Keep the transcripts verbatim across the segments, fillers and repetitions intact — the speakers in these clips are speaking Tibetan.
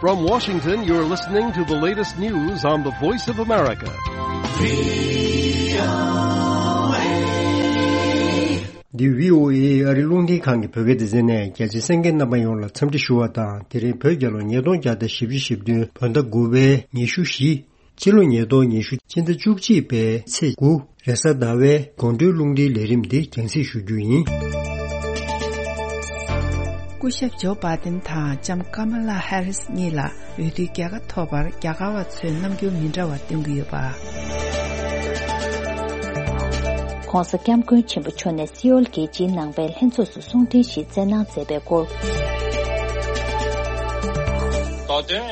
From Washington, you're listening to the latest news on the Voice of America. འདི་བྷི་ཨོ་ཨེ་ཨ་རིའི་རླུང་འཕྲིན་ཁང་གི་བོད་སྐད་སྡེ་ཚན་ནས། རྒྱ་ཆེའི་གསན་མཁན་རྣམ་པ་ཡོངས་ལ་འཚམས་འདྲི་ཞུ་བ་དང་། དེ་རིང་བོད་རྒྱལ་ལོ་ཉིས་སྟོང་བརྒྱ་དང་བཞི་བཅུ་ཞེ་བདུན། བོད་ཟླ་དགུ་པའི་ཉི་ཤུ་བཞི། ཕྱི་ལོ་ཉིས་སྟོང་ཉི་ཤུ། སྤྱི་ཟླ་བཅུ་གཅིག་པའི་ཚེས་དགུ། རེས་གཟའ་ཟླ་བའི་དགོང་དྲོའི་རླུང་འཕྲིན་ལས་རིམ་འདི་རྒྱང་སྲིང་ཞུ་རྒྱུ་ཡིན། སྐུ་ཞབས་ཇོ་བྷ་དན་དང་ལྕམ་ཀ་མ་ལ་ཧེ་རིས་གཉིས་ལ་འོས་བསྡུའི་རྒྱལ་ཁ་ཐོབ་པར་རྒྱ་གར་བ་ཚོས་རྣམ་འགྱུར་མི་འདྲ་བ་སྟོན་གྱི་ཡོད་པ། ྋགོང་ས་ྋསྐྱབས་མགོན་ཆེན་པོ་མཆོག་ནས་སེའུལ་རྒྱལ་སྤྱིའི་ནང་པའི་ལྷན་ཚོགས་སུ་གསུང་འཕྲིན་ཞིག་བསྩལ་གནང་མཛད་པའི་སྐོར། མདོ་དོན།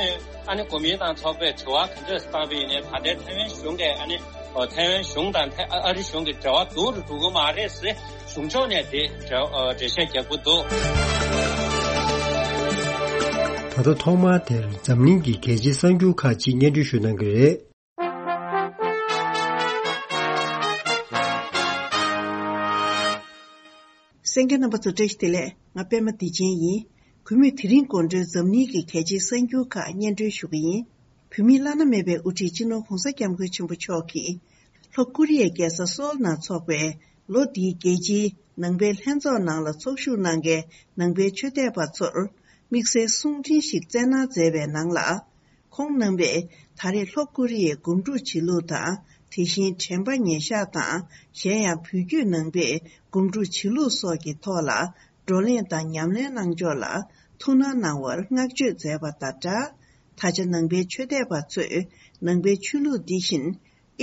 ཨ་ནི་གོ་མིན་ཏང་ཚོགས་པས་དྲི་བ་ག་འདྲས་བཏང་བ་ཡིན་ནའི། ད་ལྟའི་ཐའེ་ཝན་གཞུང་གིས། ཨ་ནི་ཐའེ་ཝན་གཞུང་དང་ཨ་རི་གཞུང་གི་འབྲེལ་བ་སྡུག་རུ་འགྲོ་གི་མ་རེད་ཟེར་གཞུང་ཕྱོགས་ནས་དེ་འགྲེལ་བཤད་རྒྱག་གི་འདུག། ད་ལྟ་ཐོག་མར་དེར་འཛམ་གླིང་གི་རྒྱལ་སྤྱིའི་གསར་འགྱུར་ཁག་ཅིག་སྙན་སྒྲོན་ཞུ་གནང་གི་རེད། གསན་མཁན་རྣམ་པ་ཚོ་བཀྲ་ཤིས་བདེ་ལེགས། ང་པད་མ་བདེ་ཆེན་ཡིན། གུས་མོས་དེ་རིང་དགོང་དྲོའི་འཛམ་གླིང་གི་གལ་ཆེའི་གསར་འགྱུར་ཁག་སྙན་སྒྲོན་ཞུ་གི་ཡིན། བོད་མིའི་བླ་ན་མེད་པའི་དབུ་ཁྲིད་སྤྱི་ནོར་ྋགོང་ས་ྋསྐྱབས་མགོན་ཆེན་པོ་མཆོག་གིས་ལྷོ་ཀོ་རི་ཡའི་རྒྱལ་ས་སོལ་ནང་འཚོགས་པའི་ལོ་འདིའི་རྒྱལ་སྤྱིའི་ནང་པའི་ལྷན་ཚོགས་ནང་ལ་ཚོགས་ཞུགས་གནང་མཁན་ནང་པའི་ཆོས་དད་པ་ཚོར་དམིགས་བསལ་གསུང་འཕྲིན་ཞིག་བསྩལ་གནང་མཛད་པའི་ནང་ལ། ཁོང་རྣམ་པས་ད་རེས་ལྷོ་ཀོ་རི་ཡའི་སྒོམ་སྒྲུབ་བྱེད་ལུགས་དང་། དེ་བཞིན་དྲན་པ་ཉེར་བཞག་དང་། གཞན་ཡང་བོད་བརྒྱུད་ནང་པའི་སྒོམ་སྒྲུབ་བྱེད་ལུགས་སོགས་ཀྱི་ཐོག་ལ་བགྲོ་གླེང་དང་ཉམས་ལེན་གནང་ཕྱོགས་ལ་ཐུགས་སྣང་གནང་བར་བསྔགས་བརྗོད་མཛད་པ་དང་སྦྲགས། ད་ཆ་ནང་པའི་ཆོས་དད་པ་ཚོས་ནང་པའི་ཆོས་ལུགས་འདི་བཞིན་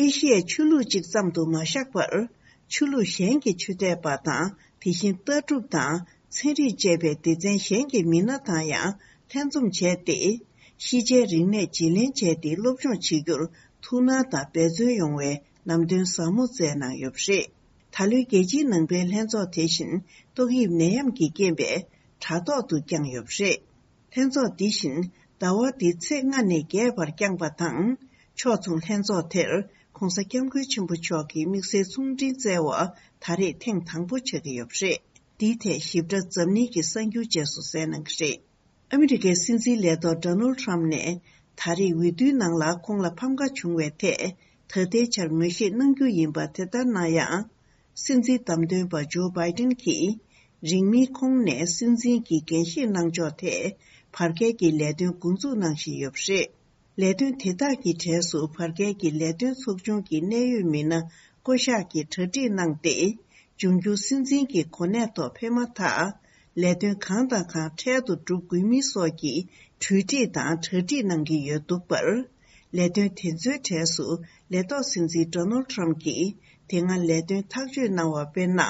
ཨེ་ཤི་ཡའི་ཆོས་ལུགས་གཅིག་ཙམ་དུ་མ་བཞག་པར། ཆོས་ལུགས་གཞན་གྱི་ཆོས་དད་པ་དང་། དེ་བཞིན་ལྟ་གྲུབ་དང་ཚན་རིག་བཅས་པའི་སྡེ་ཚན་གཞན་གྱི་མི་སྣ་དང་ཡང་ལྷན་འཛོམས་བྱས་ཏེ། ཤེས་བྱའི་རིག་གནས་བརྗེ་ལེན་བྱས་ཏེ། སློབ་སྦྱོང་བྱེད་རྒྱུར་ཐུགས་སྣང་དང་འབད་བརྩོན་ཡོང་བའི་ལམ་སྟོན་ཟབ་མོ་བསྩལ་གནང་ཡོད་པ་རེད། ད་ལོའི་རྒྱལ་སྤྱིའི་ནང་པའི་ལྷན་ཚོགས་དེ་བཞིན་ཏོག་དབྱིབས་ནད་ཡམས་ཀྱི་རྐྱེན་པས་དྲ་ཐོག་ཏུ་བསྐྱངས་ཡོད་པ་རེད། ལྷན་ཚོགས་འདི་བཞིན་ཟླ་བ་འདིའི་ཚེས་ལྔ་ནས་བརྒྱད་བར་བསྐྱངས་པ་དང་། ཕྱོགས་མཚུངས་ལྷན་ཚོགས་དེར་ྋགོང་ས་ྋསྐྱབས་མགོན་ཆེན་པོ་མཆོག་གིས་དམིགས་བསལ་གསུང་འཕྲིན་བསྩལ་བ་ད་རེས་ཐེངས་དང་པོ་ཆགས་ཀྱི་ཡོད་པ་རེད། འདིའི་ཐད་ཞིབ་ཕྲ་འཛམ་གླིང་གི་གསར་འགྱུར་རྗེས་སུ་གསན་གནང་གི་རེད། ཨ་མི་རི་ཀའི་སྲིད་འཛིན་ལས་ཐོག་ཌོ་ནལ་ཊམ་ནས་ད་རེས་འོས་བསྡུའི་ནང་ལ་ཁོང་ལ་ཕམ་ཁ་བྱུང་བའི་ཐད་ད་ལྟའི་ཆར་ངོས་བཞེས་གནང་རྒྱུ་ཡིན་པ་དེ་ལྟར་ན་ཡང་། སྲིད་འཛིན་བདམས་ཐོན་པ་ཇོ་བྷའི་ཏིན་གྱིས་རིང་མིན་ཁོང་ནས་སྲིད་འཛིན་གྱི་འགན་བཞེས་གནང་ཕྱོགས་ཐད་བར་བརྒལ་གྱི་ལས་དོན་འགོ་འཛུགས་གནང་བཞིན་ཡོད་པ་རེད། ལས་དོན་དེ་དག་གི་གྲས་སུ་བར་བརྒལ་གྱི་ལས་དོན་ཚོགས་ཆུང་གི་གནད་ཡོད་མི་སྣ་བསྐོ་གཞག་གི་གྲ་སྒྲིག་གནང་སྟེ། འབྱུང་འགྱུར་སྲིད་འཛིན་གྱི་གོ་གནས་ཐོག་ཕེབས་མ་ཐག་ལས་དོན་གང་དང་གང་འཕྲལ་དུ་སྒྲུབ་དགོས་མིན་སོགས་ཀྱི་གྲོས་འདྲིས་དང་གྲ་སྒྲིག་གནང་གི་ཡོད་འདུག་པར། ལས་དོན་དེ་ཚོའི་གྲས་སུ་ལས་ཐོག་སྲིད་འཛིན་ཌོ་ནལ་ཊམ་གྱིས་དེ་སྔ་ལས་དོན་ཐག་གཅོད་གནང་བ་དཔེར་ན།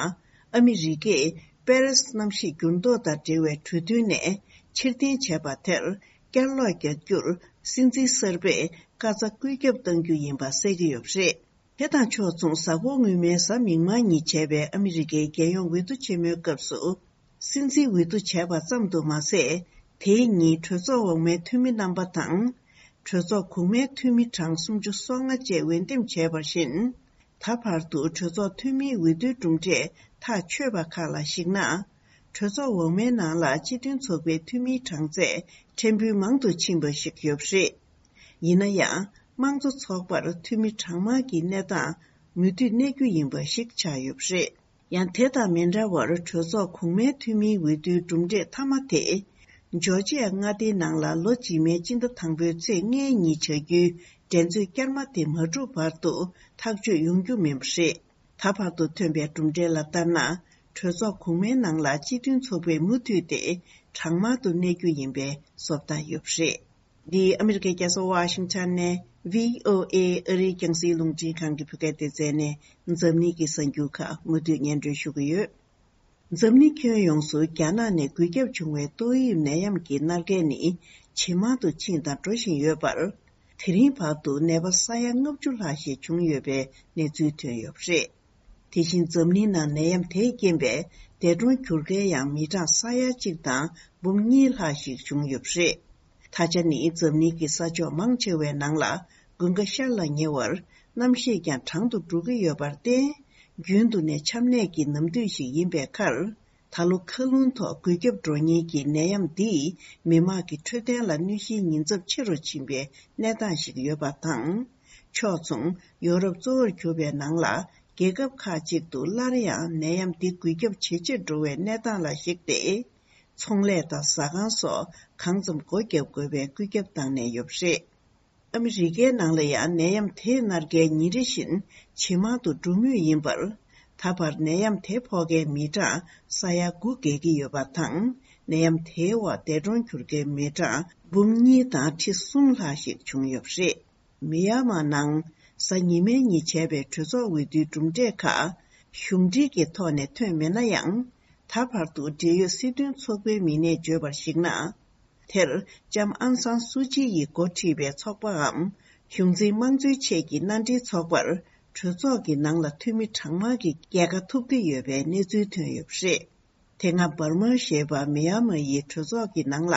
ཨ་མི་རི་ཀས་པེ་རེས་གནམ་གཤིས་འགྱུར་ལྡོག་དང་འབྲེལ་བའི་གྲོས་མཐུན་ནས་ཕྱིར་འཐེན་བྱས་པ་དེར་བསྐྱར་ལོག་རྒྱག་རྒྱུར་སྲིད་འཛིན་གསར་པས་བཀའ་རྩ་བཀོད་ཁྱབ་གཏང་རྒྱུ་ཡིན་པ་གསལ་གྱི་ཡོད་པ་རེད། དེ་དང་ཕྱོགས་མཚུངས། གཟའ་འཁོར་སྔོན་མའི་གཟའ་མིག་དམར་ཉིན་བྱས་པའི་ཨ་མི་རི་ཀའི་རྒྱལ་ཡོངས་འོས་བསྡུ་ཆེན་མོའི་སྐབས་སུ། སྲིད་འཛིན་འོས་བསྡུ་བྱས་པ་ཙམ་དུ་མ་ཟད། དེའི་ཉིན་གྲོས་ཚོགས་འོག་མའི་འཐུས་མི་རྣམ་པ་དང་། གྲོས་ཚོགས་གོང་མའི་འཐུས་མི་གྲངས་སུམ་ཅུ་སོ་ལྔ་བཅས་འོས་འདེམས་བྱས་པར་བཞིན། ད་བར་དུ་གྲོས་ཚོགས་འཐུས་མིའི་འོས་བསྡུའི་གྲུབ་འབྲས་ཐག་ཆོད་པ་ཁག་ལ་གཞིགས་ན། གྲོས་ཚོགས་འོག་མའི་ནང་ལ་སྤྱི་མཐུན་ཚོགས་པའི་འཐུས་མིའི་གྲངས་ཚད་ཕྲན་བུ་མང་དུ་ཕྱིན་པ་ཞིག་ཡོད་པ་རེད། ཡིན་ན་ཡང་། དམངས་གཙོ་ཚོགས་པར་འཐུས་མི་གྲངས་མང་གི་གནས་སྟངས་མུ་མཐུད་གནས་རྒྱུ་ཡིན་པ་ཞིག་ཆགས་ཡོད་པ་རེད། ཡང་དེ་དང་མི་འདྲ་བར། གྲོས་ཚོགས་གོང་མའི་འཐུས་མིའི་འོས་བསྡུའི་གྲུབ་འབྲས་མཐའ་མ་དེ། ཇོར་ཇི་ཡ་མངའ་སྡེའི་ནང་ལ་ལོ་རྗེས་མའི་སྤྱི་ཟླ་དང་པོའི་ཚེས་ལྔའི་ཉིན་བྱ་རྒྱུའི་འགྲན་རྩོད་བསྐྱར་མ་དེ་མ་གྲུབ་བར་དུ་ཐག་གཅོད་ཡོང་རྒྱུ་མིན་པ་རེད། ད་བར་དུ་ཐོན་པའི་གྲུབ་འབྲས་ལ་ལྟར་ན། གྲོས་ཚོགས་གོང་མའི་ནང་ལ་སྤྱི་མཐུན་ཚོགས་པས་མུ་མཐུད་དེ་གྲངས་མང་དུ་གནས་རྒྱུ་ཡིན་པའི་བཟོ་ལྟ་ཡོད་པ་རེད། འདི་ཨ་མི་རི་ཀའི་རྒྱལ་ས་ཝ་ཤིང་ཊོན་ནས་བྷི་ཨོ་ཨེ་ཨ་རིའི་རྒྱང་སྲིང་རླུང་འཕྲིན་ཁང་གི་བོད་སྐད་སྡེ་ཚན་ནས་འཛམ་གླིང་གི་གསར་འགྱུར་ཁག་མུ་མཐུད་སྙན་སྒྲོན་ཞུ་གི་ཡོད། འཛམ་གླིང་ཁྱོན་ཡོངས་སུ་རྒྱ་ནག་ནས་འགོས་ཁྱབ་བྱུང་བའི་ཏོག་དབྱིབས་ནད་ཡམས་ཀྱི་མནར་གད་ནི་ཇེ་མང་དུ་ཕྱིན་དང་འགྲོ་བཞིན་ཡོད་པར། དེ་རིང་བར་དུ་ནད་པ་ས་ཡ་ལྔ་བཅུ་ལྷག་ཞིག་བྱུང་ཡོད་པའི་གནས་ཚུལ་ཐོན་ཡོད་པ་རེད། དེ་བཞིན་འཛམ་གླིང་ནང་ནད་ཡམས་དེས་རྐྱེན་པས་འདས་གྲོངས་གྱུར་མཁན་ཡང་མི་གྲངས་ས་ཡ་གཅིག་དང་འབུམ་གཉིས་ལྷག་ཞིག་བྱུང་ཡོད་པ་རེད། ད་ཆ་ནི་འཛམ་གླིང་གི་ས་ཕྱོགས་མང་ཆེ་བའི་ནང་ལ་དགུན་ཁ་ཤར་ལ་ཉེ་བར་གནམ་གཤིས་ཀྱང་གྲང་དུ་འགྲོ་གི་ཡོད་པར་བརྟེན། རྒྱུན་དུ་ནས་ཆམ་ནད་ཀྱི་ནམ་དུས་ཤིག་ཡིན་པའི་ཁར། ད་ལོ་མཁའ་རླུང་ཐོག་འགུལ་ཁྱབ་འགྲོ་ཉེན་གྱི་ནད་ཡམས་འདིས་མི་དམངས་ཀྱི་འཕྲོད་བསྟེན་ལ་གནོད་གཞིའི་ཉེན་ཚབས་ཆེ་རུ་ཕྱིན་པའི་གནས་སྟངས་ཤིག་ཡོད་པ་དང་། ཕྱོགས་མཚུངས་ཡོ་རོབ་གཙོ་བོར་གྱུར་པའི་ནང་ལ་རྒྱལ་ཁབ་ཁག་ཅིག་ཏུ་སླར་ཡང་ནད་ཡམས་འདི་འགུལ་ཁྱབ་ཇེ་ཆེར་འགྲོ་བའི་གནས་སྟངས་ལ་གཞིགས་ཏེ། ཚོང་ལས་དང་ཟ་ཁང་སོགས་གང་ཙམ་སྒོ་བརྒྱབ་དགོས་པའི་བཀོད་ཁྱབ་བཏང་གནས་ཡོད་པ་རེད། ཨ་མི་རི་ཀའི་ནང་ལ་ཡང་ནད་ཡམས་དེ་སྣ་ལྔའི་ཉིན་རེ་བཞིན་ཇེ་མང་དུ་འགྲོ་མུས་ཡིན་པར། ད་བར་ནད་ཡམས་དེ་ཕོག་མཁན་མི་གྲངས་ས་ཡ་དགུ་བརྒལ་གྱི་ཡོད་པ་དང་། ནད་ཡམས་དེའི་འོག་འདས་གྲོངས་གྱུར་མཁན་མི་གྲངས་འབུམ་གཉིས་དང་ཁྲི་གསུམ་ལྷག་ཞིག་བྱུང་ཡོད་པ་རེད། མི་ཡ་མ་ནང་གཟའ་ཉི་མའི་ཉིན་བྱས་པའི་གྲོས་ཚོགས་འོས་བསྡུའི་གྲུབ་འབྲས་ཁག་གཞུང་འབྲེལ་གྱི་ཐོག་ནས་ཐོན་མེད་ན་ཡང་། ད་བར་དུ་འབྲེལ་ཡོད་སྲིད་དོན་ཚོགས་པའི་མི་སྣས་བརྗོད་པར་གཞིགས་ན། དེར་ལྕམ་ཨང་སང་སུ་ཅི་ཡིས་འགོ་ཁྲིད་པའི་ཚོགས་པའམ་གཞུང་འཛིན་དམངས་གཙོའི་ཆེད་ཀྱི་མནའ་འབྲེལ་ཚོགས་པར་གྲོས་ཚོགས་ཀྱི་ནང་ལ་འཐུས་མི་གྲངས་མང་གི་རྒྱལ་ཁ་ཐོབ་ཀྱི་ཡོད་པའི་གནས་ཚུལ་ཐོན་ཡོད་པ་རེད། དེ་སྔ་འབར་མ་ཞེས་པ་མི་ཡ་མ་ཡི་གྲོས་ཚོགས་ཀྱི་ནང་ལ་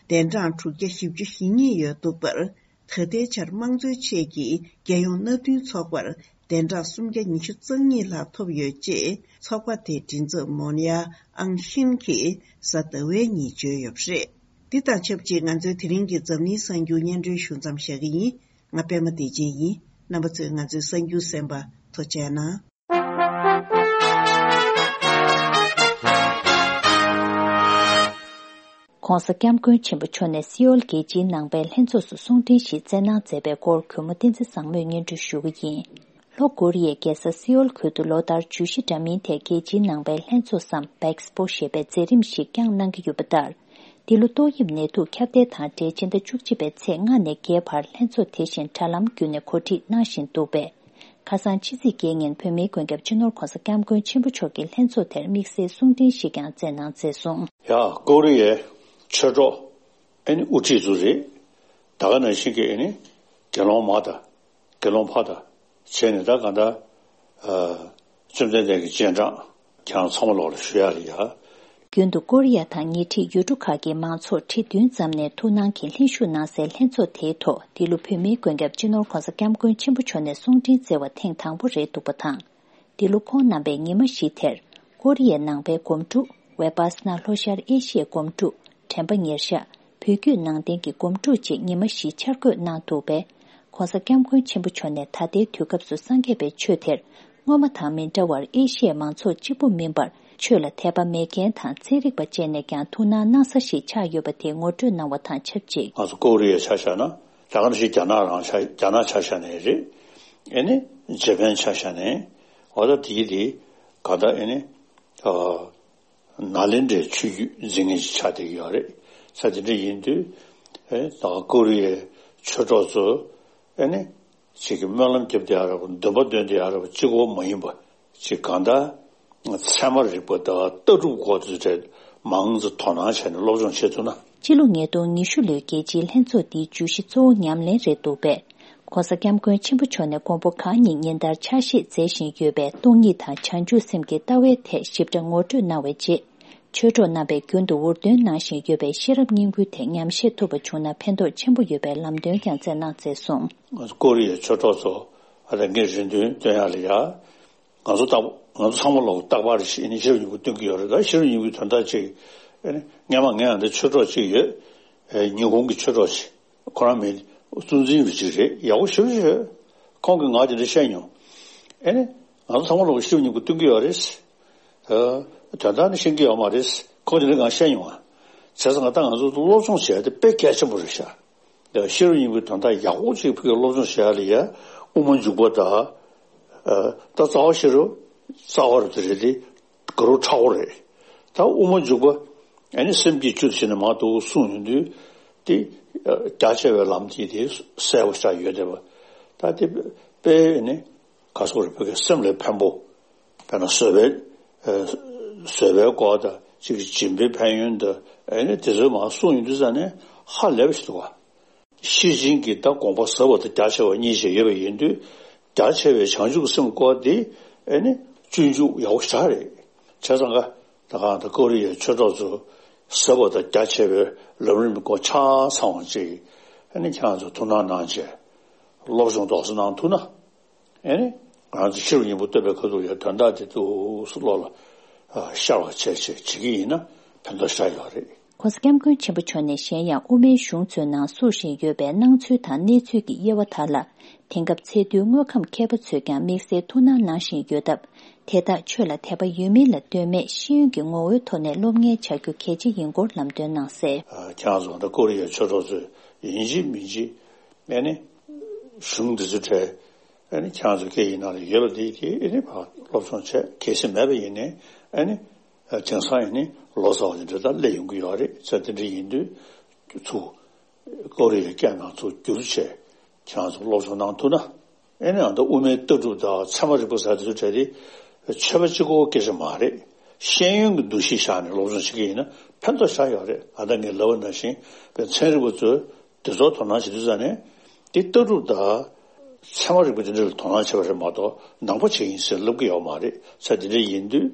གདན་གྲངས་དྲུག་བརྒྱ་བཞི་བཅུ་ཞེ་གཉིས་ཡོད་འདུག་པར། ད་ལྟའི་ཆར་དམངས་གཙོའི་ཆེད་ཀྱི་རྒྱལ་ཡོངས་མནའ་མཐུན་ཚོགས་པར་གདན་གྲངས་སུམ་བརྒྱ་ཉི་ཤུ་རྩ་གཉིས་ལྷག་ཐོབ་ཡོད་ཅེས་ཚོགས་པ་དེའི་མགྲིན་ཚབ་མོན་ཡ་ཨང་ཤིན་གྱིས་གཟའ་ཟླ་བའི་ཉིན་བརྗོད་ཡོད་པ་རེད། འདི་དང་ཆབས་ཅིག་ང་ཚོའི་དེ་རིང་གི་འཛམ་གླིང་གསར་འགྱུར་སྙན་སྒྲོན་ཞུ་མཚམས་བཞག་གི་ཡིན། ང་པད་མ་བདེ་ཆེན་ཡིན། རྣམ་པ་ཚོས་ང་ཚོའི་གསར་འགྱུར་གསན་པར་ཐུགས་རྗེ་གནང་། ྋགོང་ས་ྋསྐྱབས་མགོན་ཆེན་པོ་མཆོག་ནས་སེའུལ་རྒྱལ་སྤྱིའི་ནང་པའི་ལྷན་ཚོགས་སུ་གསུང་འཕྲིན་ཞིག་བསྩལ་གནང་མཛད་པའི་སྐོར་གུས་མོ་བསྟན་འཛིན་བཟང་མོས་སྙན་སྒྲོན་ཞུ་གི་ཡིན། ལྷོ་ཀོ་རི་ཡའི་རྒྱལ་ས་སེའུལ་ཁུལ་དུ་ལོ་ལྟར་བརྗོད་གཞི་འདྲ་མིན་ཐད་རྒྱལ་སྤྱིའི་ནང་པའི་ལྷན་ཚོགས་སམ་བེག་སི་པོ་ཞེས་པའི་མཛད་རིམ་ཞིག་བསྐྱངས་གནང་གི་ཡོད་པ་ལྟར། འདི་ལོ་ཏོག་དབྱིབས་ནད་དུག་ཁྱབ་གདལ་དང་འབྲེལ་ཕྱི་ཟླ་བཅུ་གཅིག་པའི་ཚེས་ལྔ་ནས་བརྒྱད་བར་ལྷན་ཚོགས་དེ་བཞིན་དྲ་ལམ་བརྒྱུད་ནས་གོ་སྒྲིག་གནང་བཞིན་འདུག་པས། ཁ་སང་ཕྱི་ཚེས་བརྒྱད་ཉིན་བོད་མིའི་མགོན་སྐྱབས་སྤྱི་ནོར་ྋགོང་ས་ྋསྐྱབས་མགོན་ཆེན་པོ་མཆོག་གིས་ལྷན་ཚོགས་དེར་དམིགས་བསལ་གསུང་འཕྲིན་ཞིག་ཀྱང་བསྩལ་གནང་མཛད་སོང་། ཡ། ཀོ་རི་ཡའི་ཆོས་གྲོགས་ཨེ་ནི་དབུ་ཁྲིད་ཚོ་རེད། ད་ག་ནང་བཞིན་གྱི་ཨེ་ནི་དགེ་སློང་མ་དང་དགེ་སློང་ཕ་དང་བྱས་ནས་ད་ག་ད་བཅོམ་ལྡན་འདས་ཀྱི་རྗེས་འབྲང་ཁྱེད་རང་ཚང་མ་ལོག་ལ་ཞུ་ཡ་ལ་ཡ། རྒྱུན་དུ་ཀོ་རི་ཡ་དང་ཉེ་འཁྲིས་ཡུལ་གྲུ་ཁག་གི་མང་ཚོགས་ཁྲི་བདུན་ཙམ་ནས་ཐུགས་སྣང་གིས་ལྷན་ཞུགས་གནང་སའི་ལྷན་ཚོགས་དེའི་ཐོག་འདི་ལོ་བོད་མིའི་མགོན་སྐྱབས་སྤྱི་ནོར་ྋགོང་ས་ྋསྐྱབས་མགོན་ཆེན་པོ་མཆོག་ནས་གསུང་འཕྲིན་བསྩལ་བ་ཐེངས་དང་པོ་རེད་འདུག་པ་དང་། འདི་ལོ་ཁོང་རྣམ་པས་ཉི་མ་བཞི་དེར་ཀོ་རི་ཡའི་ནང་པའི་སྒོམ་སྒྲུབ། ཝེ་པ་སི་ན་ལྷོ་ཤར་ཨེ་ཤི་ཡའི་སྒོམ་སྒྲུབ། དྲན་པ་ཉེར་བཞག་བོད་བརྒྱུད་ནང་བསྟན་གྱི་སྒོམ་སྒྲུབ་བཅས་ཉི་མ་བཞི་འཆར་འགོད་གནང་འདུག་པས། ྋགོང་ས་ྋསྐྱབས་མགོན་ཆེན་པོ་མཆོག་ནས་ད་ལྟའི་དུས་སྐབས་སུ་སངས་རྒྱས་པའི་ཆོས་དེར་སྔོན་མ་དང་མི་འདྲ་བར་ཨེ་ཤི་ཡའི་མང་ཚོགས་གཅིག་པུ་མིན་པར་ཆོས་ལ་དད་པ་མེད་མཁན་དང་ཚན་རིག་པ་བཅས་ནས་ཀྱང་ཐུགས་སྣང་གནང་ས་ཞིག་ཆགས་ཡོད་པ་དེ་ངོ་སྤྲོད་གནང་བ་དང་ཆབས་ཅིག་ང་ཚོ་ཀོ་རི་ཡ་ཆ་བཞག་ན་ད་ག་ནང་བཞིན་རྒྱ་ནག་རང་ཆ་རྒྱ་ནག་ཆ་བཞག་ནའི་རེད། ཨེ་ནི་ཇེ་པན་ཆ་བཞག་ནའི་འོ་ད་དེའི་དེ་ག་ད་ཨེ་ནི་ཨ། ནཱ་ལེནྡྲའི་ཆོས་བརྒྱུད་འཛིན་མཁན་ཞིག་ཆགས་བསྡད་ཀྱི་ཡོད་རེད། ས་དེ་འདྲ་ཡིན་དུས་ཨེ་ད་ཀོ་རི་ཡའི་ཆོས་གྲོགས་ཚོ་ཨེ་ནི་ཅིག་གི་སྨོན་ལམ་རྒྱབ་བསྡད་ཡ་རེད་པ། འདུན་པ་འདོན་བསྡད་ཡ་རེད་པ། གཅིག་པོ་མ་ཡིན་པ་ཅིག་གང་ལྟར་ཚད་མ་རིག་པ་དང་ལྟ་གྲུབ་སྐོར་དེ་འདྲ་མང་ཙམ་དོ་སྣང་བྱས་ནས་སློབ་སྦྱོང་བྱེད་ཐུབ་ན། སྤྱི་ལོ་ཉིས་སྟོང་ཉི་ཤུ་ལོའི་རྒྱལ་སྤྱིའི་ལྷན་ཚོགས་འདིའི་བརྗོད་གཞི་གཙོ་བོ་ཉམས་ལེན་རེད་འདུག་པས། ྋགོང་ས་ྋསྐྱབས་མགོན་ཆེན་པོ་མཆོག་ནས་མགོན་པོ་གང་ཉིད་ཉིན་ལྟར་ཕྱག་བཞེས་མཛད་བཞིན་ཡོད་པའི་སྟོང་ཉིད་དང་བྱང་ཆུབ་སེམས་ཀྱི་ལྟ་བའི་ཐད་ཞིབ་ཕྲ་ངོ་སྤྲོད་གནང་བའི་རྗེས། ཆོས་གྲོགས་རྣམ་པས་རྒྱུན་དུ་འུར་འདོན་གནང་བཞིན་ཡོད་པའི་ཤེས་རབ་སྙིང་པོའི་ཐད་ཉམས་བཞེས་ཐུབ་པ་བྱུང་ན་ཕན་ཐོགས་ཆེན་པོ་ཡོད་པའི་ལམ་སྟོན་ཀྱང་བསྩལ་གནང་མཛད་སོང་། ཀོ་རི་ཡའི་ཆོས་གྲོགས་ཚོ་ལས་འགན་རེ་འདུན་འདོན་ཡག་ལ་ཡ། ང་ཚོ་རྟག་ང་ཚོ་ཚང་མ་ལོག་རྟག་པར་ཞིག་ནི་ཤེས་རབ་སྙིང་པོ་སྟོན་གྱི་ཡོད་རེད། ད་ཤེས་རབ་སྙིང་པོའི་དོན་དག་ཅིག་ཨེ་ནི་སྔན་མ་ངས་ཡང་འདི་ཆོས་གྲོགས་ཅིག་ཡོད། ཨེ་ཉི་ཧོང་གི་ཆོས་གྲོགས་ཅིག་ཁོ་རང་མི་གཙོ་འཛིན་རུ་ཅིག་རེད། ཡག་པོ་ཞེ་པོ་ཅིག་ཡོད། ཁོང་གིས་ང་དེ་འདྲ་བཤད་མྱོང་། ཨེ་ནི་ང་ཚོ་ཚང་མ་ལོག་ཤེས་རབ་སྙིང་པོ་སྟོན་གྱི་ཡོད་རེད། ཨ་དོན་དག་ནི་ཤེས་ཀྱི་ཡོད་མ་རེད། ཁོང་དེ་འདྲ་གང་བཤད་མྱོང་ང་། བྱས་ཙང་ང་ད་ང་ཚོ་སློབ་སྦྱོང་བྱས་ཏེ་དཔེ་གལ་ཆེན་པོ་རེད་ཤག་ཤེས་རབ་སྙིང་པོའི་དོན་དག་ཡག་པོ་ཅིག་ཕ་གིར་སློབ་སྦྱོང་བྱེད་ཡ་ལ་ཡ་དབུ་མ་འཇུག་པ་དང་། ཨ་ད་རྩ་བ་ཤེས་རབ་རྩ་བ་རུ་དེ་རེད་དེ་དགའ་རབ་ཕྲ་བོ་རེད། ད་དབུ་མ་འཇུག་པ་ཨ་ནི་སེམས་བསྐྱེད་བཅུ་དེ་བྱས་ནས་མར་འདུག་གསུངས་ཡོང་དུས་དེ་རྒྱ་ཆེ་བའི་ལམ་དེ་དེ་གསལ་པོ་ཆགས་ཡོད་བསྡད་པ། ད་དེ་དཔེ་ནི་ག་སོགས་རེད། ཕ་གིའི་སེམས་ལ་ཕན་པོ། དཔེར་ན་བཟོད་པའི་ཨ་བཟོད་པའི་སྐོར་དང་གཅིག་གི་སྦྱིན་པའི་ཕན་ཡོན་དང་ཨ་ནི་དེ་ཚོ་མར་གསུངས་ཡོང་དུས་ཙང་ནས་ཧ་ལས་པ་ཞིག་འདུག་བ། ཤེར་ཕྱིན་གྱི་ད་དགོངས་པ་ཟབ་པ་དང་རྒྱ་ཆེ་བ་གཉིས་ཤིག་ཡོད་པ་ཡིན་དུས་རྒྱ་ཆེ་བའི་བྱང་ཆུབ་སེམས་སྐོར་དེ་ཨ་ནི་སྤྱོད་འཇུག་ཡག་པོ་ཞེ་དྲག་རེད། བྱས་ཙང་ཀ་ད་གང་ད་ཀོ་རི་ཡའི་ཆོས་གྲོགས་ཚོ་ཟབ་པ་དང་རྒྱ་ཆེ་བའི་ལམ་རིམ་སྐོར་ཆ་ཚང་བ་ཅིག་ཨ་ནི་ཁྱེད་རང་ཚོ་ཐུགས་སྣང་གནང་བྱས་སློབ་སྦྱོང་རྡོག་རྩ་གནང་ཐུབ་ན། ཨེ་ནི། ང་ཚོ་ཤེས་རབ་སྙིང་པོ་བསྟོད་པའི་ཁ་ཐུག་ཡ་དོན་དག་དེ་ཏོག་ཙམ་བློ་ལ་ ཤར་བ་བྱས་བྱས་བྱེད་ཀྱི་ ཡིན་ན་ཕན་ཐོགས་ཤར་ཡོད་རེད། ༸གོང་ས་༸སྐྱབས་མགོན་ཆེན་པོ་མཆོག་ནས་གཞན་ཡང་དབུ་མའི་གཞུང་ཚོའི་ནང་བཙུགས་བཞིན་ཡོད་པའི་སྣང་ཚུལ་དང་གནས་ཚུལ་གྱི་དབྱེ་བ་དག་ལ། དེང་སྐབས་ཚད་མཐོའི་དངོས་ཁམས་མཁས་པ་ཚོས་ཀྱང་དམིགས་བསལ་ཐུགས་སྣང་གནང་བཞིན་ཡོད་སྟབས། དེ་དག་ཆོས་ལ་དད་པ་ཡོད་མིན་ལ་ལྟོས་མེད་ཤེས་ཡོན་གྱི་ངོ་བོའི་ཐོག་ནས་སློབ་གཉེར་བྱ་རྒྱུ་གལ་ཆེ་ཡིན་སྐོར་ལམ་སྟོན་གནང་གསལ། ཁྱེད་རང་ཚོ་ད་ཀོ་རི་ཡའི་ཆོས་གྲོགས་ཚོས་ཡིན་གཅིག་མིན་གཅིག་ཨ་ནི་གཞུང་འདི་ཚོའི་གྲས་ཨ་ནི་ཁྱེད་རང་ཚོ་སྐད་ཡིག་ནང་ལ་ཡོད་པ་འདི་གིས་ཨ་ནི་ཕར་སློབ་སྦྱོང་བྱས། གལ་སྲིད་མེད་པ་ཡིན་ནའི་ཨ་ནི། དེང་སང་ཡིན་ནི་ལོ་ཙཱ་བ་དེ་འདྲ་ད་སླེབས་ཡོང་གི་ཡོད་རེད། ཙང་དེ་འདྲ་ཡིན་དུས་ཚུར་ཀོ་རི་ཡའི་སྐད་ནང་ཚུར་བསྒྱུར་བྱས་ཁྱེད་རང་ཚོ་སློབ་སྦྱོང་གནང་ཐུབ་ན། ཨེ་ནི་ཨ་ད་དབུ་མའི་ལྟ་གྲུབ་དང་ཚད་མ་རིག་པ་ཟེར་དེ་ཚོ་གྲས་དེ་ཆོས་པ་གཅིག་པོའི་སྐད་ཆ་མ་རེད། ཤེས་ཡོན་གྱི་འདུ་ཤེས་བཞག་ནས་སློབ་སྦྱོང་བྱེད་ཀྱི་ཡིན་ན་ཕན་ཐོགས་ཤར་ཡོད་རེད། ཨ་ད་ངས་ལབ་པ་ནང་བཞིན་པའི་ཚན་རིག་པ་ཚོས། དེ་ཚོར་དོ་སྣང་བྱེད་དུས་ཙང་ནས་དེ་ལྟ་གྲུབ་དང་ཚད་མ་རིག་པ་དེ་འདྲ་ལ་དོ་སྣང་བྱེད་པ་རེད་མ་གཏོགས་ནང་པ་བྱེད་ཡིན་ཟེར་ལབ་ཀྱི་ཡོད་མ་རེད། ས་དེ་འདྲ་ཡིན་དུས་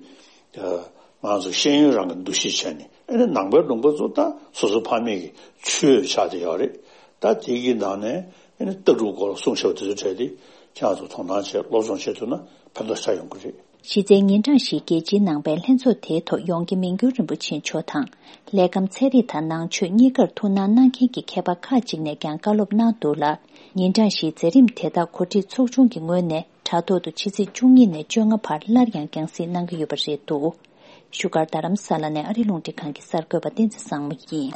ང་ཚོ་ཤེས་ཡོན་རང་གི་འདུ་ཤེས་བྱས་ནས་ཨེ་ནི་ནང་པའི་ལུང་པ་ཚོ་ད་སོ་སོ་ཕ་མེས་ཀྱི་ཆོས་ཆགས་བསྡད་ཡོད་རེད། ད་དེ་གི་ནང་ནས་ཨེ་ནི་ལྟ་གྲུབ་སྐོར་གསུངས་བཞག་པ་དེ་ཚོ་བྲལ་ཏེ་ཁྱེད་ཚོ་དོ་སྣང་བྱས་སློབ་སྦྱོང་བྱེད་ཐུབ་ན་ཕན་ཐོགས་ཆགས་ཡོང་གི་རེད། གཞི་རྩའི་ཉིན་གྲངས་ཤིག་རྒྱལ་སྤྱིའི་ནང་པའི་ལྷན་ཚོགས་དེའི་ཐོག་ཡོངས་དགེ་མིང་སྒྱུར་རིན་པོ་ཆེ་མཆོག་དང་། ལས་ཁམས་ཚན་རིག་དང་ནང་ཆོས་གཉིས་ཀར་ཐུགས་སྣང་གནང་མཁན་གྱི་མཁས་པ་ཁག་ཅིག་ནས་ཀྱང་བཀའ་སློབ་གནང་འདུག་ལ། ཉིན་གྲངས་བཞིའི་མཛད་རིམ་དེ་དག་གོ་སྒྲིག་ཚོགས་ཆུང་གི་ངོས་ནས་དྲ་ཐོག་ཏུ་ཕྱི་ཚེས་བཅུ་གཉིས་ནས་བཅོ་ལྔ་བར་སླར་ཡང་རྒྱང་སྲིང་གནང་གི་ཡོད་པ་རེད་འདུག་བཞུགས་སྒར་རྡ་རམ་ས་ལ་ནས་ཨ་རི་རླུང་འཕྲིན་ཁང་གི་གསར་འགོད་པ་བསྟན་འཛིན་བཟང་མོ་ཡིན།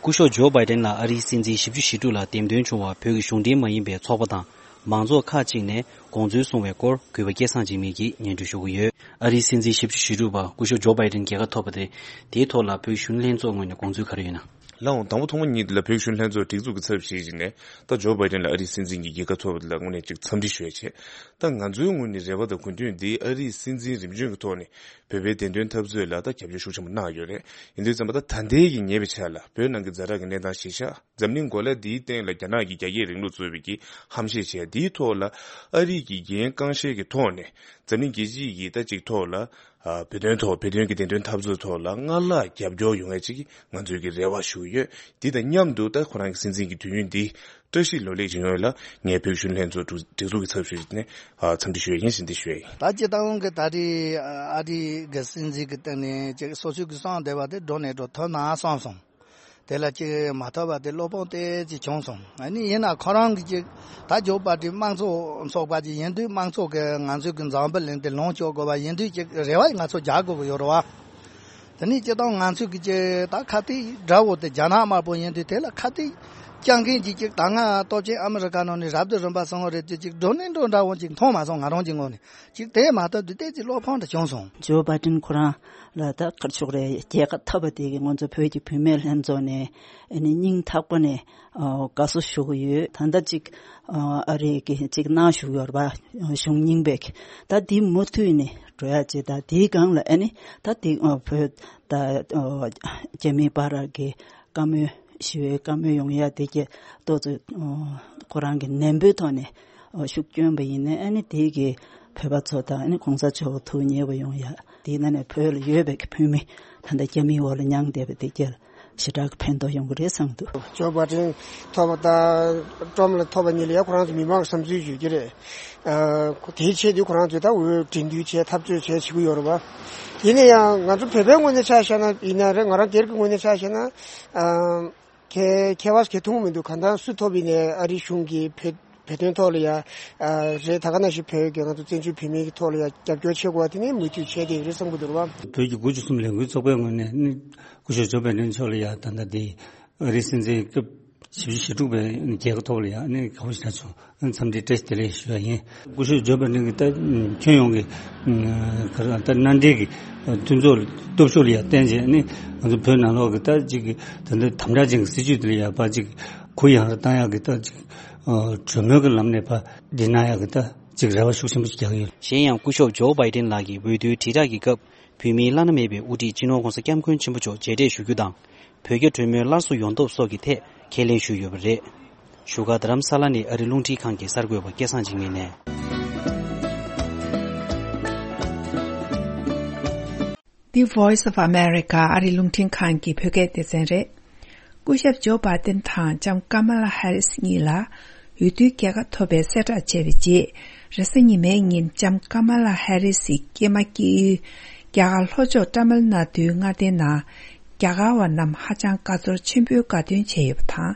སྐུ་ཞབས་ཇོ་བྷའི་ཏིན་ལ་ཨ་རིའི་སྲིད་འཛིན་བཞི་བཅུ་ཞེ་དྲུག་ལ་འདེམས་ཐོན་བྱུང་བར་བོད་ཀྱི་གཞུང་འབྲེལ་མ་ཡིན་པའི་ཚོགས་པ་དང་མང་ཚོགས་ཁག་ཅིག་ནས་དགོངས་ཚུལ་གསུངས་པའི་སྐོར་གུས་པ་སྐལ་བཟང་འཇིགས་མེད་ཀྱིས་སྙན་སྒྲོན་ཞུ་གི་ཡོད། ཨ་རིའི་སྲིད་འཛིན་བཞི་བཅུ་ཞེ་དྲུག་པ་སྐུ་ཞབས་ཇོ་བྷའི་ཏིན་རྒྱལ་ཁ་ཐོབ་པ་དེ། དེའི་ཐོག་ལ་བོད་གཞོན་ལྷན་ཚོགས་ངོས་ནས་དགོངས་ཚུལ་ག་རེ་ཡོད་ན། ལགས་འོང་། དང་པོ་ཐོག་མ་ཉིད་ལ་བོད་གཞོན་ལྷན་ཚོགས་སྒྲིག་འཛུགས་ཀྱི་ཚབ་བྱེད་བཞིན་ནས་ད་ཇོ་བྷའི་ཏིན་ལ་ཨ་རིའི་སྲིད་འཛིན་གྱི་རྒྱལ་ཁ་ཐོབ་པ་དེ་ལ་དངོས་གནས་ཅིག་འཚམས་འདྲི་ཞུ་ཡ་བྱས། ད་ང་ཚོའི་ངོས་ནས་རེ་བ་དང་དགོས་འདུན་འདི་ཨ་རིའི་སྲིད་འཛིན་རིམ་བྱོན་གྱི་ཐོག་ནས་བོད་པའི་བདེན་དོན་འཐབ་རྩོད་ལ་ད་རྒྱབ་སྐྱོར་ཤུགས་ཆེན་པོ་གནང་ཡོད་རེད། ཡིན་དུས་ཙམ་པ་ད་ད་ལྟའི་གི་ཉེ་བའི་ཆར་ལ་བོད་ནང་གི་ཛ་དྲག་གི་གནས་སྟངས་གཞིར་བཞག་འཛམ་གླིང་གོ་ལ་འདིའི་སྟེང་ལ་རྒྱ་ནག་གི་རྒྱ་སྐྱེད་རིང་ལུགས་གཙོས་པའི་གི་ཧམ་བཤད་བྱས། འདིའི་ཐོག་ལ་ཨ་རི་གི་འགན་རྐང་བཤེར་གྱི་ཐོག་ནས་འཛམ་གླིང་རྒྱལ་སྤྱི་ཡི་ད་ཅིག་ཐོག་ལ་ཨ་བོད་དོན་ཐོག་བོད་དོན་གྱི་བདེན་དོན་འཐབ་རྩོད་ཐོག་ལ་སྔར་ལྷག་རྒྱབ་སྐྱོར་ཡོང་ཡ་ཅིག་ང་ཚོས་ཀྱི་རེ་བ་ཞུ་གི་ཡོད། འདི་དང་མཉམ་དུ་ད་ཁོ་རང་གི་སྲིད་འཛིན་གྱི་དུས་ཡུན་འདི་བཀྲ་ཤིས་ལོ་ལེགས་ཀྱི་ངོས་ལ་ངས་བོད་གཞོན་ལྷན་ཚོགས་སྒྲིག་འཛུགས་ཀྱི་ཚབ་ཞུས་ནས་ཨ་འཚམས་འདྲི་ཞུ་ཡ་ཡིན་ཟེར་འདི་ཞུ་ཡ་ཡིན། ད་སྤྱིར་བཏང་གི་ད་རེས་ཨ་རི་གི་སྲིད་འཛིན་གྱི་སྟེང་ནས་ཅིག་སོ་སོའི་གི་གསང་བདེ་བ་དེ་འགྲོ་ནས་འགྲོ་ཐུབ་ན་བསམ་སོང་། དེ་ལ་ཅིག་མ་ཐོབ་པ་དེ་བློ་ཕམ་ཏོག་ཙམ་བྱུང་སོང་། ཨ་ནི་ཡིན་ན་ཁོ་རང་གི་ཅིག་ད་ཇོ་བྷའི་ཏིན་དམངས་གཙོ་ཚོགས་པ་ཅིག་ཡིན་དུས་དམངས་གཙོ་གི་ང་ཚོའི་གི་འཛམ་བུ་གླིང་དེ་ལོངས་སྤྱོད་དགོས་པ་ཡིན་དུས་ཅིག་རེ་བ་ང་ཚོ་རྒྱག་དགོས་ཀྱི་ཡོད་རེད་བ། དེ་ནས་སྤྱིར་བཏང་ང་ཚོའི་གི་ཅིག་ད་ཁ་གཏད་དགྲ་བོ་དེ་རྒྱ་ནག་དམར་པོ་ཡིན་དུས་དེ་ལ་ཁ་གཏད་བཅག་མཁན་གྱི་ཅིག་ད་སྔ་སྟོབས་ཆེན་ཨ་མི་རི་ཀ་ནང་ནས་རབ་ཏུ་རིམ་པ་སོང་བ་རེད་དེ་ཅིག་འགྲོ་ནས་འགྲོ་འདྲ་བོ་ཅིག་མཐོང་མ་སོང་། ང་རང་གི་ངོས་ནས་ཅིག་དེ་མ་ཐག་ཏུ་ཏོག་ཙམ་བློ་ཕམ་འདྲ་བྱུང་སོང་། ཇོ་བྷའི་ཏིན་ཁོ་རང་ལ་ད་ག་རེ་ཞུ་དགོས་རེད། རྒྱལ་ཁ་ཐོབ་པ་དེ་གིས་ང་ཚོ་བོད་ཀྱི་བུད་མེད་ལྷན་ཚོགས་ནས་ཨ་ནི་སྙིང་ཐག་པ་ནས་ཨ་དགའ་བསུ་ཞུ་གི་ཡོད། ད་ལྟ་ཅིག་ཨ་རི་གི་ཅིག་གནང་བཞུགས་ཡོད་རེད་པ། གཞུང་རྙིང་པས་ད་འདི་མུ་མཐུད་ནས་འགྲོ་ཡ་ཅིག་ད་དེའི་སྒང་ལ་ཨ་ནི་ད་དེ་ཨ་བོད་ད་ཨ་རྒྱ་མིའི་བར་གྱི་བཀའ་མོལ་ཞི་བའི་བཀའ་མོལ་ཡོང་ཡ་དེ་གྱད་ཏོག་ཙམ་ཨ་ཁོ་རང་གི་ནན་པོའི་ཐོག་ནས་ཨ་ཤུགས་བསྐྱོན་པ་ཡིན་ན་ཨ་ནི་དེ་གི་བོད་པ་ཚོ་དང་ཨ་ནི་གོང་ས་མཆོག་ཐུགས་མཉེས་པ་ཡོང་ཡ། དེའི་ནང་ནས་བོད་ལ་ཡོད་པའི་གི་བོད་མི་ད་ལྟ་རྒྱ་མིའི་འོག་ལ་མྱངས་བསྡད་པ་དེ་གྱད་ཞེ་དྲག་གི་ཕན་ཐོགས་ཡོང་གི་རེད་བསམ་འདུག་ཇོ་བྷའི་ཏིན་ཐོབ་པ་དང་ཊམ་ཕ་ཐོབ་པ་གཉིས་ལ་ཡ་ཁོ་རང་ཚོ་མི་མང་གི་བསམ་ཚུལ་ཡོད་ཀྱི་རེད། ཨ་དེའི་ཆེད་དུ་ཁོ་རང་ཚོས་ད་འོས་འབྲི་འདུན་བྱས་འཐབ་རྩོད་བྱས་བྱེད་ཀྱི་ཡོད་རེད་པ། ཡིན་ན་ཡང་ང་ཚོ་བོད་པའི་ངོས་ནས་ཆ་བཞག་ན་ཡིན་ན་རེད། ང་རང་སྒེར་གྱི་ངོས་ནས་ཆ་བཞག་ན་ཨ་ཁྱད་ཁྱད་པར་ག་ཐུག་མི་འདུག་གང་ལྟར་སུ་ཐོབ་ཡིན་ནའི་ཨ་རི་གཞུང་གིས་བོད་བོད་དོན་ཐོག་ལ་ཡ་ཨ་རེད། ད་ག་ནང་བཞིན་བོད་ཀྱི་ང་ཚོ་བཙན་བྱོལ་བོད་མིའི་ཐོག་ལ་ཡ་རྒྱབ་སྐྱོར་བྱེད་དགོས་པ་དེ་ནི་མུ་མཐུད་བྱས་བསྡད་ཀྱི་རེད་བསམ་གྱི་འདུག་རེད་པ། བོད་ཀྱི་དགུ་བཅུ་གསུམ་ལས་འགུལ་ཚོགས་པའི་ངོས་ནས་ནི་སྐུ་ཞབས་ཇོ་བྷའི་ཏིན་མཆོག་ལ་ཡ་ད་ལྟ་དེ་ཨ་རིའི་སྲིད་འཛིན་སྐབས་བཞི་བཅུ་ཞེ་དྲུག་པའི་རྒྱལ་ཁ་ཐོབ་ལ་ཡང་ཨ་ནི་དགའ་པོ་ཞེ་དྲག་བྱུང་། ཨ་ནི་འཚམས་འདྲི་བཀྲ་ཤིས་བདེ་ལེགས་ཞུ་ཡ་ཡིན། སྐུ་ཞབས་ཇོ་བྷའི་ཏིན་གྱིས་ད་ཁྱོན་ཡོངས་ཀྱི་ག་རེ་ད་མནའ་འབྲེལ་གྱི་མཐུན་ཚོགས་སྟོབས་ཤུགས་ལ་ཡང་བརྟེན་བྱས་ནི་ང་ཚོ་བོད་ནང་ལོགས་ཀྱི་ད་ཅིག་ད་ལྟ་དམ་དྲག་ཅན་གྱི་སྲིད་བྱུས་དེ་ལ་ཡང་ཕར་ཅིག་གུ་ཡངས་རུ་བཏང་ཡག་གི་ད་ཅིག་གྲོས་མོལ་གྱི་ལམ་ནས་ཕར་འགྲིག་གནང་ཡག་གི་ད་ཅིག་རེ་བ་ཤུགས་ཆེན་པོ་ཞིག་རྒྱག་གི་ཡོད། གཞན་ཡང་སྐུ་ཞབས་ཇོ་བྷའི་ཏིན་ལགས་ཀྱིས་འོས་བསྡུའི་དྲིལ་བསྒྲགས་ཀྱི་སྐབས། བོད་མིའི་བླ་ན་མེད་པའི་དབུ་ཁྲིད་སྤྱི་ནོར་༸གོང་ས་༸སྐྱབས་མགོན་ཆེན་པོ་མཆོག་མཇལ་འཕྲད་ཞུ་རྒྱུ་དང་། བོད་རྒྱ་གྲོས་མོལ་སླར་གསོ་ཡོང་ཐབས་སོགས་ཀྱི་ཐད་ཁས་ལེན་ཞུས་ཡོད་པ་རེད། བཞུགས་སྒར་རྡ་རམ་ས་ལ་ནས་ཨ་རི་རླུང་འཕྲིན་ཁང་གི་གསར་འགོད་པ་སྐལ་བཟང་འཇིགས་མེད་ནས། The Voice of America ཨ་རི་རླུང་འཕྲིན་ཁང་གི་བོད་སྐད་སྡེ་ཚན་རེད། སྐུ་ཞབས་ཇོ་བྷའི་ཏིན་དང་ལྕམ་ཀ་མ་ལ་ཧེ་རིས་གཉིས་ལ་ འོས་བསྡུའི་རྒྱལ་ཁ་ཐོབ་པའི་གསལ་བསྒྲགས་བྱས་པའི་རྗེས། རེས་གཟའ་ཉི་མའི་ཉིན་ལྕམ་ཀ་མ་ལ་ཧེ་རིས་ཀྱི་སྐྱེས་མ་སྐྱེས་ཡུལ་རྒྱ་གར་ལྷོ་ཕྱོགས་ཏཱ་མིལ་ནཱ་ཏུའི་མངའ་སྡེའི་ནང་རྒྱ་གར་བ་རྣམས་ཧ་ཅང་དགའ་ཚོར་ཆེན་པོས་དགའ་སྟོན་བྱས་ཡོད་པ་དང་།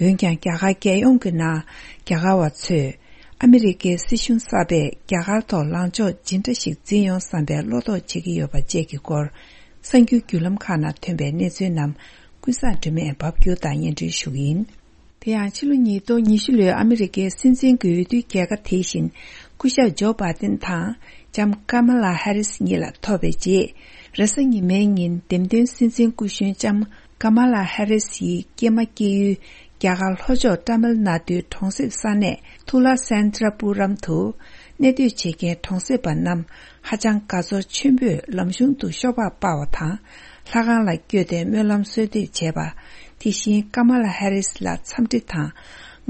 འོན་ཀྱང་རྒྱ་གར་རྒྱལ་ཡོངས་ཀྱི་ནང་རྒྱ་གར་བ་ཚོས་ཨ་མི་རི་ཀའི་སྲིད་གཞུང་གསར་པས་རྒྱ་གར་ཐོག་ལངས་ཕྱོགས་ཇི་འདྲ་ཞིག་འཛིན་ཡོང་བསམ་པའི་བློ་དོགས་བྱེད་ཀྱི་ཡོད་པ་བཅས་ཀྱི་སྐོར། གསར་འགྱུར་བརྒྱུད་ལམ་ཁག་ནང་ཐོན་པའི་གནས་ཚུལ་རྣམས་ཀུན་བཟང་སྒྲོལ་མས་ཕབ་སྒྱུར་དང་སྙན་སྒྲོན་ཞུ་གི་ཡིན། དེ་ཡང་ཕྱི་ལོ་ཉིས་སྟོང་ཉི་ཤུ་ལོའི་ཨ་མི་རི་ཀའི་སྲིད་འཛིན་གྱི་འོས་བསྡུའི་རྒྱལ་ཁ་དེ་བཞིན་སྐུ་ཞབས་ཇོ་བྷ་དན་དང་ལྕམ་ཀ་མ་ལ་ཧེ་རིས་གཉིས་ལ་ཐོབ་པའི་རྗེས། རེས་གཟའ་ཉི་མའི་ཉིན་འདེམས་ཐོན་སྲིད་འཛིན་སྐུ་གཞོན་ལྕམ་ཀ་མ་ལ་ཧེ་རིས་ཡི་སྐྱེས་མ་སྐྱེས་ཡུལ་རྒྱ་གར་ལྷོ་ཕྱོགས་ཏཱ་མིལ་ནཱ་ཏུའི་གྲོང་གསེབ་ས་གནས་ཐུ་ལ་སན་ཏྲ་པུ་རམ་དུ་གནས་སྡོད་བྱེད་མཁན་གྲོང་གསེབ་པ་རྣམས་ཧ་ཅང་དགའ་ཚོར་ཆེན་པོས་ལམ་གཞུང་དུ་ཤོག་སྦག་སྤར་བ་དང་། ལྷ་ཁང་ལ་བསྐྱོད་དེ་སྨོན་ལམ་གསོལ་འདེབས་བྱས་པ། དེ་བཞིན་ཀ་མ་ལ་ཧེ་རིས་ལ་འཚམས་འདྲི་དང་།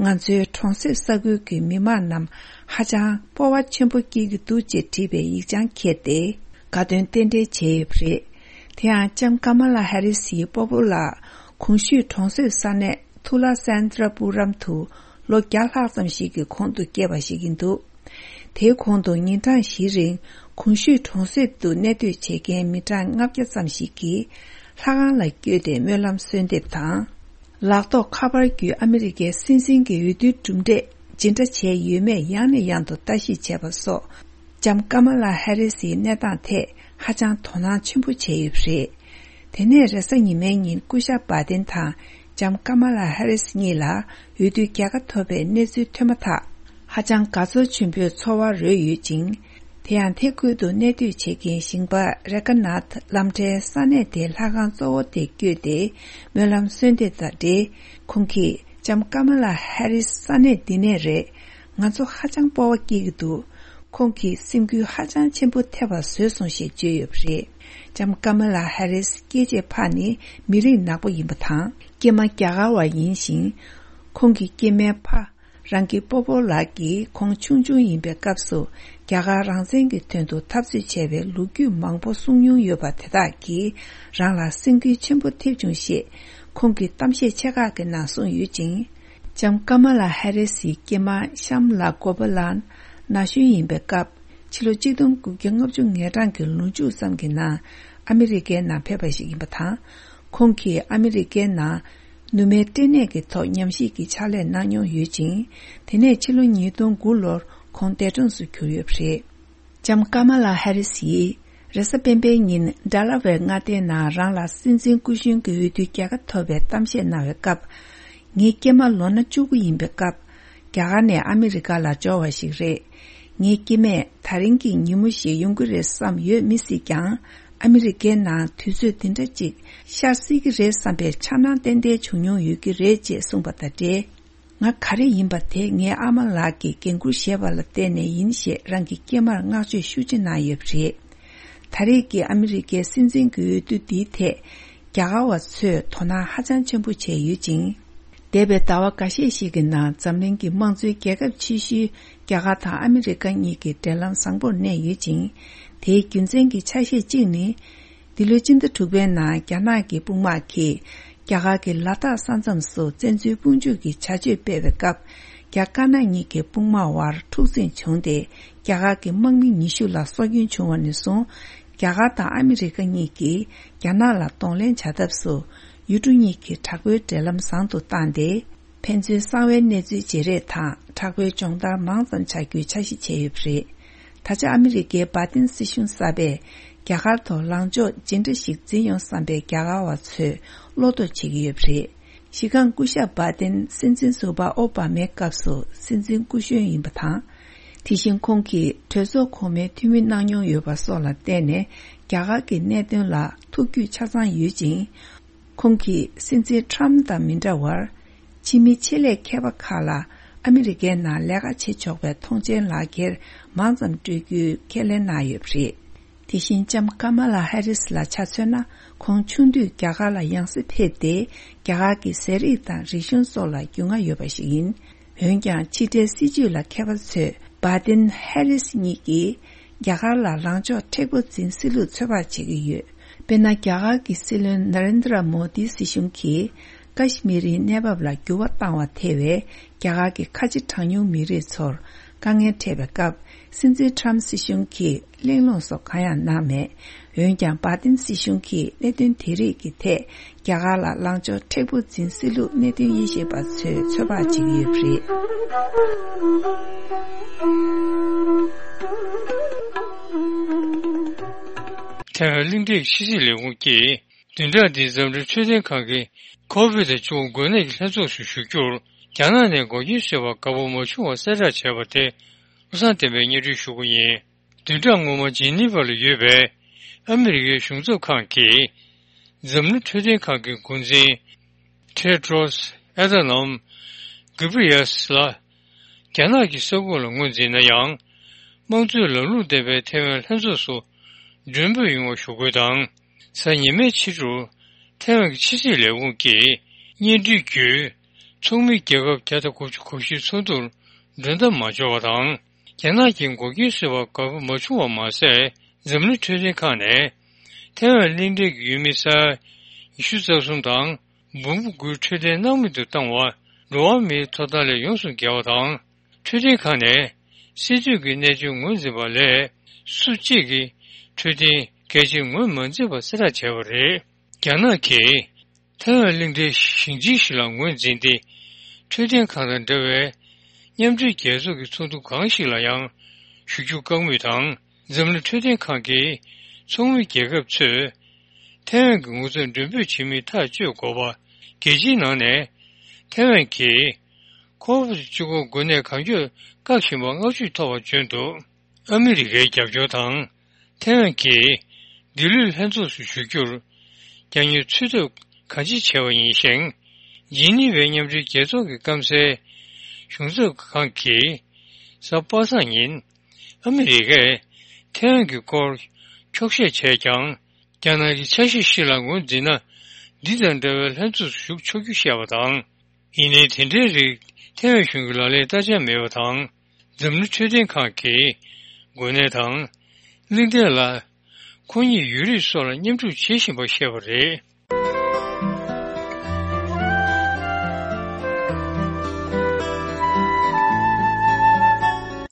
ང་ཚོའི་གྲོང་གསེབ་ས་ཁུལ་གྱི་མི་མང་རྣམས་ཧ་ཅང་སྤོབས་པ་ཆེན་པོ་སྐྱེ་གི་འདུག་ཅེས་བྲིས་པའི་ཡིག་བྱང་འཁྱེར་ཏེ་དགའ་སྟོན་རྟེན་འབྲེལ་བྱས་ཡོད་པ་རེད། དེ་ཡང་ལྕམ་ཀ་མ་ལ་ཧེ་རིས་ཡི་སྤོ་བོ་ལགས་གོང་ཞུས་གྲོང་གསེབ་ས་གནས་ཐུ་ལ་སན་ཏྲ་པུ་རམ་དུ་ལོ་བརྒྱ་ལྷག་ཙམ་ཞིག་གི་གོང་དུ་སྐྱེས་པ་ཞིག་ཡིན་འདུག་དེའི་གོང་དུ་ཉིན་གྲངས་བཞིའི་རིང་གོང་ཞུས་གྲོང་གསེབ་ཏུ་གནས་སྡོད་བྱེད་མཁན་མི་གྲངས་ལྔ་བརྒྱ་ཙམ་ཞིག་གིས་ལྷ་ཁང་ལ་བསྐྱོད་དེ་སྨོན་ལམ་གསོལ་འདེབས་དང་། ལག་ཐོགས་ཁ་པར་བརྒྱུད་ཨ་མི་རི་ཀའི་སྲིད་འཛིན་གྱི་འོས་བསྡུའི་གྲུབ་འབྲས་ཇི་འདྲ་བྱས་ཡོད་མེད་ཡང་ནས་ཡང་དུ་ལྟ་ཞིབ་བྱས་པ་སོགས། ལྕམ་ཀ་མ་ལ་ཧེ་རི་སིའི་གནས་སྟངས་ཐད་ཧ་ཅང་དོ་སྣང་ཆེན་པོ་བྱས་ཡོད་པ་རེད། དེ་ནས་རེས་གཟའ་ཉི་མའི་ཉིན་སྐུ་ཞབས་བྷ་དིན་དང་ལྕམ་ཀ་མ་ལ་ཧེ་རི་སི་གཉིས་ལ་འོས་བསྡུའི་རྒྱལ་ཁ་ཐོབ་པའི་གནས་ཚུལ་ཐོན་མ་ཐག་ཧ་ཅང་དགའ་ཚོར་ཆེན་པོའི་ཚོར་བ་རོལ་ཡོད་ཅིང་། དེ་ཡང་དེ་ཁུལ་དུ་གནས་སྡོད་བྱེད་མཁན་ཞིང་པ་རེ་ཀ་ནཱཐ་ལམ་ཁྲལ་ས་གནས་དེའི་ལྷ་ཁང་གཙོ་བོ་དེར་བསྐྱོད་དེ་སྨོན་ལམ་གསོལ་འདེབས་དང་འབྲེལ། ཁོང་གིས་ལྕམ་ཀ་མ་ལ་ཧེ་རི་སི་ས་གནས་འདི་ནས་རེད། ང་ཚོ་ཧ་ཅང་སྤོབས་པ་སྐྱེ་གི་འདུག་ཁོང་གིས་སེམས་འགུལ་ཧ་ཅང་ཆེན་པོ་ཐེབས་པ་བཟོས་སོང་ཞེས་བརྗོད་ཡོད་པ་རེད། ལྕམ་ཀ་མ་ལ་ཧེ་རི་སི་སྐྱེས་རྗེས་ཕག་ནི་མི་རིགས་ནག་པོ་ཡིན་པ་དང་། སྐྱེས་མ་རྒྱ་གར་བ་ཡིན་ཞིང་། ཁོང་གི་སྐྱེས་མའི་ཕ་རང་གི་སྤོ་བོ་ལགས་ཀྱིས་ཁོང་ཆུང་ཆུང་ཡིན་པའི་སྐབས་སུ་རྒྱ་གར་རང་བཙན་གྱི་དོན་དུ་འཐབ་རྩོད་བྱས་པའི་ལོ་རྒྱུས་མང་པོ་གསུངས་མྱོང་ཡོད་པ་དེ་དག་གིས་རང་ལ་སེམས་འགུལ་ཆེན་པོ་ཐེབས་བྱུང་ཞེས་ཁོང་གིས་གཏམ་བཤད་ཆེ་ཁག་གི་ནང་གསུངས་ཡོད་ཅིང་། ལྕམ་ཀ་མ་ལ་ཧེ་རི་སིའི་སྐྱེས་མ་ཤམ་ལ་གོ་པ་ལན་ན་གཞོན་ཡིན་པའི་སྐབས། ཕྱི་ལོ་གཅིག་སྟོང་དགུ་བརྒྱ་ལྔ་བཅུ་ང་གྲངས་ཀྱི་ལོ་མཇུག་ཙམ་གྱི་ནང་ཨ་མི་རི་ཀའི་ནང་ཕེབས་པ་ཞིག་ཡིན་པ་དང་། ཁོང་གིས་ཨ་མི་རི་ཀའི་ནང་ནུ་མའི་སྐྲན་ནད་ཀྱི་ཐོག་ཉམས་ཞིབ་ཀྱི་ཕྱག་ལས་གནང་མྱོང་ཡོད་ཅིང་། དེ་ནས་ཕྱི་ལོ་ཉིས་སྟོང་དགུ་ལོར་ཁོང་འདས་གྲོངས་སུ་གྱུར་ཡོད་པ་རེད། ལྕམ་ཀ་མ་ལ་ཧེ་རི་སིས་རེས་གཟའ་སྤེན་པའི་ཉིན་ཌ་ལ་ཝེར་མངའ་སྡེའི་ནང་རང་ལ་སྲིད་འཛིན་སྐུ་གཞོན་གྱི་འོས་བསྡུའི་རྒྱལ་ཁ་ཐོབ་པའི་གཏམ་བཤད་གནང་བའི་སྐབས། ངའི་སྐྱེས་མ་ལོ་ན་བཅུ་དགུ་ཡིན་པའི་སྐབས། རྒྱ་གར་ནས་ཨ་མི་རི་ཀ་ལ་འབྱོར་བ་ཞིག་རེད། ངའི་སྐྱེས་མས་ད་རིང་གི་ཉིན་མོ་ཞིག་ཡོང་གི་རེད་བསམ་ཡོད་མི་སྲིད་ཀྱང་། ཨ་མི་རི་ཀའི་ནང་དུས་ཚོད་འདི་འདྲ་ཅིག་ཤར་སྲིད་ཀྱི་རེད་བསམ་པའི་འཆར་སྣང་ཏན་ཏན་བྱུང་མྱོང་ཡོད་ཀྱི་རེད་ཅེས་གསུངས་པ་དང་འབྲེལ། ང་ག་རེ་ཡིན་པ་དེ་ངའི་ཨ་མ་ལགས་ཀྱིས་འགན་འཁུར་བཞེས་པ་ལ་བརྟེན་ནས་ཡིན་ཞེས་རང་གི་སྐྱེས་མར་བསྔགས་བརྗོད་ཤུགས་ཆེ་གནང་ཡོད་པ་རེད། ད་རེས་ཀྱི་ཨ་མི་རི་ཀའི་སྲིད་འཛིན་གྱི་འོས་བསྡུ་འདིའི་ཐད་རྒྱ་གར་བ་ཚོས་དོ་སྣང་ཧ་ཅང་ཆེན་པོ་བྱས་ཡོད་ཅིང་། འདས་པའི་ཟླ་བ་འགའ་ཤས་ཤིག་གི་ནང་འཛམ་གླིང་གི་དམངས་གཙོའི་རྒྱལ་ཁབ་ཆེ་ཤོས་རྒྱ་གར་དང་ཨ་མི་རི་ཀ་གཉིས་ཀྱི་འབྲེལ་ལམ་བཟང་པོར་གནས་ཡོད་ཅིང་། དེའི་རྒྱུ་མཚན་གྱི་ཆ་ཤས་གཅིག་ནི། འདི་ལོའི་སྤྱི་ཟླ་དྲུག་པའི་ནང་རྒྱ་ནག་གི་དཔུང་དམག་གིས་རྒྱ་གར་གྱི་ལ་དྭགས་ས་མཚམས་སུ་བཙན་འཛུལ་དཔུང་འཇུག་གི་བྱ་སྤྱོད་སྤེལ་བའི་སྐབས། རྒྱ་དཀར་ནག་གཉིས་ཀྱི་དཔུང་དམག་དབར་འཁྲུག་འཛིང་བྱུང་སྟེ། རྒྱ་གར་གྱི་དམག་མི་ཉི་ཤུ་ལ་སྲོག་སྐྱོན་བྱུང་བ་ནས་བཟུང་། རྒྱ་གར་དང་ཨ་མི་རི་ཀ་གཉིས་ཀྱིས་རྒྱ་ནག་ལ་གདོང་ལེན་བྱ་ཐབས་སུ། ཡུལ་གྲུ་གཉིས་ཀྱི་དྲག་པོའི་འབྲེལ་ལམ་བཟང་དུ་བཏང་སྟེ། ཕན་ཚུན་གསང་བའི་གནས་ཚུལ་བརྗེ་རེས་དང་དྲག་པོའི་སྦྱོང་བརྡར་མང་ཙམ་བྱ་རྒྱུའི་འཆར་གཞི་བྱས་ཡོད་པ་རེད། ད་ཆ་ཨ་མི་རི་ཀའི་བྷ་ཏིན་སྲིད་གཞུང་གསར་པས་རྒྱ་གར་ཐོག་ལངས་ཕྱོགས་ཇི་འདྲ་ཞིག་འཛིན་ཡོང་བསམ་པའི་རྒྱ་གར་བ་ཚོས་བློ་དོགས་བྱེད་ཀྱི་ཡོད་པ་རེད། གཞི་རྐང་སྐུ་ཞབས་བྷ་ཏིན་སྲིད་འཛིན་ཟུར་པ་ཨོ་བྷ་མའི་སྐབས་སུ་སྲིད་འཛིན་སྐུ་གཞོན་ཡིན་པ་དང་། དེ་བཞིན་ཁོང་གིས་གྲོས་ཚོགས་གོང་མའི་འཐུས་མི་གནང་མྱོང་ཡོད་པ་སོགས་ལ་བརྟེན་ནས་རྒྱ་གར་གྱི་གནད་དོན་ལ་ཐུགས་རྒྱུས་ཆ་ཚང་ཡོད་ཅིང་། ཁོང་གིས་སྲིད་འཛིན་ཁྲམ་དང་མི་འདྲ་བར། ཕྱི་མི་ཆེད་ལས་མཁས་པ་ཁག་ལ་ཨ་མི་རི་ཀའི་ནང་ལས་ཀ་བྱེད་ཆོག་པའི་ཐོངས་མཆན་ལག་འཁྱེར་མང་ཙམ་སྤྲོད་རྒྱུའི་ཁས་ལེན་གནང་ཡོད་པ་རེད། དེ་བཞིན་ལྕམ་ཀ་མ་ལ་ཧེ་རིས་ལ་ཆ་མཚོན་ན། ཁོང་ཆུང་དུས་རྒྱ་གར་ལ་ཡང་སེ་ཕེབས་ཏེ། རྒྱ་གར་གྱི་ཟས་རིགས་དང་རིག་གཞུང་སོགས་ལ་རྒྱུས་མངའ་ཡོད་པ་ཞིག་ཡིན། འོན་ཀྱང་། ཕྱི་འབྲེལ་སྲིད་ཇུས་ལ་མཁས་པ་ཚོས། བྷ་ཏིན་ཧེ་རིས་གཉིས་ཀྱིས། རྒྱ་གར་ལ་ལངས་ཕྱོགས་མཁྲེགས་པོ་འཛིན་སྲིད་ལུགས་ཚོད་དཔག་བྱེད་ཀྱི་ཡོད། དཔེར་ན། རྒྱ་གར་གྱི་སྲིད་བློན་ན་རེན་དྲ་མོ་དིའི་སྲིད་གཞུང་གིས། ཀ་ཤི་མིར་རི་གནས་བབ་ལ་འགྱུར་བ་བཏང་བ་ཐེ་བའི་རྒྱ་གར་གྱི་ཁ་ཆེ་གྲངས་ཉུང་མི་རིགས་ཚོར་དཀའ་ངལ་འཕྲད་པའི་སྐབས། སྲིད་འཛིན་ཊམ་སྲིད་གཞུང་གིས་གླེང་སློང་སོགས་གང་ཡང་གནང་མེད། འོན་ཀྱང་། བྷ་དིན་སྲིད་གཞུང་གིས་གནད་དོན་དེ་རིགས་ཀྱི་ཐད་རྒྱ་གར་ལ་ལངས་ཕྱོགས་མཁྲེགས་པོ་འཛིན་སྲིད་ལུགས་གནད་དོན་དབྱེ་ཞིབ་པ་ཚོས་ཚོད་དཔག་བྱེད་ཀྱི་ཡོད་པ་རེད། ཐའེ་ཝན་གླིང་ཕྲན་ཕྱི་སྲིད་ལས་ཁུངས་ཀྱིས། བདུན་ཕྲག་འདིའི་འཛམ་གླིང་འཕྲོད་བསྟེན་ཁང་གིས་ཁོ་བིད་བཅུ་དགུ་འགོས་ནད་ཀྱི་ལྷན་ཚོགས་སུ་ཞུགས་རྒྱུར་རྒྱ་ནག་ནས་འགོག་རྐྱེན་བཟོས་པ་དགའ་པོ་མ་བྱུང་བ་གསལ་བསྒྲགས་བྱས་པ་དེ་བློ་བཟང་བསྟན་པས་སྙན་སྒྲོན་ཞུ་གི་ཡིན། བདུན་ཕྲག་སྔོན་མ་ཇི་ནི་ཝ་ལ་ཡོད་པའི་ཨ་མི་རི་ཀའི་གཞུང་ཚབ་ཁང་གིས་འཛམ་གླིང་འཕྲོད་བསྟེན་ཁང་གི་འགོ་འཛིན་ཊེ་ཏྲོས་ཨེ་ཐ་ནམ་གི་བྷི་རི་ཡ་སི་ལ་རྒྱ་ནག་གི་ས་ཁོངས་ལ་ངོས་འཛིན་ན་ཡང་། དམངས་གཙོའི་ལམ་ལུགས་ལྡན་པའི་ཐའེ་ཝན་ལྷན་ཚོགས་སུ་མགྲོན་འབོད་ཡོང་བ་ཞུ་དགོས་དང་། གཟའ་ཉི་མའི་ཕྱི་དྲོར་ཐའེ་ཝན་གྱི་ཕྱི་སྲིད་ལས་ཁུངས་ཀྱིས་སྙན་སྒྲོན་བརྒྱུད། ཚོགས་མི་རྒྱལ་ཁབ་བརྒྱ་དང་དགུ་བཅུ་གོ་བཞིའི་ཚོགས་འདུར་མགྲོན་བདམས་མ་བྱུང་བ་དང་། རྒྱ་ནག་གིས་འགོག་རྐྱེན་བཟོས་པ་དགའ་པོ་མ་བྱུང་བ་མ་ཟད། འཛམ་གླིང་འཕྲོད་བསྟེན་ཁང་ནས་ཐའེ་ཝན་གླིང་ཕྲན་གྱི་ཡུལ་མི་ས་ཡ་ཉི་ཤུ་རྩ་གསུམ་དང་། འབུམ་དགུའི་འཕྲོད་བསྟེན་སྣང་མེད་དུ་བཏང་བ། འགྲོ་བ་མིའི་ཐོབ་ཐང་ལས་ཡོངས་སུ་འགལ་བ་དང་། འཕྲོད་བསྟེན་ཁང་ནས་སྲིད་དོན་གྱི་གནད་དོན་ངོས་འཛིན་པ་ལས་སུ་གཅིག་གིས་འཕྲོད་བསྟེན་གལ་ཆེན་ངོས་མ་འཛིན་པ་གསལ་བསྒྲགས་བྱས་པ་རེད། རྒྱ་ནག་གིས་ཐའེ་ཝན་གླིང་ཕྲན་ཞིང་ཆེན་ཞིག་ལ་ངོས་འཛིན་ཏེ། འཕྲོད་བསྟེན་ཁང་དང་འདྲ་བའི་མཉམ་འབྲེལ་རྒྱལ་ཚོགས་ཀྱི་ཚོགས་འདུ་གང་ཞིག་ལ་ཡང་ཞུགས་རྒྱུ་བཀག་མུས་དང་། འཛམ་གླིང་འཕྲོད་བསྟེན་ཁང་གི་ཚོགས་མི་རྒྱལ་ཁབ་ཚོས་ཐའེ་ཝན་གྱི་ངོ་ཚབ་མགྲོན་འབོད་བྱེད་མིན་ཐག་གཅོད་དགོས་པ། རྒྱལ་སྤྱིའི་ནང་ནས་ཐའེ་ཝན་གྱིས་ཁོ་བིད་བཅུ་དགུ་འགོས་ནད་གང་མགྱོགས་བཀག་བཞིན་པར་བསྔགས་བརྗོད་ཐོབ་པ་བྱུང་འདུག་ཨ་མི་རི་ཀའི་རྒྱབ་སྐྱོར་དང་། ཐའེ་ཝན་གྱིས་འདི་ལོའི་ལྷན་ཚོགས་སུ་ཞུགས་རྒྱུར་རྒྱ་དངུལ་ཚོད་ལྟ་གང་ཅི་བྱས་པ་ཡིན་ཞིང་། ཇི་ནི་ཝའི་མཉམ་འབྲེལ་རྒྱལ་ཚོགས་ཀྱི་སྐམ་སའི་གཞུང་ཚབ་ཁང་གིས་གཟའ་པ་སངས་ཉིན། ཨ་མི་རི་ཀས་ཐའེ་ཝན་གྱི་སྐོར་འཁྱོག་བཤད་བྱས་ཀྱང་། རྒྱ་ནག་གི་ཆ་ཤས་ཤིག་ལ་ངོས་འཛིན་ན། འདི་དང་འདྲ་བའི་ལྷན་ཚོགས་སུ་ཞུགས་ཆོག་རྒྱུ་བཤད་པ་དང་། ཡིན་ནའི་དེ་འདྲའི་རིགས་ཐའེ་ཝན་གཞུང་གི་ལག་ལེན་བསྟར་འཆར་མེད་པ་དང་། འཛམ་གླིང་འཕྲོད་བསྟེན་ཁང་གིས་འགོས་ནད་དང་། གླིང་ཕྲན་ལ་ཁོ་གཉིས་ཡོད་རིགས་སོགས་ལ་མཉམ་ཞུགས་བྱེད་བཞིན་པ་བཤད་པ་རེད།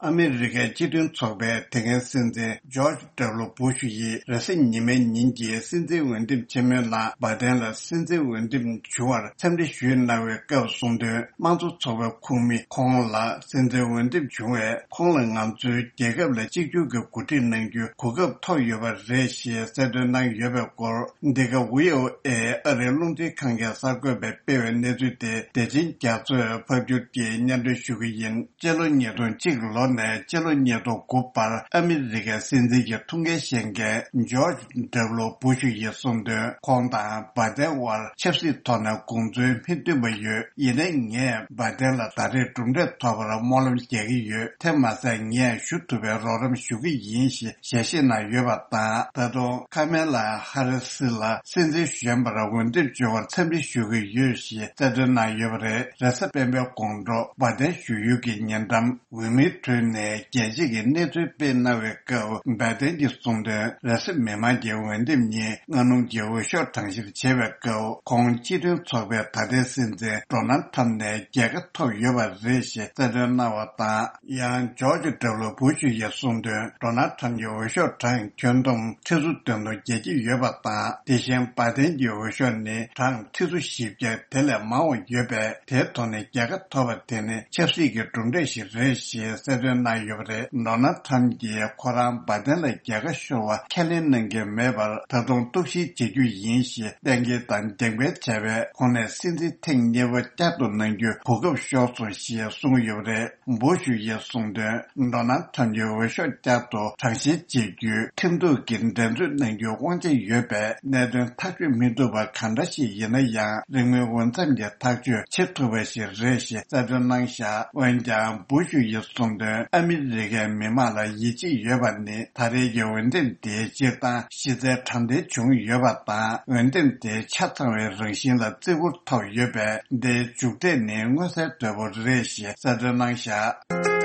ཨ་མི་རི་ཀའི་སྤྱི་མཐུན་ཚོགས་པའི་དེ་སྔའི་སྲིད་འཛིན་ཇོརྗ་ཌབ་ལུ་བུ་ཤུ་ཡིས་རེས་གཟའ་ཉི་མའི་ཉིན་གྱི་སྲིད་འཛིན་འོས་འདེམས་ཆེན་མོའི་ནང་བྷའི་ཌེན་ལ་སྲིད་འཛིན་འོས་འདེམས་བྱུང་བར་འཚམས་འདྲི་ཞུས་གནང་བའི་སྐབས་གསུངས་དོན། དམངས་གཙོ་ཚོགས་པའི་ཁོངས་མི་ཁོང་ལ་སྲིད་འཛིན་འོས་འདེམས་བྱུང་བས། ཁོང་ལ་ང་ཚོའི་རྒྱལ་ཁབ་ལ་གཅིག་གྱུར་གྱི་འགོ་ཁྲིད་གནང་རྒྱུའི་གོ་སྐབས་ཐོབ་ཡོད་པ་རེད་ཞེས་གསལ་སྟོན་གནང་ཡོད་པའི་སྐོར། འདི་ག་ཝི་ཨོ་ཨེ་ཨ་རིའི་རླུང་འཕྲིན་ཁང་གིས་གསར་འགོད་པས་སྤེལ་བའི་གནས་ཚུལ་དེ་བདེ་ཆེན་རྒྱ་མཚོས་ཕབ་སྒྱུར་གྱིས་སྙན་སྒྲོན་ཞུ་གི་ཡིན། སྤྱི་ལོ་ཉིས་སྟོང་གཅིག་ལོ་ནས་སྤྱི་ལོ་ཉིས་སྟོང་དགུ་བར་ཨ་མི་རི་ཀའི་སྲིད་འཛིན་གྱི་ཐུགས་འགན་བཞེས་མཁན་ཇོརྗ་ཌབ་ལུ་བུ་ཤུ་ཡིས་གསུངས་དོན། ཁོང་དང་བྷའི་ཌེན་དབར་ཆབ་སྲིད་ཐོག་ནས་དགོངས་ཚུལ་མི་མཐུན་པ་ཡོད། ཡིན་ནའི་ངས་བྷའི་ཌེན་ལ་ད་རེས་གྲུབ་འབྲས་ཐོབ་པར་སྨོན་ལམ་རྒྱག་གི་ཡོད། དེ་མ་ཟད་ངས་ཞུ་ཐུབ་པའི་རོགས་རམ་ཞུ་གི་ཡིན་ཞེས་ཞལ་བཞེས་གནང་ཡོད་པ་དང་། ད་དུང་ཁ་མེ་ལ་ཧ་རི་སི་ལ་སྲིད་འཛིན་གཞོན་པར་འོས་འདེམས་བྱུང་བར་འཚམས་འདྲི་ཞུ་གི་ཡོད་ཞེས་གསལ་སྟོན་གནང་ཡོད་པ་རེད། རེས་གཟའ་སྤེན་པའི་དགོང་དྲོ་བྷའི་ཌེན་བཞུགས་ཡུལ་གྱི་ཉེ་འགྲམ། འོས་མིའི་ཁྲོད་ནས་རྒྱལ་སྤྱི་གི་གནས་ཚུལ་སྤེལ་གནང་བའི་སྐབས། བྷའི་ཌེན་གྱིས་གསུངས་དོན། རེས་གཟའ་མི་མང་གི་འོས་འདེམས་ཉིན་སྔ་སྣུམ་གྱི་འོས་ཤོག་གྲངས་བཤེར་བྱེད་པའི་སྐབས། ཁོང་སྤྱི་མཐུན་ཚོགས་པའི་ད་ལྟའི་སྲིད་འཛིན་ཌོ་ནལ་ཁྲམ་ནས་རྒྱལ་ཁ་ཐོབ་ཡོད་པ་རེད་ཞེས་གསལ་སྟོན་གནང་བ་དང་། ཡང་ཇོརྗ་ཌབ་ལུ་བུ་ཤུ་ཡིས་གསུངས་དོན། ཌོ་ནལ་ཁྲམ་གྱི་འོས་ཤོག་གྲངས་ཁྱོན་བསྡོམས་ཁྲི་ཚོ་བདུན་དང་བརྒྱད་ཅུ་ཡོད་པ་དང་། དེ་བཞིན་བྷའི་ཌེན་གྱི་འོས་ཤོག་ནི་གྲངས་ཁྲི་ཚོ་བཞི་བརྒྱ་དེ་ལས་མང་བ་ཡོད་པས། དེའི་ཐོག་ནས་རྒྱལ་ཁ་ཐོབ་པ་དེ་ནི་ཆབ་སྲིད་ཀྱི་གྲུབ་འབྲས་ཤིག་རེད་ཞེས་གསལ་སྟོན་གནང་ཡོད་པ་རེད། ཌོ་ནལ་ཁྲམ་གྱིས་ཁོ་རང་བྷའི་ཌེན་ལ་རྒྱལ་ཁ་ཤོར་བ་ཁས་ལེན་གནང་གི་མེད་པར་ད་དུང་གཏུག་བཤེར་བྱེད་རྒྱུ་ཡིན་ཞེས་གཏན་འཁེལ་དང་འགྲེམས་སྤེལ་བྱས་པས། ཁོང་ནས་སྲིད་འཛིན་ཐེངས་གཉིས་པ་བསྐྱར་དུ་གནང་རྒྱུའི་གོ་སྐབས་ཤོར་སོང་ཞེས་གསུངས་ཡོད་པ་རེད། བུ་ཤུ་ཡིས་གསུངས་དོན། ཌོ་ནལ་ཁྲམ་གྱི་འོས་ཤོག་བསྐྱར་དུ་གྲངས་བཤེར་བྱེད་རྒྱུའི་ཁྲིམས་གཏུག་གི་འགྲན་རྩོད་གནང་རྒྱུའི་དབང་ཆ་ཡོད་པས། གནད་དོན་ཐག་གཅོད་མི་ཐུབ་པ་གང་འདྲ་ཞིག་ཡིན་ན་ཡང་། རིང་མིན་འོས་འཚམ་གྱི་ཐག་གཅོད་བྱེད་ཐུབ་པ་ཞིག་རེད་ཞེས་གསལ་སྟོན་གནང་བཞག་འོན་ཀྱང་། བུ་ཤུ་ཡིས་གསུངས་དོན། ཨ་མི་རི་ཀའི་མི་མང་ལ་ཡིད་ཆེས་ཡོད་པ་ནི། ད་རེས་ཀྱི་འོས་འདེམས་དེའི་སྤྱིར་བཏང་གཞི་རྩའི་དྲང་བདེན་བྱུང་ཡོད་པ་དང་། འོས་འདེམས་དེ་ཆ་ཚང་བའི་རང་བཞིན་ལ་བརྩི་བཀུར་ཐོབ་ཡོད་པས། འདིའི་མཇུག་འབྲས་ནི་མངོན་གསལ་དོད་པོ་རེད་ཞེས་གསལ་སྟོན་གནང་བཞག་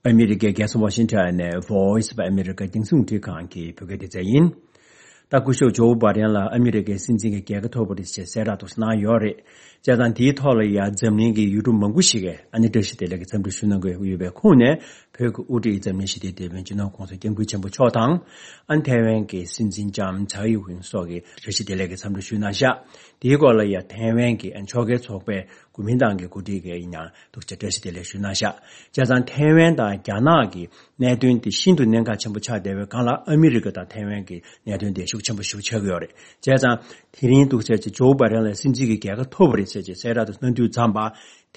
ཨ་མི་རི་ཀའི་རྒྱལ་ས་ཝ་ཤིང་ཊོན་ནས་Voice of America རྒྱང་སྲིང་རླུང་འཕྲིན་ཁང་གི་བོད་སྐད་སྡེ་ཚན་ཡིན། ད་སྐུ་ཞབས་ཇོ་བྷ་དན་ལ་ཨ་མི་རི་ཀའི་སྲིད་འཛིན་གྱི་རྒྱལ་ཁ་ཐོབ་པ་རེད་ཅེས་གསལ་བསྒྲགས་དུ་གནང་ཡོད་རེད། བྱས་ཙང་དེའི་ཐོག་ལ་ཡང་འཛམ་གླིང་གི་ཡུལ་གྲུ་མང་པོ་ཞིག་གིས་ཨ་ནི་བཀྲ་ཤིས་བདེ་ལེགས་ཀྱི་འཚམས་འདྲི་ཞུ་གནང་གི་ཡོད་པའི་ཁོངས་ནས། བོད་ཀྱི་དབུ་ཁྲིད་འཛམ་གླིང་ཞི་བདེའི་དེད་དཔོན་སྤྱི་ནོར་གོང་ས་སྐྱབས་མགོན་ཆེན་པོ་མཆོག་དང་། ཨ་ནི་ཐའེ་ཝན་གྱི་སྲིད་འཛིན་ལྕམ་ཚའེ་ཝེན་སོགས་ཀྱིས་བཀྲ་ཤིས་བདེ་ལེགས་ཀྱི་འཚམས་འདྲི་ཞུས་གནང་ཤག་དེའི་སྐོར་ལ་ཡང་ཐའེ་ཝན་གྱི་ཨ་ནི་ཕྱོགས་འགལ་ཚོགས་པའི་གོ་མིན་ཏང་གི་འགོ་ཁྲིད་ཀྱིས་ཡིན་ཡང་ཐུགས་རྗེ་བཀྲ་ཤིས་བདེ་ལེགས་ཞུས་གནང་ཤག་བྱས་ཙང་ཐའེ་ཝན་དང་རྒྱ་ནག་གི་གནད་དོན་དེ་ཤིན་ཏུ་གནད་འགག་ཆེན་པོ་ཆགས་བསྡད་པའི་སྒང་ལ་ཨ་མི་རི་ཀ་དང་ཐའེ་ཝན་གྱི་གནད་དོན་དེ་ཤུགས་ཆེན་པོ་ཞིག་ཆགས་ཀྱི་ཡོད་རེད། བྱས་ཙང་དེ་རིང་འདུག་ཟེར་གྱི་ཇོ་བྷ་དན་ལ་སྲིད་འཛིན་གྱི་རྒྱལ་ཁ་ཐོབ་པ་རེད་ཟེར་གྱི་གསལ་བསྒྲགས་དེ་གནང་དུས་ཙམ་པ།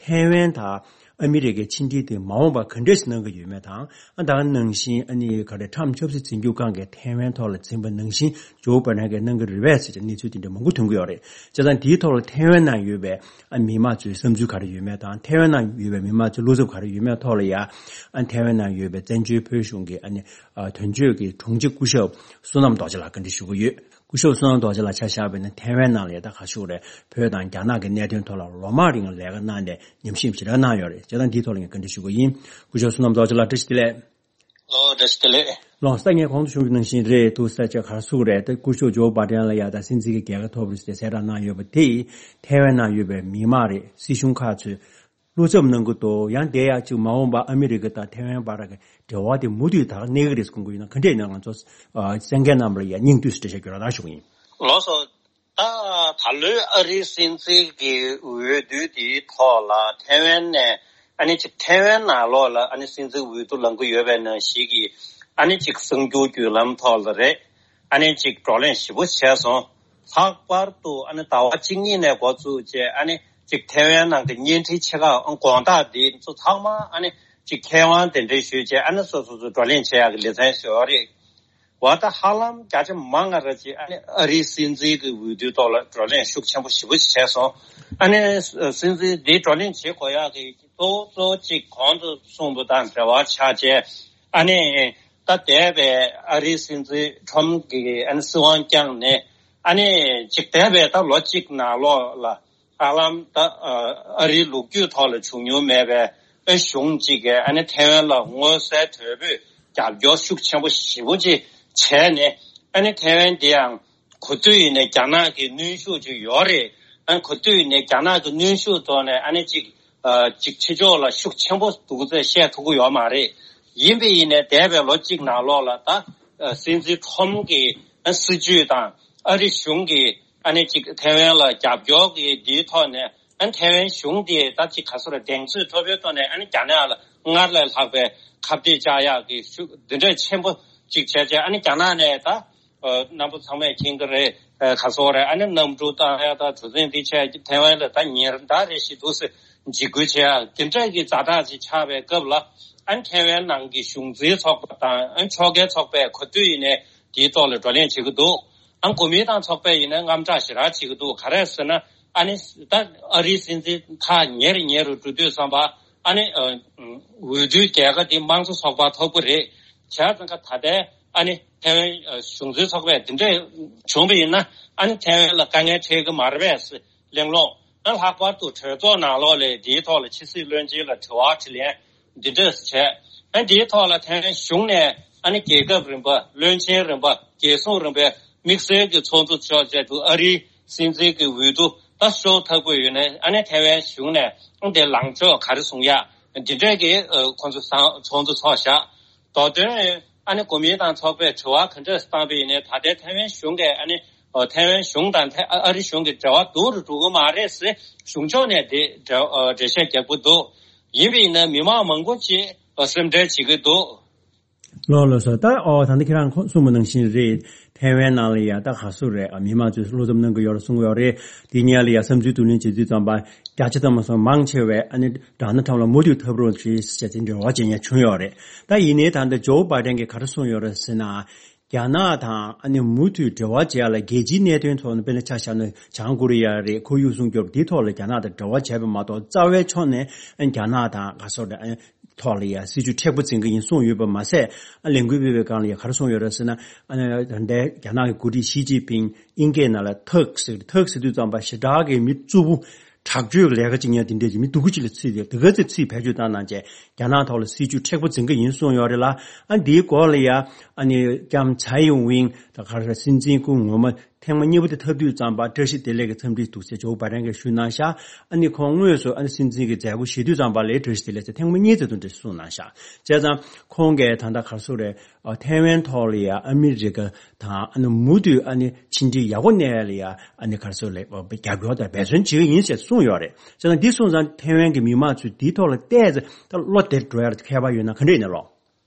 ཐའེ་ཝན་དང་ཨ་མི་རི་ཀའི་ཕྱི་འབྲེལ་དེ་མ་འོངས་པར་ག་འདྲས་ཤིག་གནང་གི་ཡོད་མེད་དང་། ཨ་ད་ག་ནང་བཞིན་ཨ་ནི་ག་རེ་ཁྲམ་ཆབ་སྲིད་འཛིན་སྐྱོང་ཁང་གིས་ཐའེ་ཝན་ཐོག་ལ་འཛིན་པ་ནང་བཞིན་ཇོ་བྷ་དན་གྱིས་གནང་གི་རེད་པས་ཟེར་གྱི་གནས་ཚུལ་དེ་འདྲ་མང་པོ་ཐོན་གྱི་ཡོད་རེད། བྱས་ཙང་དེའི་ཐོག་ལ་ཐའེ་ཝན་ནང་ཡོད་པའི་ཨ་མི་མང་ཚོའི་བསམ་ཚུལ་ག་རེ་ཡོད་མེད་དང་། ཐའེ་ཝན་ནང་ཡོད་པའི་མི་མང་ཚོའི་བློ་འཚབ་ག་རེ་ཡོད་མེད་ཐོག་ལ་ཡ། ཨ་ཐའེ་ཝན་ནང་ཡོད་པའི་བཙན་བྱོལ་བོད་གཞུང་གི་ཨ་ནི་ཨ་དོན་གཅོད་ཀྱི་དྲུང་ཆེ་སྐུ་ཞབས་བསོད་ནམས་རྡོ་རྗེ་ལགས་བཀའ་འདྲི་ཞུ་གི་ཡོད། སྐུ་ཞབས་བསོད་ནམས་རྡོ་རྗེ་ལགས་ཆ་བཞག་པ་ཡིན་ན་ཐའེ་ཝན་ནང་ལ་ཡ་ད་ག་ཞུ་རེད། བོད་དང་རྒྱ་ནག་གི་གནད་དོན་ཐོག་ལ་ལོ་མང་རིང་ལས་ཀ་གནང་ནས་ཉམས་ཞིབ་ཞེ་དྲག་གནང་ཡོད་རེད། བྱས་ཙང་འདིའི་ཐོག་ལ་ངས་བཀའ་འདྲི་ཞུ་གི་ཡིན། སྐུ་ཞབས་བསོད་ནམས་རྡོ་རྗེ་ལགས་བཀྲ་ཤིས་བདེ་ལེགས། ལོ་བཀྲ་ཤིས་བདེ་ལེགས། ལོ་ས་ངས་གོང་དུ་ཞུ་གི་ནང་བཞིན་རེད་འདུག་ས་ཆ་ག་རེ་ཟེར་དགོས་རེད། ད་སྐུ་ཞབས་ཇོ་བྷ་དན་ལ་ཡ་ད་སྲིད་འཛིན་གྱི་རྒྱལ་ཁ་ཐོབ་རེད་ཟེར་གསལ་བསྒྲགས་གནང་ཡོད་པ་དེས་ཐའེ་ཝན་ནང་ཡོད་པའི་མི་མང་རེད། སྲིད་གཞུང་ཁག་ཚོས་བློ་འཚབ་གནང་གི་འདུག་ཡང་དེ་ཡང་ཅིག་མ་འོངས་པར་ཨ་མི་རི་ཀ་དང་ཐའེ་ཝན་བར་གྱི་འབྲེལ་བ་དེ་མུ་མཐུད་ད་གནས་ཀྱི་རེད་ཟེར་དགོངས་ཀྱི་ཡོད་ན་ག་འདྲས་ཡིན་ན། ང་ཚོ་ཨ་གསན་མཁན་རྣམས་ལ་ཡང་སྙིང་བསྡུས་སུ་འགྲེལ་བཤད་རྒྱག་རོགས་གནང་ཞུ་གི་ཡིན། ལགས་སོ། ད་ད་ལོའི་ཨ་རིའི་སྲིད་འཛིན་གྱི་འོས་བསྡུ་དེའི་ཐོག་ལ་ཐའེ་ཝན་ནས་ཨ་ནི་ཅིག་ཐའེ་ཝན་ནང་ལོགས་ལ་ཨ་ནི་སྲིད་འཛིན་འོས་བསྡུ་ལངས་ཀྱི་ཡོད་པའི་ནང་བཞིན་གྱི་ཨ་ནི་ཅིག་གསར་འགྱུར་བརྒྱུད་ལམ་ཐོག་ལ་རེད། ཨ་ནི་ཅིག་བགྲོ་གླེང་ཞིབ་པོ་བྱས་སོང་། ལྷག་པར་དུ་ཨ་ནི་ཟླ་བ་གཅིག་གཉིས་ནས་འགོ་བཙུགས་བྱས་ཨ་ནི་ཅིག་ཐའེ་ཝན་ནང་གི་བརྙན་འཕྲིན་ཆེ་ཁག་དགོང་དག་འདི་ཚོ་ཚང་མ་ཨ་ནི་ཅིག་མཁས་དབང་དེ་འདྲའི་ཞུས་བྱས་ཨ་ནི་སོ་སོ་སོ་བགྲོ་གླེང་བྱེད་ཡག་གི་ལེ་ཚན་ཞིག་ཡོད་རེད། བ་ད་ཧ་ལམ་བརྒྱ་ཆ་མང་ང་ར་ཅིག་ཨ་ནི་ཨ་རིའི་སྲིད་འཛིན་གྱི་འོས་བསྡུའི་ཐོག་ལ་བགྲོ་གླེང་ཤུགས་ཆེན་པོ་ཞེ་པོ་ཅིག་བྱས་སོང་། ཨ་ནི་སྲིད་འཛིན་འདི་བགྲོ་གླེང་བྱེད་དགོས་ཡག་གི་གཙོ་བོ་གཙོ་བོ་གཅིག་གོང་དུ་གསུངས་པ་དང་འབྲེལ་བ་ཆགས་བྱས། ཨ་ནི་ད་འདས་པའི་ཨ་རིའི་སྲིད་འཛིན་ཁྲོམ་གྱིས་ཨ་ནི་སྲིད་དབང་བསྐྱངས་ནས་ཨ་ནི་ཅིག་འདས་པའི་ད་ལོ་གཅིག་ནང་ལོགས་ལ་ཧ་ལམ་ད་ཨ་རིའི་ལོ་རྒྱུས་ཐོག་ལ་བྱུང་མྱོང་མེད་པའི་ཨ་གཞུང་གཅིག་གིས་ཨ་ནི་ཐའེ་ཝན་ལ་མངོན་གསལ་དོད་པོས་རྒྱབ་སྐྱོར་ཤུགས་ཆེན་པོ་ཞེ་པོ་ཅིག་བྱས་ནས། ཨ་ནི་ཐའེ་ཝན་འདི་ཡང་ག་དུས་ཡིན་ནའི་རྒྱ་ནག་གི་གནོན་ཤུགས་ཅིག་ཡོད་རེད། ཨ་ནི་ག་དུས་ཡིན་ནའི་རྒྱ་ནག་གི་གནོན་ཤུགས་ཐོག་ནས་ཨ་ནི་ཅིག་ཨ་ཅིག་ཕྱི་ཕྱོགས་ལ་ཤུགས་ཆེན་པོ་འདུག་ཚེ་བཤད་ཐུབ་ཀྱི་ཡོད་མ་རེད། ཡིན་པ་ཡིན་ནའི་འདས་པའི་ལོ་གཅིག་ནང་ལོགས་ལ་ད་ཨ་སྲིད་འཛིན་ཁྲོམ་གྱི་ཨ་སྲིད་ཇུས་དང་ཨ་རི་གཞུང་གི་ཨ་ནི་ཅིག་ཐའེ་ཝན་ལ་རྒྱབ་སྐྱོར་གྱི་འདིའི་ཐོག་ནས་ཨ་ནི་ཐའེ་ཝན་གཞུང་དེ་ད་ཅིག་ག་ཚོད་རེད། གདེང་ཚོད་མཐོ་པོའི་ཐོག་ནས་ཨ་ནི་རྒྱ་ནག་ལ་སྔར་ལས་ལྷག་པའི་ཁ་གཏད་བཅག་ཡག་གི་ཤུགས་འདི་འདྲ་ཆེན་པོ་ཅིག་བྱས་བྱས། ཨ་ནི་རྒྱ་ནག་ནས་ད་ཨ་རྣམ་པ་ཚང་མས་མཁྱེན་གྱི་རེད། ཨ་ག་ཚོད་རེད། ཨ་ནི་གནམ་གྲུ་བཏང་ཡག་དང་གྲུ་གཟིངས་འདི་བྱས་ཐའེ་ཝན་ལ་ད་ཉིན་ཟླ་རེ་བཞིན་འདུག་སེ་འཇིགས་སྐུལ་བྱེད་ཡག་དེ་འདྲ་གི་ཛ་དྲག་ཅིག་ཆགས་པའི་སྐབས་ལ། ཨ་ནི་ཐའེ་ཝན་ནང་གི་གཞུང་འཛིན་ཚོགས་པ་དང་ཨ་ནི་ཕྱོགས་འགལ་ཚོགས་པས་ག་དུས་ཡིན་ནའི་དེའི་ཐོག་ལ་བགྲོ་གླེང་བྱེད་ཀྱི་འདུག་ཨ་ནི་གོ་མིན་ཏང་ཚོགས་པས་ཡིན་ན་དངངས་སྐྲག་ཞེ་དྲག་བྱེད་ཀྱི་འདུག་ག་རེ་ཟེར་ན། ཨ་ནི་ད་ཨ་རིའི་སྲིད་འཛིན་ཐག་ཉེ་རུ་ཉེ་རུ་འགྲོ་དུས་ཙམ་པ་ཨ་ནི་ཨ་འོས་བསྡུའི་རྒྱལ་ཁ་དེ་དམངས་གཙོ་ཚོགས་པ་ཐོབ་ཀྱི་རེད། བྱས་ཙང་ཀ་ད་ལྟའི་ཨ་ནི་ཐའེ་ཝན་ཨ་གཞུང་འཛིན་ཚོགས་པས་དེ་འདྲས་བྱུང་བ་ཡིན་ན་ཨ་ནི་ཐའེ་ཝན་ལ་དཀའ་ངལ་འཕྲད་ཀྱི་མ་རེད་པས་གླེང་སློང་། ཨ་ལྷག་པར་དུ་གྲོས་ཚོགས་ནང་ལོགས་ལ་དེའི་ཐོག་ལ་ཕྱི་སྲིད་བློན་ཆེན་ལ་དྲི་བ་དྲིས་ལན་འདི་འདྲས་བྱས། ཨ་འདིའི་ཐོག་ལ་ཐའེ་ཝན་གཞུང་ནས་ཨ་ནི་རྒྱལ་ཁབ་རིམ་པ། བློན་ཆེན་རིམ་པ། རྒྱལ་སྲུང་རིམ་པའི་དམིགས་བསལ་གྱི་ཚོགས་འདུ་ཚོགས་བྱས་འདུག་ཨ་རིའི་སྲིད་འཛིན་གྱི་འོས་བསྡུ་ད་ཤོར་ཐབས་ཀྱི་ཡོད་ནའི་ཨ་ནི་ཐའེ་ཝན་གཞུང་ནས་ཨ་འདི་ལངས་ཕྱོགས་ག་རེ་བཟུང་ཡག་འདི་འདྲས་ཀྱི་ཨ་ཁོང་ཚོ་ཚང་ཚོགས་འདུ་ཚོགས་བཞག་མདོ་དོན་ཨ་ནི་གོ་མིན་ཏང་ཚོགས་པས་དྲི་བ་ག་འདྲས་བཏང་པ་ཡིན་ནའི་ད་ལྟའི་ཐའེ་ཝན་གཞུང་གིས་ཨ་ནི་ཨ་ཐའེ་ཝན་གཞུང་དང་ཐའེ་ཨ་ཨ་རི་གཞུང་གི་འབྲེལ་བ་སྡུག་རུ་འགྲོ་གི་མ་རེད་ཟེར་གཞུང་ཕྱོགས་ནས་དེ་འགྲེལ་ཨ་འགྲེལ་བཤད་རྒྱག་གི་འདུག་ཡིན་པ་ཡིན་ན་མི་མང་མང་པོ་ཅིག་ཨ་སེམས་ཁྲལ་བྱེད་ཀྱི་འདུག་ལགས་ལགས་སོ། ད་ཨོ་ད་ལྟ་ཁྱེད་རང་ཁོ་གསུངས་པ་ནང་བཞིན་རེད། ཐའེ་ཝན་ནང་ལ་ཡ་ད་ག་ཚོད་རེད། ཨ་མི་མང་ཚོས་བློ་འཚབ་གནང་གི་ཡོད་རེད་གསུང་གི་ཡོད་རེད། དེ་གཉིས་ལ་ཡ་བསམ་ཚུལ་བསྡུ་ལེན་བྱེད་དུས་ཙམ་པ་བརྒྱ་ཆ་ཐམ་པ་སོང་མང་ཆེ་བས་ཨ་ནི་ཌོ་ནལ་ཊམ་ལ་མུ་མཐུད་ཐབས་རོགས་བྱེད་ཟེར་ཅིག་འབྲེལ་བ་བྱེད་མཁན་བྱུང་ཡོད་རེད། ད་ཡིན་ནའི་ད་ལྟ་ཇོ་བྷའི་ཌེན་གྱིས་ག་རེ་གསུངས་ཡོད་རེད་ཟེར་ན། རྒྱ་ནག་དང་ཨ་ནི་མུ་མཐུད་འབྲེལ་བ་བྱེད་ཡ་ལ་རྒྱལ་སྤྱིའི་གནད་དོན་ཐོག་ནས་དཔེར་ན་ཆ་བཞག་ན་བྱང་ཀོ་རི་ཡ་རེད། ཁོར་ཡུག་སྲུང་སྐྱོབ་འདིའི་ཐོག་ལ་རྒྱ་ནག་དང་འབྲེལ་བ་བྱས་པ་མ་གཏོགས་རྩ་བའི་ཕྱོགས་ནས་ཨ་རྒྱ་ནག་དང་ག་སོགས་ཨ་ཐོག་ལ་ཡ་སྲིད་ཇུས་མཁྲེགས་པོ་འཛིན་གྱི་ཡིན་གསུངས་ཡོད་པ་མ་ཟད། ཨ་ལས་འགུལ་སྤེལ་བའི་སྒང་ལ་ཡ་ག་རེ་གསུངས་ཡོད་རེད་ཟེར་ན། ཨ་ནི་ད་ལྟའི་རྒྱ་ནག་གི་འགོ་ཁྲིད་ཞི་ཅིན་ཕིང་དབྱིན་སྐད་ནང་ལ་ཐག་ཟེར་ཐག་ཟེར་དུས་ཙམ་པ་ཞེ་དྲག་གི་མི་རྩུབ་པོ། དྲག་སྤྱོད་ཀྱི་ལས་ཀ་ཅིག་ཉན་དེ་འདྲས་ཀྱི་མི་སྡུག་གུ་ཅིག་ལ་ཚིག་དེ་དེ་ག་ཚོད་ཚིག་བེད་སྤྱོད་བཏང་གནང་བྱས་རྒྱ་ནག་ཐོག་ལ་སྲིད་ཇུས་མཁྲེགས་པོ་འཛིན་གྱི་ཡིན་གསུངས་ཡོད་རེད་ལ། ཨ་འདིའི་སྐོར་ལ་ཡ་ཨ་ནི་ལྕམ་ཚའེ་ཡིན་ཝིང་དང་ག་རེ་སྲིད་འཛིན་སྐུ་ངོ་མ་ཐེངས་མ་གཉིས་པ་དེ་འཐབ་དུས་ཙམ་པ་བཀྲ་ཤིས་བདེ་ལེགས་ཀྱི་འཚམས་འདྲི་འདུག་ཟེར་ཇོ་བྷའི་ཌེན་གྱིས་ཞུས་གནང་ཤག་ཨ་ནི་ཁོང་དངོས་སུ་ཨ་ནི་སྲིད་འཛིན་གྱི་མཛད་སྒོ་བཞེས་དུས་ཙམ་པ་ལ་བཀྲ་ཤིས་བདེ་ལེགས་ཟེར་ཐེངས་མ་གཉིས་ཙམ་དུ་འདྲ་གསུངས་གནང་ཤག་བྱས་ཙང་ཁོང་གིས་ད་ལྟ་ག་རེ་ཟེར་རེད། ཨ་ཐའེ་ཝན་ཐོག་ལ་ཡ་ཨ་མི་རི་ཀ་དང་ཨ་ནི་མུ་མཐུད་ཨ་ནི་ཕྱི་འབྲེལ་ཡག་པོ་གནས་ལ་ཡ་ཨ་ནི་ག་རེ་ཟེར་ལ་རྒྱབ་སྐྱོར་དང་འབད་བརྩོན་བྱེད་ཀྱི་ཡིན་ཞེས་གསུངས་ཡོད་རེད། བྱས་ཙང་འདི་སོང་ཙང་ཐའེ་ཝན་གྱི་མི་མང་ཚོས་འདིའི་ཐོག་ལ་བལྟས་ཚེ་ད་བློ་དེར་འགྲོ་ཡ་ཁྱད་པར་ཡོད་ན་ག་འདྲ་ཡིན་ན་ལོ།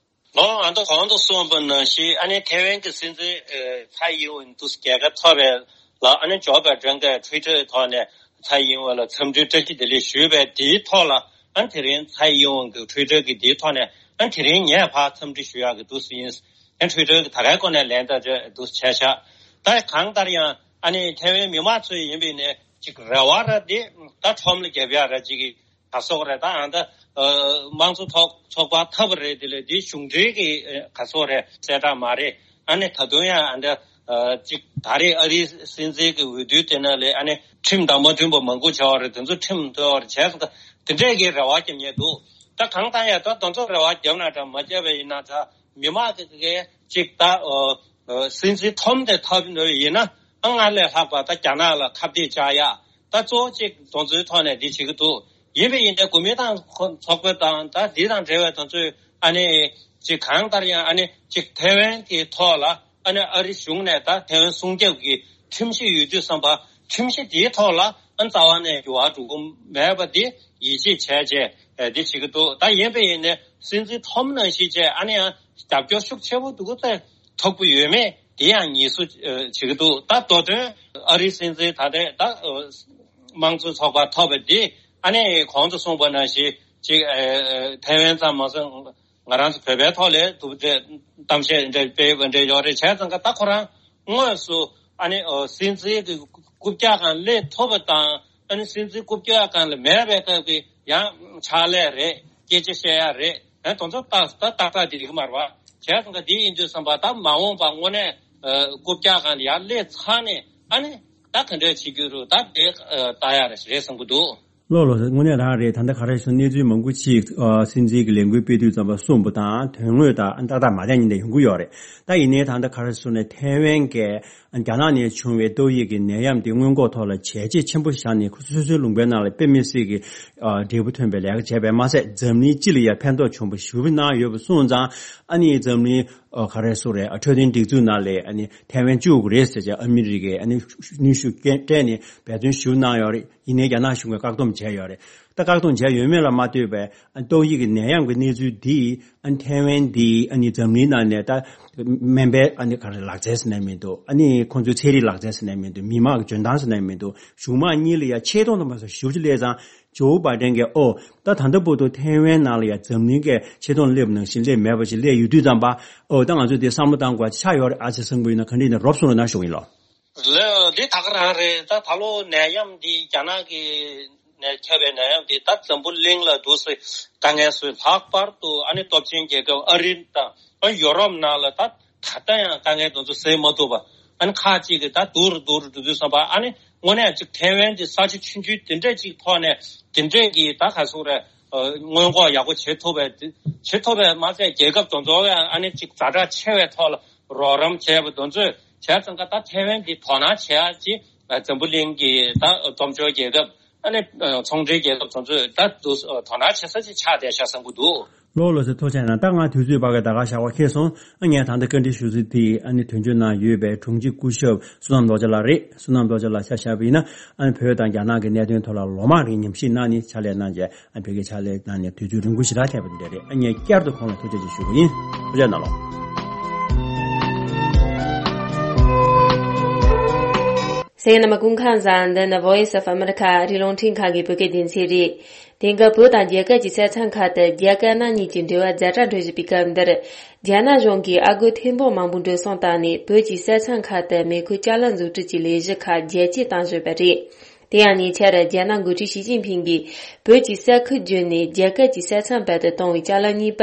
ལོ་ཨ་མདོ་གོང་དུ་གསུངས་པ་ནང་བཞིན་ཨ་ནི་ཐའེ་ཝན་གྱི་སྲིད་འཛིན་ཨ་ཚའེ་ཡིན་ཝིན་དུས་རྒྱལ་ཁ་ཐོབ་པའི་ལ་ཨ་ནི་ཇོ་བྷའི་ཌེན་གྱིས་ཊུའི་ཊར་ཐོག་ནས་ཚའེ་ཡིན་ཝིན་ལ་འཚམས་འདྲི་བཀྲ་ཤིས་བདེ་ལེགས་ཞུས་པའི་དེའི་ཐོག་ལ་ཨ་ནི་དེ་རིང་ཚའེ་ཡིན་ཝིན་གྱི་ཊུའི་ཊར་གྱི་དེའི་ཐོག་ནས་ཨ་ནི་དེ་རིང་ངས་ཕར་འཚམས་འདྲི་ཞུ་ཡག་གི་འདུག་སེ་ཡིན། ཨ་ནི་ཊུའི་ཊར་གྱི་ད་གའི་སྐོར་ནས་ལན་ད་འདུག་བྱས་ཤག་ད་གང་ལྟར་ཡང་ཨ་ནི་ཐའེ་ཝན་མི་མང་ཚོ་ཡིན་པས་ནས་ཅིག་རེ་བ་ར་འདི་ད་ཁྲོམ་ལ་རྒྱབ་ཡག་ར་ཅིག་གི་ག་སོག་རེད། ད་ཨ་ད་དམངས་གཙོ་ཚོགས་ཚོགས་པ་ཐབས་རེད། དེ་ལས་འདི་གཞུང་འབྲེལ་གྱི་ག་སོག་རེད་གསལ་བསྒྲགས་མ་རེད། ཨ་ནི་ད་དུང་ཡང་ཨ་ད་ཅིག་ད་རེས་ཨ་རིའི་སྲིད་འཛིན་གྱི་འོས་བསྡུ་དེ་ནང་ལས་ཨ་ནི་ཁྲིམས་དང་མ་མཐུན་པ་མང་པོ་བྱས་པ་རེད། དེ་ཚོ་ཁྲིམས་ཐོག་རེད་བྱས་སོང་། ད་དེ་འདྲས་ཀྱི་རེ་བ་རྒྱབ་མཁན་འདུག་ད་གང་ལྟར་ཡང་ད་དེ་ཚོ་རེ་བ་རྒྱབ་ན་འདྲ་མ་རྒྱབ་པ་ཡིན་ན་ད་མི་མང་གི་གི་ཅིག་ད་སྲིད་འཛིན་ཐོམ་དེ་ཐོབ་ཡིན་ན་ཨ་སྔར་ལས་ལྷག་པ་ད་རྒྱ་ནག་ལ་ཁ་གཏད་བཅག་ཡ། ད་གཙོ་བོ་གཅིག་དེ་ཚོའི་ཐོག་ནས་འདི་བྱེད་ཀྱི་འདུག་ཡིན་པ་ཡིན་ནའི་གོ་མིན་ཏང་ཚོགས་པ་དང་ད་འདི་དང་འབྲེལ་བའི་དེ་ཚོས་ཨ་ནི་གཅིག་གང་ལྟར་ཡང་ཨ་ནི་གཅིག་ཐའེ་ཝན་གྱི་ཐོག་ལ་ཨ་ནི་ཨ་རི་གཞུང་ནས་ད་ཐའེ་ཝན་སྲུང་སྐྱོབ་ཀྱི་ཁྲིམས་གཞི་ཡོད་དུས་ཙམ་པ་ཁྲིམས་གཞི་དེའི་ཐོག་ལ་ཨ་ནི་རྩ་བ་ནས་འགྱུར་བ་འགྲོ་གི་མེད་པ་འདི་ཡིད་ཆེས་བྱས་རྗེས་འདི་བྱེད་ཀྱི་འདུག་ད་ཡིན་པ་ཡིན་ནའི་སྲིད་འཛིན་ཐོམ་ནང་བཞིན་བྱས་ཨ་ནི་ཡང་རྒྱབ་སྐྱོར་ཤུགས་ཆེ་པོ་འདུག་གི་ཐོབ་ཀྱི་ཡོད་མེད་དེ་ཡང་ངེས་སུ་བྱེད་ཀྱི་འདུག་ད་མདོ་དོན་ཨ་རིའི་སྲིད་འཛིན་ད་ལྟའི་ད་དམངས་གཙོའི་ཚོགས་པ་ཐོབ་པ་འདི་ཨ་ནི་གོང་དུ་གསུངས་པ་ནང་བཞིན་ཅིག་ཐའེ་ཝན་ཙམ་མ་ཟད་ང་རང་ཚོ་བོད་པའི་ཐོག་ལས་ཐུབ་འདྲ་གཏམ་བཤད་འདྲ་སྤེལ་བ་འདྲ་ཡོད་རེད། བྱས་ཙང་ཀ་ད་ཁོ་རང་དངོས་སུ་ཨ་ནི་སྲིད་འཛིན་གྱི་རྐུབ་བཀྱག་སྒང་སླེབས་ཐུབ་པ་དང་ཨ་ནི་སྲིད་འཛིན་རྐུབ་བཀྱག་སྒང་ལ་མེད་པའི་སྐབས་ཀྱི་ཡང་ཕྱག་ལས་རེད། སྐད་ཆ་བཤད་ཡ་རེད། ཨ་དེ་ཚོ་ཏག་ཏག་ཏག་ཏག་དེ་རིགས་མ་རེད་བ། བྱས་ཙང་ཀ་དེ་ཡིན་དུས་ཙམ་པ་ད་མ་འོངས་པ་དངོས་གནས་རྐུབ་བཀྱག་སྒང་ལ་ཡར་སླེབས་ཚར་ནས་ཨ་ནི་ད་ག་འདྲ་བྱེད་རྒྱུ་རུ་ད་དེ་ལྟ་ཡ་རེད་བསམ་གྱི་འདུག་ལགས་ལགས་སོ། དངོས་གནས་རང་རེད། ད་ལྟ་ག་རེ་ཞུ་གནས་ཚུལ་མང་པོ་ཅིག་ཨ་སྲིད་འཛིན་གྱི་ལས་འགུལ་སྤེལ་དུས་ཙམ་པ་གསུངས་པ་དང་དོན་དངོས་དང་ཏག་ཏག་མ་བསྡད་མཁན་དེ་ཡོང་གི་ཡོད་རེད། ད་ཡིན་ནའི་ད་ལྟ་ག་རེ་ཞུ་ནས་ཐའེ་ཝན་གྱི་རྒྱ་ནག་ནས་བྱུང་བའི་ཏོག་དབྱིབས་ཀྱི་ནད་ཡམས་དེ་སྔོན་འགོག་ཐོག་ལ་བྱས་རྗེས་ཆེན་པོ་བཞག་ནས་ཁོ་ཚོ་སོ་སོའི་ལུང་པའི་ནང་ལ་དཔེ་མི་སྲིད་ཀྱི་ཨ་འབྲས་བུ་ཐོན་པའི་ལས་ཀ་བྱས་པས་མ་ཟད་འཛམ་གླིང་སྤྱི་ལ་ཡང་ཕན་ཐོགས་བྱུང་བ་ཞེ་པོ་གནང་ཡོད་པ་སོང་ཙང་ཨ་ནི་འཛམ་གླིང་ཨ་ག་རེ་ཟེར་རེད། ཨ་འཕྲོད་བསྟེན་སྒྲིག་འཛུགས་ནང་ལ་ཨ་ནི་ཐའེ་ཝན་བཅུག་དགོས་རེད་ཟེར་བྱས་ཨ་མི་རི་ཀས་ཨ་ནི་གནོན་ཤུགས་སྤྲད་ནས་འབད་བརྩོན་ཞེ་པོ་གནང་ཡོད་རེད། ཡིན་ནའི་རྒྱ་ནག་གཞུང་གིས་བཀག་སྡོམ་བྱས་ཡོད་རེད། ད་བཀག་སྡོམ་བྱས་ཡོད་མེད་ལ་མ་ལྟོས་པའི་ཨ་ཏོག་དབྱིབས་ཀྱི་ནད་ཡམས་ཀྱི་གནས་ཚུལ་འདིས་ཨ་ཐའེ་ཝན་འདི་ཨ་ནི་འཛམ་གླིང་ནང་ནས་ད་སྨན་པའི་ཨ་ནི་ག་རེ་ལག་རྩལ་ཟེར་ནའི་མི་འདུག་ཨ་ནི་ཁོང་ཚོའི་ཚན་རིག་ལག་རྩལ་ཟེར་ནའི་མི་འདུག་མི་དམངས་ཀྱི་འཇོན་ཐང་ཟེར་ནའི་མི་འདུག་གཞུང་དམངས་གཉིས་ལ་ཡང་ཆེ་མཐོང་དུ་མ་སོང་ཞེ་པོ་ཅིག་སླེབས་ཙང་ཇོ་བྷའི་ཌེན་གྱིས་ཨོ་ད་ད་ལྟ་བར་དུ་ཐའེ་ཝན་ནང་ལ་ཡང་འཛམ་གླིང་གི་ཆེ་མཐོང་སླེབས་ནང་བཞིན་སླེབས་མེད་པ་ཞིག་སླེབས་ཡོད་དུས་ཙམ་པ་ཨོ་ད་ང་ཚོས་དེ་བསམ་བློ་བཏང་དགོས་པ་ཆགས་ཡོད་རེད་ཨ་ཅེ་སང་བུ་ཡིན་ན་ག་འདྲ་ཡིན་ན་རོབ་གསུངས་རོགས་གནང་ཞུ་གི་ཡིན་ལོ། ལགས་འདི་ད་ག་རང་རེད། ད་ད་ལོ་ནད་ཡམས་འདི་རྒྱ་ནག་གི་ནས་ཁྱབ་པའི་ནད་ཡམས་འདི་ད་འཛམ་བུ་གླིང་ལ་འདུག་སེ་དཀའ་ངལ་བཟོས། ལྷག་པར་དུ་ཨ་ནི་སྟོབས་ཆེན་རྒྱལ་ཁབ་ཨ་རི་དང་ཨ་ཡོ་རོབ་ནང་ལ་ད་ད་ལྟ་ཡང་དཀའ་ངལ་དེ་ཚོ་སེལ་མ་ཐུབ་པ། ཨ་ནི་ཁག་ཅིག་གིས་ད་སྡུག་རུ་སྡུག་རུ་འགྲོ་དུས་ཙམ་པ་ཨ་ནི་དངོས་གནས་ཅིག་ཐའེ་ཝན་འདི་ས་ཆ་ཆུང་ཆུང་དེ་འདྲས་ཅིག་ཐོག་ནས་དེ་འདྲས་ཀྱི་ད་ག་ཟེར་རེད། སྔོན་འགོག་ཡག་པོ་བྱེད་ཐུབ་པའི་བྱེད་ཐུབ་པའི་མ་ཚད་རྒྱལ་ཁབ་དེ་ཚོ་ཡང་ཨ་ནི་ཅིག་ཛ་དྲག་ཆེ་བའི་ཐོག་ལ་རོགས་རམ་བྱས་པ་དེ་ཚོས་བྱས་ཙང་ཀ་ད་ཐའེ་ཝན་འདི་དོ་སྣང་བྱེད་ཡ་ཅིག་འཛམ་བུ་གླིང་གི་ད་སྟོབས་འབྱོར་རྒྱལ་ཁབ་ཨ་ནི་ཚོང་འབྲེལ་རྒྱལ་ཁབ་དེ་ཚོས་ད་དུ་དོ་སྣང་བྱེད་ས་ཅིག་ཆགས་བསྡད་ཤག་བསམ་གྱི་འདུག་ལགས་ལགས་སོ། ཐུགས་རྗེ་གནང་། ད་ང་དུས་ཚོད་བར་ག་ད་ག་ཞག་པ་ཁེལ་སོང་། ཨ་ངས་ད་ལྟ་བཀའ་འདྲི་ཞུ་ས་དེ་ཨ་ནི་དོན་གཅོད་གནང་ཡོད་པའི་དྲུང་ཆེ་སྐུ་ཞབས་བསོད་ནམས་རྡོ་རྗེ་ལགས་རེད། བསོད་ནམས་རྡོ་རྗེ་ལགས་ཆ་བཞག་པ་ཡིན་ན་ཨ་ནི་བོད་དང་རྒྱ་ནག་གི་གནད་དོན་ཐོག་ལ་ལོ་མང་རིང་ཉམས་ཞིབ་གནང་ནས་ཕྱག་ལས་གནང་རྗེས་ཨ་བོད་སྐད་ཕྱག་ལས་གནང་ནས་དུས་ཚོད་རིང་པོ་ཞེ་དྲག་ཐེབས་པ་འདི་རེད། ཨ་ངས་བསྐྱར་དུ་ཁོང་ལ་ཐུགས་རྗེ་ཆེ་ཞུ་གི་ཡིན། ཐུགས་རྗེ་གནང་ལགས། གསན་མཁན་རྣམ་པ་སྐུ་ཁམས་བཟང་། འདི་ནི་Voice of America ཨ་རིའི་རླུང་འཕྲིན་ཁང་གི་བོད་སྐད་སྡེ་ཚན་རེད། དེང་སྐབས་བོད་དང་རྒྱ་གར་གྱི་ས་མཚམས་ཁག་ཏུ་རྒྱ་དཀར་ནག་གཉིས་ཀྱི་འབྲེལ་བ་ཛ་དྲག་འགྲོ་བཞིན་པའི་སྐབས་འདིར། རྒྱ་ནག་གཞུང་གིས་ཨ་སྒོར་ཐེར་འབུམ་མང་པོ་འགྲོ་སོང་བཏང་ནས་བོད་ཀྱི་ས་མཚམས་ཁག་ཏུ་མེ་འཁོར་ཅ་ལག་འཛུགས་སྐྲུན་གྱི་ལས་གཞི་ཁག་རྒྱ་སྐྱེད་བཏང་བཞིན་པ་རེད། དེ་ཡང་ཉེ་ཆར་རྒྱ་ནག་འགོ་ཁྲིད་ཞི་ཅིན་ཕིང་གིས་བོད་ཀྱི་ས་ཁུལ་བརྒྱུད་ནས་རྒྱ་གར་གྱི་ས་མཚམས་བར་དུ་གཏོང་བའི་ཅ་ལག་གཉིས་པ་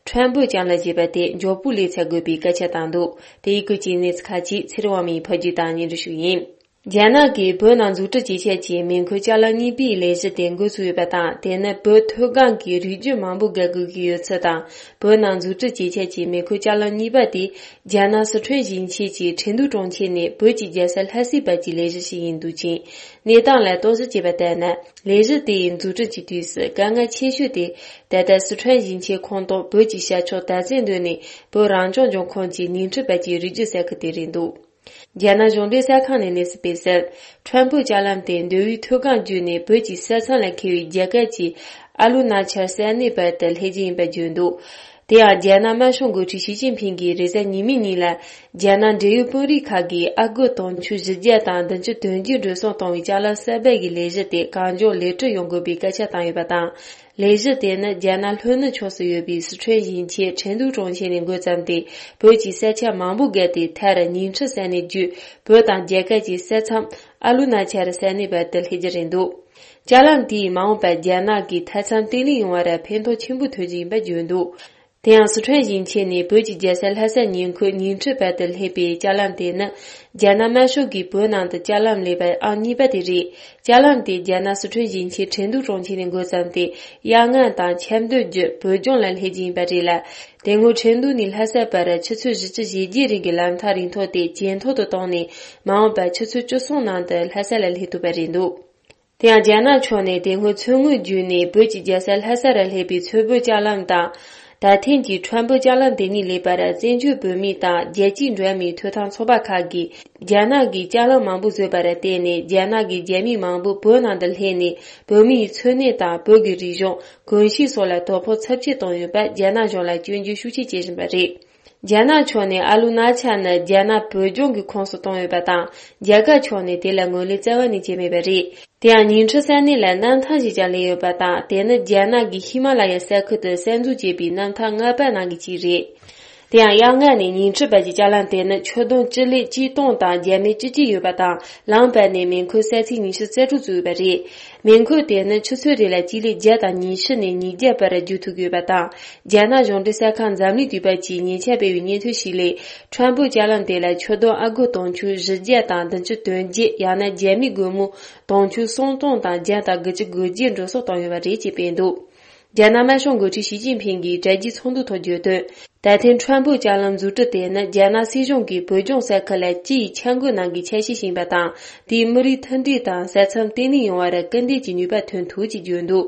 ཁྲོན་བོད་ཅ་ལག་ཅེས་པ་དེ་མགྱོགས་པོའི་ལས་འཚོལ་དགོས་པའི་སྐད་ཆ་བཏང་འདུག་དེ་ཡི་སྐོར་གྱི་གནས་ཚུལ་ཁག་ཅིག་ཚེ་རིང་དབང་མོས་ཕབ་སྒྱུར་དང་སྙན་སྒྲོན་ཞུ་གི་ཡིན། རྒྱ་ནག་གིས་བོད་ནང་འཛུགས་སྐྲུན་བྱེད་ཆེད་ཀྱི་མེ་འཁོར་ལྕགས་ལམ་གཉིས་པའི་ལས་གཞི་དེ་འགོ་ཚུགས་ཡོད་པ་དང་། དེ་ནི་བོད་མཐོ་སྒང་གི་རིག་རྒྱུ་མང་པོ་བརྒལ་དགོས་ཀྱི་ཡོད་ཚུལ་དང་། བོད་ནང་འཛུགས་སྐྲུན་བྱེད་ཆེད་ཀྱི་མེ་འཁོར་ལྕགས་ལམ་གཉིས་པ་དེ་རྒྱ་ནག་སི་ཁྲོན་ཞིང་ཆེན་གྱི་ཁྲེང་ཏུའུ་གྲོང་ཁྱེར་ནས་བོད་ཀྱི་རྒྱལ་ས་ལྷ་སའི་བར་གྱི་ལས་གཞི་ཞིག་ཡིན་འདུག་ཅིང་། གནས་སྟངས་ལ་རྟོག་ཞིབ་བྱས་པ་ལྟར་ན། ལས་གཞི་དེ་ཡི་འཛུགས་སྐྲུན་གྱི་དུས་སུ་དཀའ་ངལ་ཆེ་ཤོས་དེ། ད་ལྟ་སི་ཁྲོན་ཞིང་ཆེན་ཁོངས་གཏོགས་བོད་ཀྱི་ཤར་ཕྱོགས་དར་རྩེ་མདོ་ནས་བོད་རང་སྐྱོང་ལྗོངས་ཁོངས་ཀྱི་ཉིང་ཁྲི་བར་གྱི་རི་རྒྱུད་ས་ཁུལ་དེ་རེད་འདུག་རྒྱ་ནག་གཞུང་འབྲེལ་གསར་ཁང་ནས་གནས་ཚུལ་སྤེལ་གསལ། ཁྲོན་བོད་ལྕགས་ལམ་དེ་མདོ་དབུས་མཐོ་སྒང་བརྒྱུད་ནས་བོད་ཀྱི་ས་མཚམས་ལ་འཁེལ་བའི་རྒྱ་གར་གྱི་ཨ་ལུ་ན་ཆར་ས་གནས་བར་དུ་སླེབས་རྒྱུ་ཡིན་པར་བརྗོད་འདུག་དེ་ཡང་རྒྱ་ནག་དམར་ཤོག་འགོ་ཁྲིད་ཞི་ཅིན་ཕིང་གིས་རེས་གཟའ་ཉི་མའི་ཉིན་ལ། རྒྱ་ནག་འབྲེལ་ཡོད་དཔོན་རིགས་ཁག་གིས་ཨ་སྒོར་དུང་ཕྱུར་བཞི་བརྒྱ་དང་བདུན་ཅུ་དོན་བརྒྱད་འགྲོ་སོང་གཏོང་བའི་ལྕགས་ལམ་གསར་པ་གི་ལས་གཞི་དེ་གང་མགྱོགས་ལེགས་གྲུབ་ཡོང་དགོས་པའི་སྐད་ཆ་བཏང་ཡོད་པ་དང་། ལས་གཞི་དེ་ནི་རྒྱ་ནག་ལྷོ་ནུབ་ཕྱོགས་སུ་ཡོད་པའི་སི་ཁྲོན་ཞིང་ཆེན་ཁྲེང་ཏུའུ་གྲོང་ཁྱེར་ནས་འགོ་བརྩམས་ཏེ། བོད་ཀྱི་ས་ཆ་མང་པོ་བརྒལ་ཏེ། མཐར་ཉིང་ཁྲི་ས་གནས་བརྒྱུད་བོད་དང་རྒྱ་གར་གྱི་ས་མཚམས་ཨ་ལུ་ན་ཆར་ས་གནས་བར་དུ་སླེབས་རྒྱུ་རེད་འདུག་ལྕགས་ལམ་དེས་མ་འོངས་པར་རྒྱ་ནག་གི་མཐའ་མཚམས་བརྟན་ལྷིང་ཡོང་བར་ཕན་ཐོགས་ཆེན་པོ་ཐོན་རྒྱུ་ཡིན་པར་བརྗོད་འདུག་དེ་ཡང་སི་ཁྲོན་ཞིང་ཆེན་ནས་བོད་ཀྱི་རྒྱལ་ས་ལྷ་ས་ཉེ་འཁོར་ཉིང་ཁྲི་བར་དུ་སླེབས་པའི་ལྕགས་ལམ་དེ་ནི། རྒྱ་ནག་དམར་ཤོག་གིས་བོད་ནང་དུ་ལྕགས་ལམ་སླེབས་པ་ཨང་གཉིས་པ་དེ་རེད། ལྕགས་ལམ་དེ་རྒྱ་ནག་སི་ཁྲོན་ཞིང་ཆེན་ཁྲེང་ཏུའུ་གྲོང་ཁྱེར་ནས་འགོ་བརྩམས་ཏེ། གཡས་ངན་དང་ཆབ་མདོ་བརྒྱུད་བོད་ལྗོངས་ལ་སླེབས་རྒྱུ་ཡིན་པ་རེད་ལ། དེ་སྔོན་ཁྲེང་ཏུའུ་ནས་ལྷ་ས་བར་ཆུ་ཚོད་བཞི་བཅུ་ཞེ་བརྒྱད་རིང་གི་ལམ་ཐག་རིང་ཐུང་དེ་ཇེ་མཐོ་དུ་བཏང་ནས། མ་འོངས་པར་ཆུ་ཚོད་བཅུ་གསུམ་ནང་དུ་ལྷ་ས་ལ་སླེབས་ཐུབ་པ་རེད་འདུག་དེ་ཡང་རྒྱ་ནག་ཕྱོགས་ནས་དེ་སྔོན་མཚོ་སྔོན་བརྒྱུད་ནས་བོད་ཀྱི་རྒྱལ་ས་ལྷ་ས་རུ་སླེབས་པའི་མཚོ་བོད་ལྕགས་ལམ་དང་། ད་ཐེངས་ཀྱི་ཁྲོན་བོད་ལྕགས་ལམ་དེ་གཉིས་སླེབས་པར་བཙན་བྱོལ་བོད་མི་དང་རྒྱལ་སྤྱིའི་འགྲོ་བ་མིའི་ཐོབ་ཐང་ཚོགས་པ་ཁག་གིས། རྒྱ་ནག་གིས་ལྕགས་ལམ་མང་པོ་བཟོས་པར་བརྟེན་ནས། རྒྱ་ནག་གི་རྒྱ་མི་མང་པོ་བོད་ནང་དུ་སླེབས་ནས། བོད་མིའི་འཚོ་གནས་དང་བོད་ཀྱི་རིག་གཞུང་། གོམས་གཤིས་སོགས་ལ་དོ་ཕོག་ཚབས་ཆེ་བཏང་ཡོད་པར་རྒྱ་ནག་གཞུང་ལ་སྐྱོན་བརྗོད་ཤུགས་ཆེ་བྱེད་བཞིན་པ་རེད། རྒྱ་ནག་ཕྱོགས་ནས་ཨ་ལུ་ན་ཆ་ནི་རྒྱ་ནག་བོད་ལྗོངས་ཀྱི་ཁོངས་སུ་བཏང་ཡོད་པ་དང་། རྒྱ་གར་ཕྱོགས་ནས་དེ་ལ་ངོས་ལེན་རྩ་བ་ནས་བྱས་མེད་པ་རེད། དེ་ཡང་ཉིང་ཁྲི་ས་གནས་ལ་གནམ་ཐང་ཞིག་ཀྱང་ལས་ཡོད་པ་དང་། དེ་ནི་རྒྱ་ནག་གིས་ཧི་མ་ལ་ཡའི་ས་ཁུལ་དུ་གསར་འཛུགས་བྱས་པའི་གནམ་ཐང་ལྔ་པ་ནང་གི་གཅིག་རེད། དེ་ཡང་གཡས་ངན་ནས་ཉིང་ཁྲི་བར་གྱི་ལྕགས་ལམ་དེ་ནི་ཆུ་དུང་སྤྱི་ལེ་གཅིག་སྟོང་དང་བརྒྱ་མེད་བཅུ་གཅིག་ཡོད་པ་དང་། ལམ་བར་ནས་མེ་འཁོར་ས་ཚིགས་ཉི་ཤུ་རྩ་དྲུག་བཙུགས་ཡོད་པ་རེད། མེ་འཁོར་དེ་ནི་ཆུ་ཚོད་རེ་ལ་སྤྱི་ལེ་བརྒྱ་དང་ཉི་ཤུ་ནས་ཉིས་བརྒྱ་བར་བརྒྱུད་ཐུབ་ཀྱི་ཡོད་པ་དང་། རྒྱ་ནག་གཞུང་འབྲེལ་གསར་ཁང་འཛམ་གླིང་དུས་དཔར་གྱིས་ཉེ་ཆར་སྤེལ་བའི་སྙན་ཐོ་ཞིག་ལས། ཁྲོན་བོད་ལྕགས་ལམ་དེ་ལ་ཆུ་དུང་ཨ་སྒོར་དུང་ཕྱུར་བཞི་བརྒྱ་དང་བདུན་ཅུ་དོན་བརྒྱད། ཡང་ན་རྒྱ་མིའི་སྒོར་མོ་དུང་ཕྱུར་སུམ་སྟོང་དང་བརྒྱ་དང་དགུ་བཅུ་གོ་བརྒྱད་འགྲོ་སོང་བཏང་ཡོད་པ་རེད་ཅེས་སྤེལ་འདུག་རྒྱ་ནག་དམར་ཤོག་འགོ་ཁྲིད་ཞི་ཅིན་ཕིང་གིས་དྲ་རྒྱའི་ཚོགས་འདུ་ཐོག་བརྗོད་དོན། ད་ཐེངས་ཁྲོན་བོད་ལྕགས་ལམ་འཛུགས་སྐྲུན་དེ་ནི་རྒྱ་ནག་སྲིད་གཞུང་གིས་བོད་ལྗོངས་ས་ཁུལ་ལ་སྤྱི་ཡི་འཆར་འགོད་ནང་གི་འཆར་གཞི་ཞིག་ཡིན་པ་དང་། དེས་མི་རིགས་མཐུན་སྒྲིལ་དང་ས་མཚམས་བརྟན་ལྷིང་ཡོང་བར་སྐུལ་འདེད་ཀྱི་ནུས་པ་ཐོན་ཐུབ་ཅེས་བརྗོད་འདུག་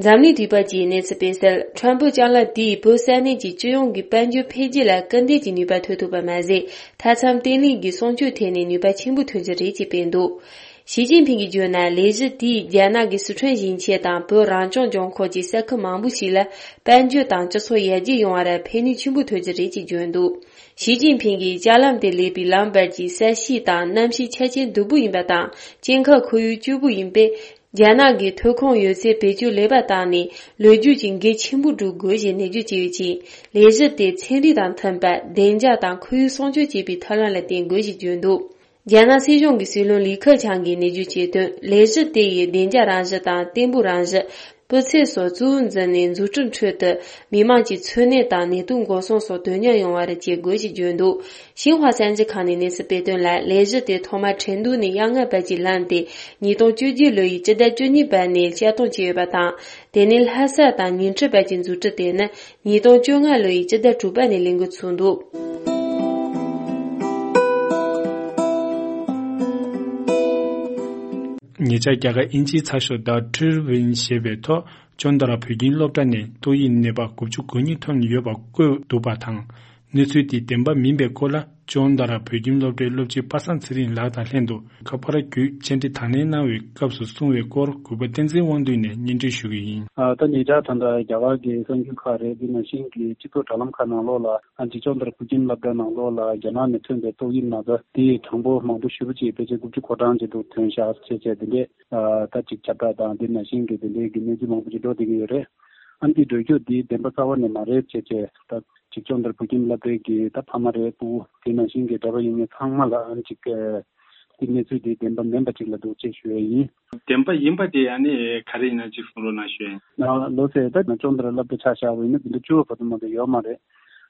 འཛམ་གླིང་དུས་དཔར་གྱིས་གནས་ཚུལ་སྤེལ་གསལ། ཁྲོན་བོད་ལྕགས་ལམ་དེས་བོད་ས་གནས་ཀྱི་སྤྱི་ཡོངས་ཀྱི་དཔལ་འབྱོར་འཕེལ་རྒྱས་ལ་སྐུལ་འདེད་ཀྱི་ནུས་པ་ཐོན་ཐུབ་པ་མ་ཟད། མཐའ་མཚམས་བརྟན་ལྷིང་གི་སྲུང་སྐྱོབ་ཐད་ནས་ནུས་པ་ཆེན་པོ་ཐོན་རྒྱུ་རེད་ཅེས་སྤེལ་འདུག་ཞི་ཅིན་ཕིང་གིས་བརྗོད་ན། ལས་གཞི་དེས་རྒྱ་ནག་གི་སི་ཁྲོན་ཞིང་ཆེན་དང་བོད་རང་སྐྱོང་ལྗོངས་ཁག་གི་ས་ཁུལ་མང་པོ་ཞིག་ལ་དཔལ་འབྱོར་དང་སྤྱི་ཚོགས་ཡར་རྒྱས་ཡོང་བར་ཕན་ནུས་ཆེན་པོ་ཐོན་རྒྱུ་རེད་ཅེས་བརྗོད་འདུག་ཞི་ཅིན་ཕིང་གིས་ལྕགས་ལམ་དེ་སླེབས་པའི་ལམ་བར་གྱི་ས་གཤིས་དང་གནམ་གཤིས་ཆ་རྐྱེན་སྡུག་པོ་ཡིན་པ་དང་། སྐྱེ་ཁམས་ཁོར་ཡུག་སྐྱོ་པོ་ཡིན་པས། རྒྱ་ནག་གིས་ཐོན་ཁུངས་ཡོད་ཚད་བེད་སྤྱོད་ལེགས་པ་བཏང་ནས། ལོ་རྒྱུས་ཀྱི་འགན་ཆེན་པོ་སྒྲུབ་དགོས་ཞེས་ནན་བརྗོད་བྱས་ཡོད་ཅིང་། ལས་གཞི་དེ་ཚན་རིག་དང་མཐུན་པར་བདེ་འཇགས་དང་ཁོར་ཡུག་སྲུང་སྐྱོབ་བྱེད་པའི་ཐབས་ལམ་ལ་བརྟེན་དགོས་ཞེས་བརྗོད་འདུག་རྒྱ་ནག་སྲིད་གཞུང་གི་སྲིད་བློན་ལི་ཁེ་ཆང་གིས་ནན་བརྗོད་བྱས་དོན། ལས་གཞི་དེ་ཡིས་བདེ་འཇགས་རང་བཞིན་དང་བརྟན་པོའི་རང་བཞིན། སྤུས་ཚད་སོགས་གཙོ་བོར་འཛིན་ནས་འཛུགས་སྐྲུན་ཁྲོད་དུ་མི་དམངས་ཀྱི་འཚོ་གནས་དང་ནད་དུག་འགོག་སྲུང་སོགས་དོན་སྙིང་ཡོང་བར་བྱེད་དགོས་ཞེས་བརྗོད་འདུག་ཤིན་ཧྭ་གསར་འགྱུར་ཁང་ནས་གནས་ཚུལ་སྤེལ་དོན་ལ། ལས་གཞི་དེ་ཐོག་མར་ཁྲེང་ཏུའུ་ནས་གཡས་ངན་བར་གྱི་ལམ་དེ་ཉིས་སྟོང་བཅོ་བརྒྱད་ལོ་ཡི་སྤྱི་ཟླ་བཅུ་གཉིས་པ་ནས་བཤད་གཏོང་བྱས་ཡོད་པ་དང་། དེ་ནས་ལྷ་ས་དང་ཉིང་ཁྲི་བར་གྱི་འཛུགས་སྐྲུན་དེ་ནི་ཉིས་སྟོང་བཅོ་ལྔ་ལོ་ཡི་སྤྱི་ཟླ་དྲུག་པ་ནས་ལས་འགོ་ཚུགས་འདུག་ཉེ་ཆར་རྒྱ་གར་དབྱིན་ཇིའི་ཚགས་ཤོག་The Tribune ཞེས་པའི་ཐོག་ཅོན་ཏ་ར་བོད་ཁྱིམ་སློབ་གྲྭ་ནས་ཏོག་དབྱིབས་ནད་པ་དགུ་བཅུ་གོ་གཉིས་ཐོན་ཡོད་པ་བཀོད་འདུག་པ་དང་། གནས་ཚུལ་དེ་བདེན་པ་མིན་པའི་སྐོར་ལ་ཅོན་ཏ་ར་བོད་ཁྱིམ་སློབ་གྲྭའི་སློབ་སྤྱི་པ་སངས་ཚེ་རིང་ལགས་དང་ལྷན་དུ་ཁ་པར་བརྒྱུད་བཅར་འདྲི་དང་ལེན་གནང་བའི་སྐབས་སུ་གསུངས་པའི་སྐོར་གུས་པ་བསྟན་འཛིན་དབང་འདུས་ནས་སྙན་སྒྲོན་ཞུ་གི་ཡིན། ད་ཉེ་ཆར་ད་ལྟ་རྒྱ་གར་གྱི་གསར་འགྱུར་ཁག་རེད། དེ་ནང་བཞིན་གྱི་སྤྱི་ཚོགས་དྲ་ལམ་ཁག་ནང་ལོགས་ལ་ཨ་ཅིག་ཅོན་ཏ་ར་བོད་ཁྱིམ་སློབ་གྲྭ་ནང་ལོགས་ལ་རྒྱ་ནག་ནས་ཐོན་པའི་ཏོག་དབྱིབས་ན་ཚ་དེའི་གྲངས་འབོར་མང་པོ་ཞེ་པོ་ཅིག་ཕལ་ཆེར་དགུ་བཅུ་གོ་གྲངས་ཅིག་འདུག་ཐོན་ཤག་བྱས་བྱས་དེ་འདྲས། ཨ་ད་ཅིག་ཁྱབ་བསྒྲགས་དང་དེ་ནང་བཞིན་གྱི་དེ་འདྲའི་གི་གནས་ཚུལ་མང་པོ་ཅིག་འགྲོ་བསྡད་ཀྱི་ཡོད་རེད། ཨ་འདི་འགྲོ་རྒྱུ་འདི་བདེན་པ་གསར་པ་ནས་མ་རེད་བྱས་བྱས། ད་ཅིག་ཅོན་ཏ་ར་བོད་ཁྱིམ་སློབ་གྲྭའི་གི་ད་ཕ་མ་རེད། སྤུ་གུ་དེ་ནང་བཞིན་གྱི་གྲྭ་པ་ཡིན་མིན་ཚང་མ་ལ་ཨ་ཅིག་ཨ་འདི་གནས་ཚུལ་འདི་བདེན་པ་མིན་པ་ཅིག་ལ་འདུག་ཅེས་ཞུ་ཡ་ཡིན། བདེན་པ་ཡིན་པ་དེ་ཨ་ནི་ག་རེ་ཡིན་ན་ཅིག་གསུང་རོགས་གནང་ཞུ་ཡ་ཡིན། ལོ་ཟེར་ད་ཅོན་ཏ་ར་སློབ་གྲྭ་ཆ་བཞག་པ་ཡིན་ན་དེ་འདྲ་བཅུ་བ་བར་དུ་མ་གཏོགས་ཡོད་མ་རེད།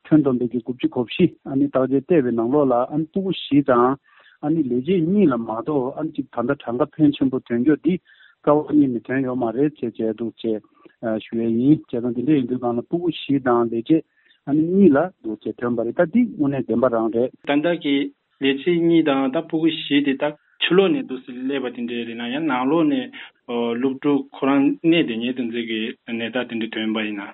ཁྲོན་བསྡོམས་པའི་གི་དགུ་བཅུ་གོ་བཞི་ཨ་ནི་བརྟག་དཔྱད་བལྟས་པའི་ནང་ལོགས་ལ་ཨ་ནི་སྤུ་གུ་བཞི་དང་ ཨ་ནི་ལས་བྱེད་གཉིས་ལ་མ་གཏོགས་ཨ་ནི་གཅིག་ད་ལྟ་གྲངས་ཀ་ཕོན་ཆེན་པོ་ཐོན་རྒྱུ་འདི་རྩ་བ་ཉིད་ནས་ཐོན་ཡོད་མ་རེད་ཅེས་བྱས་འདུག་ཅེས་ཞུ་ཡས་ཡིན། བྱས་ཙང་འདི་འདྲ་ཡིན་དུས་སྒང་ལ་ཕྲུ་གུ་བཞི་དང་ལས་བྱེད་ཨ་ནི་གཉིས་ལ་འདུག་ཅེས་ཐོན་པ་རེད། ད་འདི་དངོས་གནས་བདེན་པ་རང་རེད། ད་ལྟ་གི་ལས་བྱེད་གཉིས་དང་ད་ཕྲུ་གུ་བཞི་དེ་ད་ཕྱི་ལོགས་ནས་འདུག་སེ་སླེབས་པ་དེ་འདྲས་རེད་ན་ཡང་ནང་ལོགས་ནས་ཨོ་སློབ་ཕྲུག་ཁོ་རང་གནས་དེ་ཉིད་དུ་འཛིན་གྱི་ནད་རྟགས་དེ་འདྲས་ཐོན་པ་ཡིན་ན།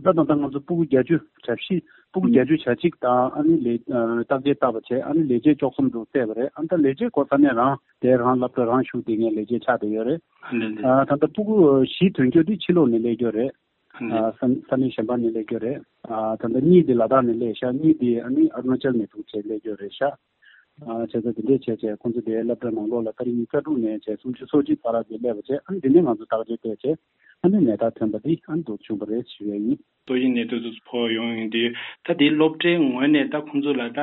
ད་ད་ལྟ་ང་ཚོ་ཕྲུ་གུ་བརྒྱད་ཅུ་གྱ་བཞི་ཕྲུ་གུ་བརྒྱད་ཅུ་གྱ་གཅིག་དང་ཨ་ནི་ལས་བརྟག་དཔྱད་བཏང་བ་བྱས་ཨ་ནི་ལས་བྱེད་བཅུ་གསུམ་དུ་བལྟས་པ་རེད། ཨ་ནི་ད་ལས་བྱེད་ཁོ་ས་གནས་རང་དེ་རང་སློབ་གྲྭ་རང་ཞུགས་དེ་ངས་ལས་བྱེད་ཆགས་བསྡད་ཡོད་རེད། ལས་ལས། ད་ལྟ་ཕྲུ་གུ་བཞི་ཐོན་རྒྱུ་དེ་ཕྱི་ལོགས་ནས་སླེབས་རྒྱུ་རེད། ལས། ཨ་ས་ས་གནས་གཞན་པ་ནས་སླེབས་རྒྱུ་རེད། ཨ་ད་ལྟ་གཉིས་དེ་ལ་དྭགས་ནས་སླེབས་ཤག་གཉིས་དེ་ཨ་ནི་ཨ་རུ་ན་ཅལ་ནས་འདུག་བྱས་སླེབས་རྒྱུ་རེད་ཤག་ཨ་བྱས་ཙང་དེ་འདྲས་བྱས་བྱས་ཁོང་ཚོ་དེའི་སློབ་གྲྭ་ནང་ལོགས་ལ་ཏ་རིག་ཉི་ཤུ་རྩ་དྲུག་ནས་བྱས་སུམ་ཅུ་སོ་གཅིག་བར་དུ་སླེབས་པ་བྱས་ཨ་ནི་དེ་ནས་ང་ཚོ་བརྟག་དཔྱད་བལྟས་བྱས་ཨ་ནི་ནད་རྟགས་ཐོན་པ་འདི་ཨ་ནི་འདུག་བྱུང་བ་རེད་ཞུ་ཡས་ཡིན། ཏོག་དབྱིབས་ནད་དུག་ཚོ་ཕོག་ཡོང་ཡོང་དུས་ད་དེའི་སློབ་གྲྭའི་ངོས་ནས་ད་ཁོང་ཚོ་ལ་ད་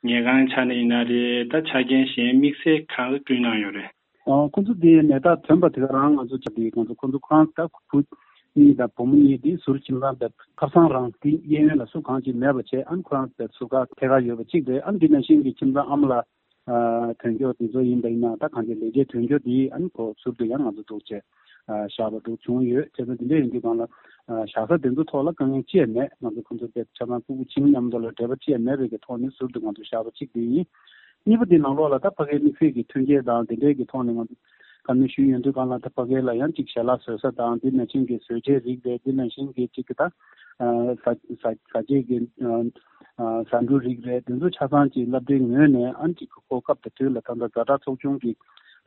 ཉལ་ཁང་ཆ་ནས་ཡིན་ན་རེད། ད་ཆ་རྐྱེན་གཞན་དམིགས་བསལ་གང་བསྐྲུན་གནང་ཡོད་རེད། ཨ་ཁོང་ཚོ་དེ་ནད་རྟགས་ཐོན་པ་དེ་ག་རང་ང་ཚོ་ཆ་དེ་ཁོང་ཚོ་ཁོང་ཚོ་ཁོ་རང་ད་བུ་གཉིས་དང་བུ་མོ་གཉིས་དེ་ཟུར་ཁྱིམ་ཚང་དེ་ཁ་སང་རང་དེ་གཡས་གཡོན་ལ་སུ་གང་ཅིག་མེད་པ་བྱས་ཨ་ནི་ཁོ་རང་དེ་ཟུར་ཁ་ཐད་ཀར་ཡོད་པ་གཅིག་རེད། ཨ་ནི་འདི་ནང་བཞིན་གྱི་ཁྱིམ་ཚང་ཨ་མ་ལགས་ཨ་ཐོན་སྐྱོད་དེ་ཚོ་ཡིན་པ་ཡིན་ན་ད་གང་ཅི་ལས་བྱེད་ཐོན་སྐྱོད་དེ་ཨ་ནི་ཁོ་ཟུར་དུ་ཡང་ང་ཚོ་འདུག་བྱས་ཨ་བཞག་པ་འདུག་བྱུང་ཡོད། བྱས་ཙང་དེ་འདྲ་ཡིན་དུས་གང་ལ་ཨ་བཞག་ས་དེ་ཚོ་ཐོག་ལ་དཀའ་ངལ་ཅི་ཡང་མེད། ང་ཚོ་ཁོང་ཚོ་དེ་ཆ་ཚང་ཕྲུ་གུ་བྱིངས་མཉམ་དུ་ལ་འབྲེལ་བ་ཅི་ཡང་མེད་པའི་གི་ཐོག་ནས་ཟུར་དུ་ང་ཚོ་བཞག་པ་གཅིག་དེ་ཡིན། གཉིས་པ་དེ་ནང་ལོགས་ལ་ད་ཕ་གིའི་དམིགས་བསལ་གྱི་མཐུན་རྐྱེན་དང་དེ་འདྲའི་གི་ཐོག་ནས་ང་ཚོ་བཀའ་མོལ་ཞུས་ཡོང་དུས་གང་ལ་ད་ཕ་གི་ལ་ཡང་ཅིག་ཞལ་ལག་བཟོ་ས་དང་དེ་ནང་བཞིན་གྱི་བཟོ་བྱའི་རིགས་རེད། དེ་ནང་བཞིན་གྱི་ཅིག་གི་ད་ཨ་ཟ་ཟ་ཟ་བྱེད་ཀྱི་ཨ་ཨ་ཟ་འབྲུ་རིགས་རེད། དེ་ཚོ་ཆ་ཚང་ཅིག་སློབ་གྲྭའི་ངོས་ནས་ཨ་ཅིག་གི་ཁོ་སྐབས་དང་དུས་ལ་ད་ལྟ་ཛ་དྲག་ཚོགས་ཆུང་གི་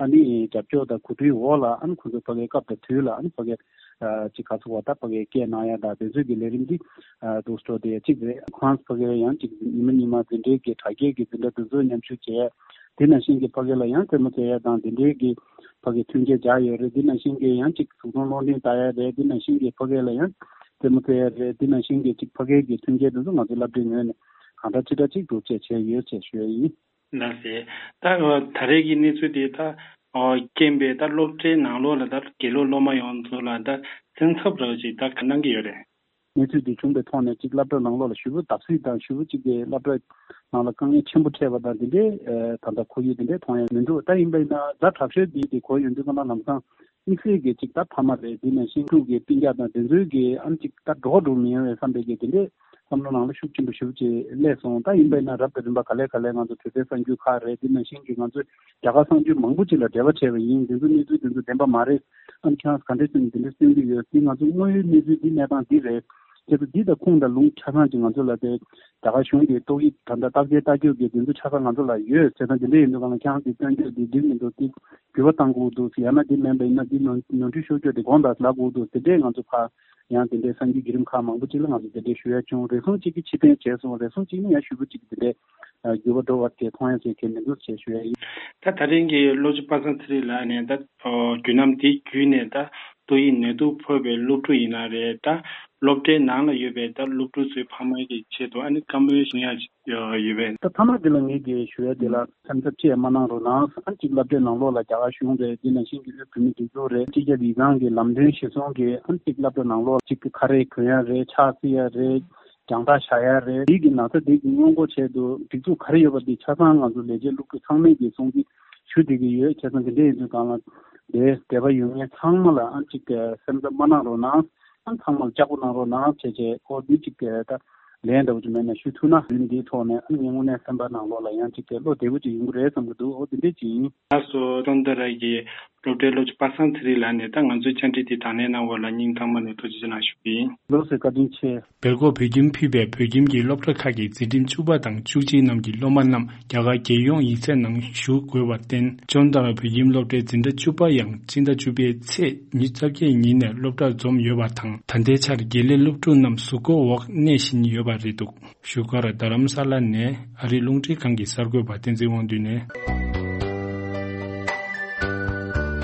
ཨ་ནི་རྒྱབ་སྐྱོར་དང་གོ་སྒྲིག་འོག་ལ་ཨ་ནི་ཁོ་ཚོ་ཕ་གི་སྐབས་དང་དུས་ལ་ཨ་ནི་ཕ་གི་ཅིག་ག་ཚོད་བ་ད་ཕ་གིའི་སྐད་གནང་ཡ་དང་དེ་ཚོའི་གི་ལས་རིམ་འདི་འདུག་སྤྲོ་དེ་གཅིག་རེད། ཁོ་རང་ཕ་གིའི་ཡང་ཅིག་ཉི་མ་ཉི་མ་འཛིན་གྲྭའི་གི་དྲ་རྒྱའི་གི་འཛིན་གྲྭ་དེ་ཚོ་མཉམ་ཞུགས་བྱས། དེ་ནང་བཞིན་གི་ཕ་གི་ལ་ཡང་རྩེད་མོ་རྩེ་ཡ་དང་དེ་འདྲའི་གི་ཕ་གི་མཐུན་རྐྱེན་སྦྱར་ཡོད་རེད། དེ་ནང་བཞིན་གི་ཡང་ཅིག་གཟུགས་མཐོང་སློབ་འབྲིང་ལྟ་ཡ་རེད། དེ་ནང་བཞིན་གི་ཕ་གི་ལ་ཡང་རྩེད་མོ་རྩེ་ཡ་རེད། དེ་ནང་བཞིན་གི་ཅིག་ཕ་གིའི་གི་མཐུན་རྐྱེན་དེ་ཚོ་ང་ཚོ་སློབ་གྲྭའི་ངོས་ནས་གང་འདྲ་ཅི་འདྲ་ཅིག་སྒྲུབ་བྱས་བྱས་ཡོད་ཅེས་ཞུ་ཡ་ཡིན། ལགས་སེ། ད་ད་རེས་ཀྱི་གནས་ཚུལ་དེ་ད་རྐྱེན་པས་ད་སློབ་གྲྭའི་ནང་ལོགས་ལ་ད་དགེ་སློབ་སློབ་མ་ཡོངས་ཚོ་ལ་ད་སེམས་འཚབ་རོགས་ཅིག་ད་ག་གནང་གི་ཡོད་རེད། གནས་ཚུལ་འདི་བྱུང་པའི་ཐོག་ནས་གཅིག་སློབ་གྲྭ་ནང་ལོགས་ལ་ཞེ་པོ་བརྡབ་གསིག་དང་ཞེ་པོ་གཅིག་གི་སློབ་གྲྭ་ནང་ལ་དཀའ་ངལ་ཆེན་པོ་འཕྲད་པ་དང་དེ་འདྲའི་ད་ལྟ་ཁོར་ཡུག་དེ་འདྲའི་མཐོང་ཡ་མི་འདུག་ད་ཡིན་པ་ཡིན་ན་ཛ་དྲག་ཤོས་འདི་དེ་གོ་ཡོང་དུས་ཀ་ན་ལམ་སང་དམིགས་བསལ་གྱི་གཅིག་ད་ཕ་མ་རེད། འདི་ནང་བཞིན་ཕྲུག་གི་སྤུན་ཀྱག་དང་དེ་ཚོའི་གི་ཨ་ནི་གཅིག་ད་འགྲོ་འགྲོ་མི་ཡོང་བའི་བསམ་པའི་གི་དེ་འདྲའི་བསམ་བློ་ནང་ལ་ཤུགས་ཆེན་པོ་ཞེ་པོ་ཅིག་སླེབས་སོང་། ད་ཡིན་པ་ཡིན་ན་རབ་དང་རིམ་པ་ག་ལེ་ག་ལེ་ང་ཚོ་དུས་ཚོད་གསར་འགྱུར་ཁག་རེད། འདི་ནང་བཞིན་གྱི་ང་ཚོས་རྒྱ་གར་གསར་འགྱུར་མང་པོ་ཅིག་ལ་འབྲེལ་བ་བྱས་པ་ཡིན། འདི་ཚོ་གནས་ཚུལ་འདི་ཚོ་བདེན་པ་མ་རེད། ཨ་ནི་ཁྱེད་རང་ག་འདྲ་བྱས་ནས་འདི་འདྲ་སྟོན་གྱི་ཡོད། འདི་ང་ཚོ་དངོས་ཡོད་གནས་ཚུལ་འདི་གནས་སྟངས་འདི་རེད། ཁྱེད་ཚོ་འདི་དང་ཁུངས་དང་ལུང་ཆ་ཚང་ཅིག་ང་ཚོ་ལ་དེ་རྒྱ་གར་གཞུང་གི་ཏོག་དབྱིབས་ད་ལྟ་བརྟག་དཔྱད་ལྟ་རྒྱུ་གི་འདི་ཚོ་ཆ་ཚང་ང་ཚོ་ལ་ཡོད་ཟེར་ན་འདི་འདྲ་ཡིན་དུས་གང་ལ་ཁྱེད་རང་འདི་སྟོན་རྒྱུ་འདི་འགྲིག་མི་འདུག་འདི་འགྱུར་བ་གཏང་དགོས་འདུག་ཡང་ན་འདི་མིན་པ་ཡིན་ན་འདི་ནོར་ནོར་འཁྲུལ་ཤོར་རྒྱུ་འདི་དགོངས་དག་ལབ་དགོས་འདུག་དེ་འདྲས་ང་ཚོ་ཕར་ཡང་དེ་འདྲའི་གསར་འགྱུར་བརྒྱུད་རིམ་ཁག་མང་པོ་ཅིག་ལ་ང་ཚོ་དེ་འདྲའི་ཞུ་ཡ་བྱུང་། རེ་ཟུང་གཅིག་གིས་ཕྱིར་འཐེན་བྱས་སོང་། རེ་ཟུང་གཅིག་ནི་ཡང་ཞུ་བ་གཅིག་དེ་འདྲའི་འགྱུར་བ་འགྲོ་བ་དེ་མཐོང་ཡ་ཟེར་མཁན་མི་འདུག་ཅེས་ཞུ་ཡ་ཡིན། ད་ད་རིང་གི་སློབ་སྤྱི་པ་སངས་ཚེ་རིང་ལགས་ནས་ད་རྒྱུན་རྣམ་དེ་བརྒྱུད་ནས་ད་ཏོག་དབྱིབས་ནད་དུག་ཕོག་པའི་སློབ་ཕྲུག་ཡིན་ན་རེད། ད་སློབ་གྲྭའི་ནང་ལ་ཡོད་པའི་ད་སློབ་ཕྲུག་ཚོའི་ཕ་མ་གི་ཆེད་དུ་ཨ་ནི་བཀའ་མོལ་གསུང་ཡ་ཡོད་པས། ད་ཕ་མ་དེ་ལ་ངེད་ཀྱིས་ཞུ་ཡ་དེ་ལ་སེམས་འཚབ་ཅི་ཡང་མ་གནང་རོགས་གནང་། ཨ་ནི་གཅིག་སློབ་གྲྭའི་ནང་ལོགས་ལ་རྒྱ་གར་གཞུང་རེད། དེ་ནང་བཞིན་གྱི་དབུས་བོད་མིའི་སྒྲིག་འཛུགས་རེད། སྤྱི་ཁྱབ་ཡིག་ཚང་གི་ལམ་སྟོན་གཞིར་བཟུང་གིས་ཨ་ནི་གཅིག་ཁ་རས་གོན་ཡ་རེད། ཕྱག་བསིལ་ཡ་རེད། རྒྱང་ཐག་བཞག་ཡ་རེད། དེ་གི་ན་ཚ་དེ་གི་སྔོན་འགོག་ཆེད་དུ་སྒྲིག་འཛུགས་ག་རེ་ཡོད་པ་དེ་ཆ་ཚང་ང་ཚོ་ལས་བྱེད་སློབ་ཕྲུག་ཚང་མས་ཀྱི་སྲུང་བརྩི་ཞུ་བསྡད་ཀྱི་ཡོད། བྱས་ཙང་དེ་འདྲ་ཡིན་དུས་གང་ལ་དེ་འདས་པ་ཡོད་མཁན་ཚང་མ་ལ་ཨ་གཅིག་སེམས་འཚབ་མ་གནང་རོགས་གནང་། ཨ་ཚང་མ་ལ་ལྕགས་པོ་གནང་རོགས་གནང་བྱས་བྱས། ཨོ་འདི་གཅིག་ད་ལན་འདྲ་བོ་ཅིག་མེད་ན་ཞུ་ཐུབ་ན་རིམ་འདིའི་ཐོག་ནས་ཨ་ངའི་དངོས་གནས་སེམས་པ་ནང་ལོགས་ལ་ཡང་གཅིག་བློ་བདེ་པོ་ཅིག་ཡོང་གི་རེད་བསམ་གྱི་འདུག་ཨོ་འདི་འདྲས་ཅིག་ཡིན། ལགས་སོ། ཀྲོང་ཏ་ར་གི་སློབ་གྲྭའི་སློབ་སྤྱི་པ་སངས་ཚེ་རིང་ལགས་ནས་ད་ང་ཚོའི་བཅར་འདྲི་འདི་དང་ལེན་གནང་བ་ལ་སྙིང་ཐག་པ་ནས་ཐུགས་རྗེ་ཆེ་གནང་ཞུ་གི་ཡིན། ལགས་སོ། བཀའ་དྲིན་ཆེ། སྦེལ་ཀོབ་བོད་ཁྱིམ་ཕུད་པའི་བོད་ཁྱིམ་གྱི་སློབ་གྲྭ་ཁག་གི་འཛིན་རིམ་བཅུ་པ་དང་བཅུ་གཅིག་རྣམས་ཀྱི་སློབ་མ་རྣམས་རྒྱ་གར་རྒྱལ་ཡོངས་ཡིག་ཚད་ནང་ཞུགས་དགོས་པར་བརྟེན། ཀྲོང་ཏ་ར་བོད་ཁྱིམ་སློབ་གྲྭའི་འཛིན་གྲྭ་བཅུ་པ་ཡང་སྤྱི་ཟླ་བཅུ་པའི་ཚེས་ཉི་ཤུ་རྩ་བརྒྱད་ཉིན་ནས་སློབ་གྲྭར་འཛོམས་ཡོད་པ་དང་། ད་ལྟའི་ཆར་དགེ་ལས་སློབ་ཕྲུག་རྣམས་གཟུགས་སྐོར་འོག་གནས་བཞིན་ཡོད་པ་རེད་འདུག་བཞུགས་སྒར་རྡ་རམ་ས་ལ་ནས་ཨ་རིའི་རླུང་འཕྲིན་ཁང་གི་གསར་འགོད་པ་བསྟན་འཛིན་དབང་འདུས་ནས།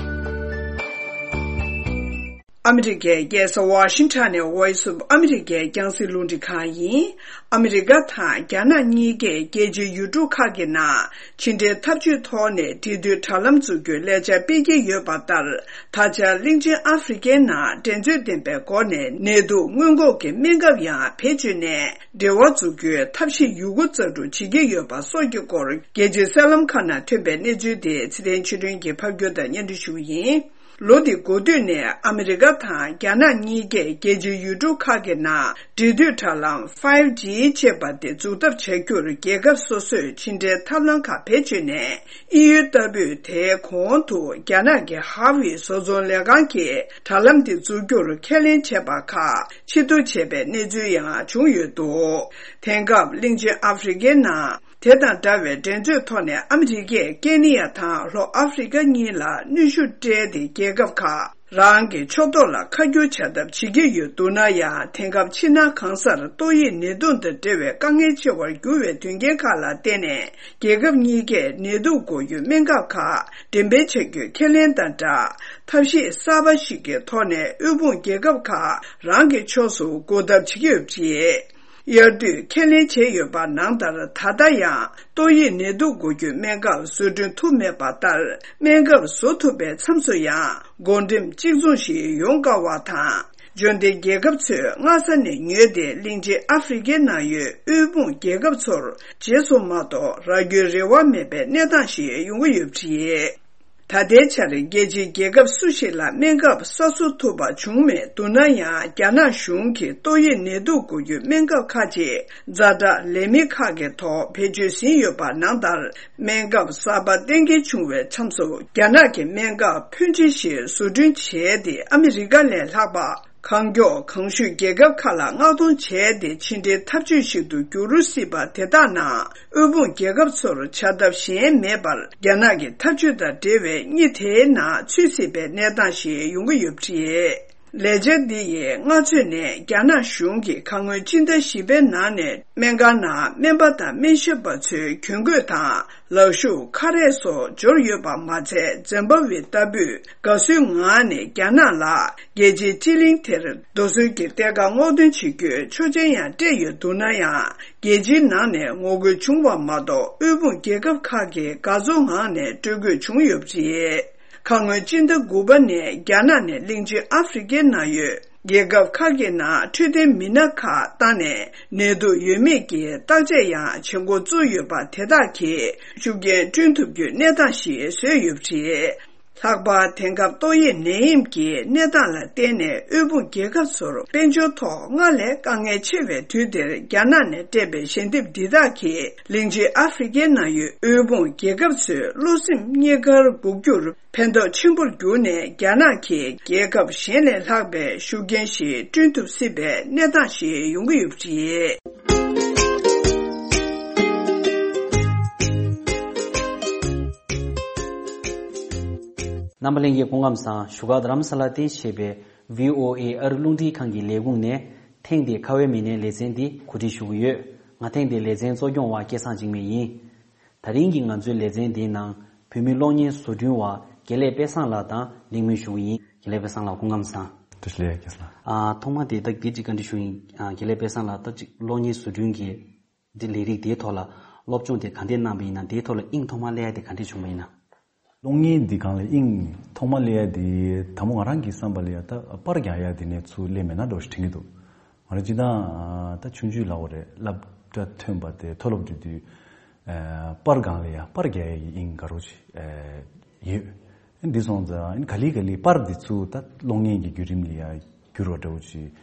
ཨ་ ཨ་མི་རི་ཀའི་རྒྱལ་ས་ཝ་ཤིང་ཊོན་ནས་Voice of America་རྒྱང་སྲིང་རླུང་འཕྲིན་ཁང་ཡིན། ཨ་མི་རི་ཀ་དང་རྒྱ་ནག་གཉིས་ཀས་རྒྱལ་སྤྱིའི་ཡུལ་གྲུ་ཁག་གི་ནང་ཕྱི་འབྲེལ་འཐབ་ཇུས་ཐོག་ནས་འབྲེལ་མཐུད་དྲ་ལམ་འཛུགས་རྒྱུའི་ལས་འཆར་སྤེལ་གྱི་ཡོད་པ་ལྟར། ད་ཆ་གླིང་ཆེན་ཨ་ཧྥེ་རི་ཀའི་ནང་འགྲན་རྩོད་ལྡན་པའི་སྒོ་ནས་ནད་དུག་སྔོན་འགོག་གི་སྨན་ཁབ་ཡང་བེད་སྤྱོད་ནས་འབྲེལ་བ་འཛུགས་རྒྱུའི་ཐབས་ཤེས་ཡོད་རྒུ་རྩལ་སྤྲུགས་བྱེད་ཀྱི་ཡོད་པ་སོགས་ཀྱི་སྐོར། རྒྱལ་སྤྱིའི་གསར་ལམ་ཁག་ནང་ཐོན་པའི་གནས་ཚུལ་དེ་ཚེ་བརྟན་ཆོས་སྒྲོན་གྱིས་ཕབ་སྒྱུར་དང་སྙན་སྒྲོན་ཞུ་གི་ཡིན། ལོ་འདི་འགོ་སྟོད་ནས་ཨ་མི་རི་ཀ་དང་རྒྱ་ནག་གཉིས་ཀས་རྒྱལ་སྤྱིའི་ཡུལ་གྲུ་ཁག་གི་ནང་འབྲེལ་མཐུད་དྲ་ལམ་ཕའིབ་ཇི་ཅེས་པ་དེ་འཛུགས་ཐབས་བྱ་རྒྱུར་རྒྱལ་ཁབ་སོ་སོས་ཕྱི་འབྲེལ་ཐབས་ལམ་ཁག་བེད་སྤྱོད་ནས་དབྱིན་ཡུལ་ལྟ་བུས་དེའི་གོང་དུ་རྒྱ་ནག་གི་ཧྭ་ཝེ་བཟོ་ཚོང་ལས་ཁང་གིས་དྲ་ལམ་དེ་འཛུགས་རྒྱུར་ཁས་ལེན་བྱས་པ་ཁག་ཕྱིར་བསྡུ་བྱས་པའི་གནས་ཚུལ་ཡང་བྱུང་ཡོད་འདུག་དེང་སྐབས་གླིང་ཆེན་ཨ་ཧྥེ་རི་ཀའི་ནང་། དེ་དང་འདྲ་བའི་འགྲན་རྩོད་ཐོག་ནས་ཨ་མི་རི་ཀས་ཀེན་ནི་ཡ་དང་ལྷོ་ཨ་ཧྥེ་རི་ཀ་གཉིས་ལ་གནོན་ཤུགས་སྤྲད་དེ། རྒྱལ་ཁབ་ཁག་རང་གི་ཕྱོགས་གཏོགས་ལ་ཁ་བསྒྱུར་བྱ་ཐབས་བྱེད་ཀྱི་ཡོད་འདུག་ན་ཡང་། དེང་སྐབས་ཕྱི་ནང་གང་སར་ཏོག་དབྱིབས་ནད་དུག་དང་འབྲེལ་བའི་དཀའ་ངལ་ཆེ་བར་གྱུར་བའི་དོན་རྐྱེན་ཁག་ལ་བརྟེན་ནས། རྒྱལ་ཁབ་གཉིས་ཀས་ནད་དུག་འགོག་རྒྱུའི་སྨན་ཁབ་ཁག་འགྲེམས་སྤེལ་བྱ་རྒྱུའི་ཁས་ལེན་དང་སྦྲགས། ཐབས་ཤེས་གསར་པ་ཞིག་གི་ཐོག་ནས་དབུལ་ཕོངས་རྒྱལ་ཁབ་ཁག་རང་གི་ཕྱོགས་སུ་འགུག་ཐབས་བྱེད་ཀྱི་ཡོད་པ་རེད། དབྱར་དུས་ཁས་ལེན་བྱས་ཡོད་པ་ནང་ལྟར། ད་ལྟ་ཡང་ཏོག་དབྱིབས་ནད་དུག་འགོག་རྒྱུའི་སྨན་ཁབ་བཟོ་སྐྲུན་ཐུབ་མེད་པ་ལྟར། སྨན་ཁབ་བཟོ་ཐུབ་པའི་མཚམས་སུ་ཡང་བགོ་འགྲེམས་གཅིག་མཚུངས་ཤིག་ཡོང་དཀའ་བ་དང་། འབྱོར་ལྡན་རྒྱལ་ཁབ་ཚོས་སྔ་ས་ནས་ཉོས་ཏེ། གླིང་ཆེན་ཨ་ཧྥེ་རི་ཀའི་ནང་ཡོད་དབུལ་ཕོངས་རྒྱལ་ཁབ་ཚོར་བརྗེས་སོང་མ་གཏོགས། རག་རྒྱུའི་རེ་བ་མེད་པའི་གནས་སྟངས་ཤིག་ཡོང་གི་ཡོད་པ་རེད། ད་ལྟའི་ཆར་རྒྱལ་སྤྱིའི་རྒྱལ་ཁབ་སུ་ཞིག་ལ་སྨན་ཁབ་གསར་བཟོ་ཐུབ་པ་བྱུང་མེད་འདུག་ན་ཡང་། རྒྱ་ནག་གཞུང་གིས་ཏོག་དབྱིབས་ནད་དུག་འགོག་རྒྱུའི་སྨན་ཁབ་ཁག་ཅིག་ཛ་དྲག་ལས་མི་ཁག་གི་ཐོག་བེད་སྤྱོད་ཟིན་ཡོད་པ་ནང་ལྟར། སྨན་ཁབ་གསར་པ་གཏན་འཁེལ་བྱུང་བའི་མཚམས་སུ། རྒྱ་ནག་གི་སྨན་ཁབ་ཕོན་ཆེ་ཞིག་བཟོ་སྐྲུན་བྱས་ཏེ། ཨ་མི་རི་ཀ་ལས་ལྷག་པ། གང་མགྱོགས་གང་ཤུགས་རྒྱལ་ཁབ་ཁག་ལ་མངགས་གཏོང་བྱས་ཏེ། ཕྱི་འབྲེལ་འཐབ་ཇུས་ཤིག་ཏུ་འགྱུར་སྲིད་པ་དེ་དག་ནང་། དབུལ་ཕོངས་རྒྱལ་ཁབ་ཚོར་བྱ་ཐབས་གཞན་མེད་པར། རྒྱ་ནག་གི་འཐབ་ཇུས་དང་འབྲེལ་བའི་གཉིས་དེའི་ནང་ཚུད་སྲིད་པའི་གནས་སྟངས་ཤིག་ཡོང་གི་ཡོད་པ་རེད། ལས་འཆར་འདི་ཡིས་སྔ་ཚོད་ནས་རྒྱ་ནག་གཞུང་གིས་ཁ་སྔོན་སྤྱི་ཟླ་བཞི་པའི་ནང་ནས། སྨན་ཁང་ནང་སྨན་པ་དང་སྨན་ཞབས་པ་ཚོའི་གྱོན་གོས་དང་། ལག་ཤུབས། ཁ་རས་སོགས་འབྱོར་ཡོད་པ་མ་ཚད། ཛིམ་བྷ་ཝེ་ལྟ་བུས་དགའ་བསུའི་ངང་ནས་རྒྱ་ནག་ལ་རྒྱལ་སྤྱིའི་སྤྱི་གླིང་དེར་རྡོ་སོལ་གྱི་གཏེར་ཁ་སྔོག་འདོན་བྱེད་རྒྱུའི་ཆོག་མཆན་ཡང་སྤྲད་ཡོད་འདུག་ན་ཡང་། རྒྱལ་སྤྱིའི་ནང་ནས་ངོ་རྒོལ་བྱུང་བ་མ་གཏོགས། དབུལ་ཕོངས་རྒྱལ་ཁབ་ཁག་གིས་དགའ་ཚོར་ངང་ནས་སྤྲོད་དགོས་བྱུང་ཡོད་པ་རེད། ཁ་སྔོན་སྤྱི་ཟླ་དགུ་པ་ནས་རྒྱ་ནག་ནས་གླིང་ཆེན་ཨ་ཧྥེ་རི་ཀའི་ནང་ཡོད། རྒྱལ་ཁབ་ཁག་གི་ནང་འཕྲོད་བསྟེན་མི་སྣ་ཁག་བཏང་ནས། ནད་དུག་ཡོད་མེད་ཀྱི་བརྟག་དཔྱད་ཡང་བྱེད་འགོ་བཙུགས་ཡོད་པ་དེ་དག་གིས་ཤུགས་རྐྱེན་བསྐྲུན་ཐུབ་རྒྱུའི་གནས་སྟངས་ཤིག་བཟོས་ཡོད་པ་རེད། ལྷག་པར་དེང་སྐབས་ཏོག་དབྱིབས་ནད་ཡམས་ཀྱི་གནས་སྟངས་ལ་བརྟེན་ནས། དབུལ་ཕོངས་རྒྱལ་ཁབ་ཚོར་དཔལ་འབྱོར་ཐོག་སྔར་ལས་དཀའ་ངལ་ཆེ་བའི་དུས་འདིར། རྒྱ་ནག་ནས་སྤྲད་པའི་ཞལ་འདེབས་འདི་དག་གིས་གླིང་ཆེན་ཨ་ཧྥེ་རི་ཀའི་ནང་ཡོད་དབུལ་ཕོངས་རྒྱལ་ཁབ་ཚོའི་བློ་སེམས་རྙེད་དཀར་འགུག་རྒྱུར། ཕན་ཐོགས་ཆེན་པོར་གྱུར་ནས། རྒྱ་ནག་གིས་རྒྱལ་ཁབ་གཞན་ལས་ལྷག་པའི་ཤུགས་རྐྱེན་ཞིག་བསྐྲུན་ཐུབ་སྲིད་པའི་གནས་སྟངས་ཤིག་ཡོང་གི་ཡོད་པ་རེད། རྣམ་པ་ལྷན་རྒྱས་སྐུ་ཁམས་བཟང་། བཞུགས་སྒར་རྡ་རམ་ས་ལར་རྟེན་གཞི་བྱས་པའི་ཝི་ཨོ་ཨེ་ཨ་རི་རླུང་འཕྲིན་ཁང་གི་ལས་ཁུངས་ནས། ཐེངས་འདིའི་ཁ་བའི་མི་སྣའི་ལེ་ཚན་འདི་གོ་སྒྲིག་ཞུ་གི་ཡོད། ང་ཐེངས་འདིའི་ལེ་ཚན་གཙོ་སྐྱོང་བ་སྐལ་བཟང་འཇིགས་མེད་ཡིན། ད་རིང་གི་ང་ཚོའི་ལེ་ཚན་འདིའི་ནང་བོད་མི་གློག་བརྙན་བཟོ་སྐྲུན་བ་དགེ་ལེགས་དཔལ་བཟང་ལགས་དང་གླེང་མོལ་ཞུ་གི་ཡིན། དགེ་ལེགས་དཔལ་བཟང་ལགས་སྐུ་ཁམས་བཟང་། བཀྲ་ཤིས་བདེ་ལེགས་སྐལ་བཟང་། ཨ། ཐོག་མ་དེ་ད་འདི་གཅིག་བཀའ་འདྲི་ཞུ་ཡིན། ཨ། དགེ་ལེགས་དཔལ་བཟང་ལགས། ད་གཅིག་གློག་བརྙན་བཟོ་སྐྲུན་གྱི་འདི་ལས་རིགས་དེའི་ཐོག་ལ་སློབ་སྦྱོང་དེ་ག་འདྲས་གནང་བ་ཡིན་ན། དེའི་ཐོག་ལ་དབྱིངས་ཐོག་མ་སླེབས་ཡ་དེ་ག་འདྲས་བྱུང་བ་ཡིན་ན། གློག་བརྙན་འདི་སྒང་ལ་དབྱིངས་ཐོག་མ་སླེབས་ཡ་དེ། དང་པོ་ང་རང་གི་བསམ་པ་ལ་ཡ། ད་པར་རྒྱག་ཡ་དེ་ནས་ཚུར་སླེབས་མེད་ན་འདྲ་བོ་ཞིག་དྲན་གྱི་འདུག་ང་རང་སྤྱིར་བཏང་ད་ཆུང་ཆུང་ལབ་དགོས་རེད། སློབ་གྲྭ་ཐོན་པ་དེ། མཐོ་སློབ་འགྲོ་དུས། ཨ། པར་སྒང་ལ་ཡ། པར་རྒྱག་ཡ་གི་དབྱིངས་དགའ་རབ་ཅིག་ཨ། ཡོད། འདི་སོང་ཙང་ག་ལེ་ག་ལེ་པར་འདི་ཚུར་ད་གློག་བརྙན་གྱི་བརྒྱུད་རིམ་ལ་ཡ་འགྱུར་བ་འདྲ་བོ་ཅིག་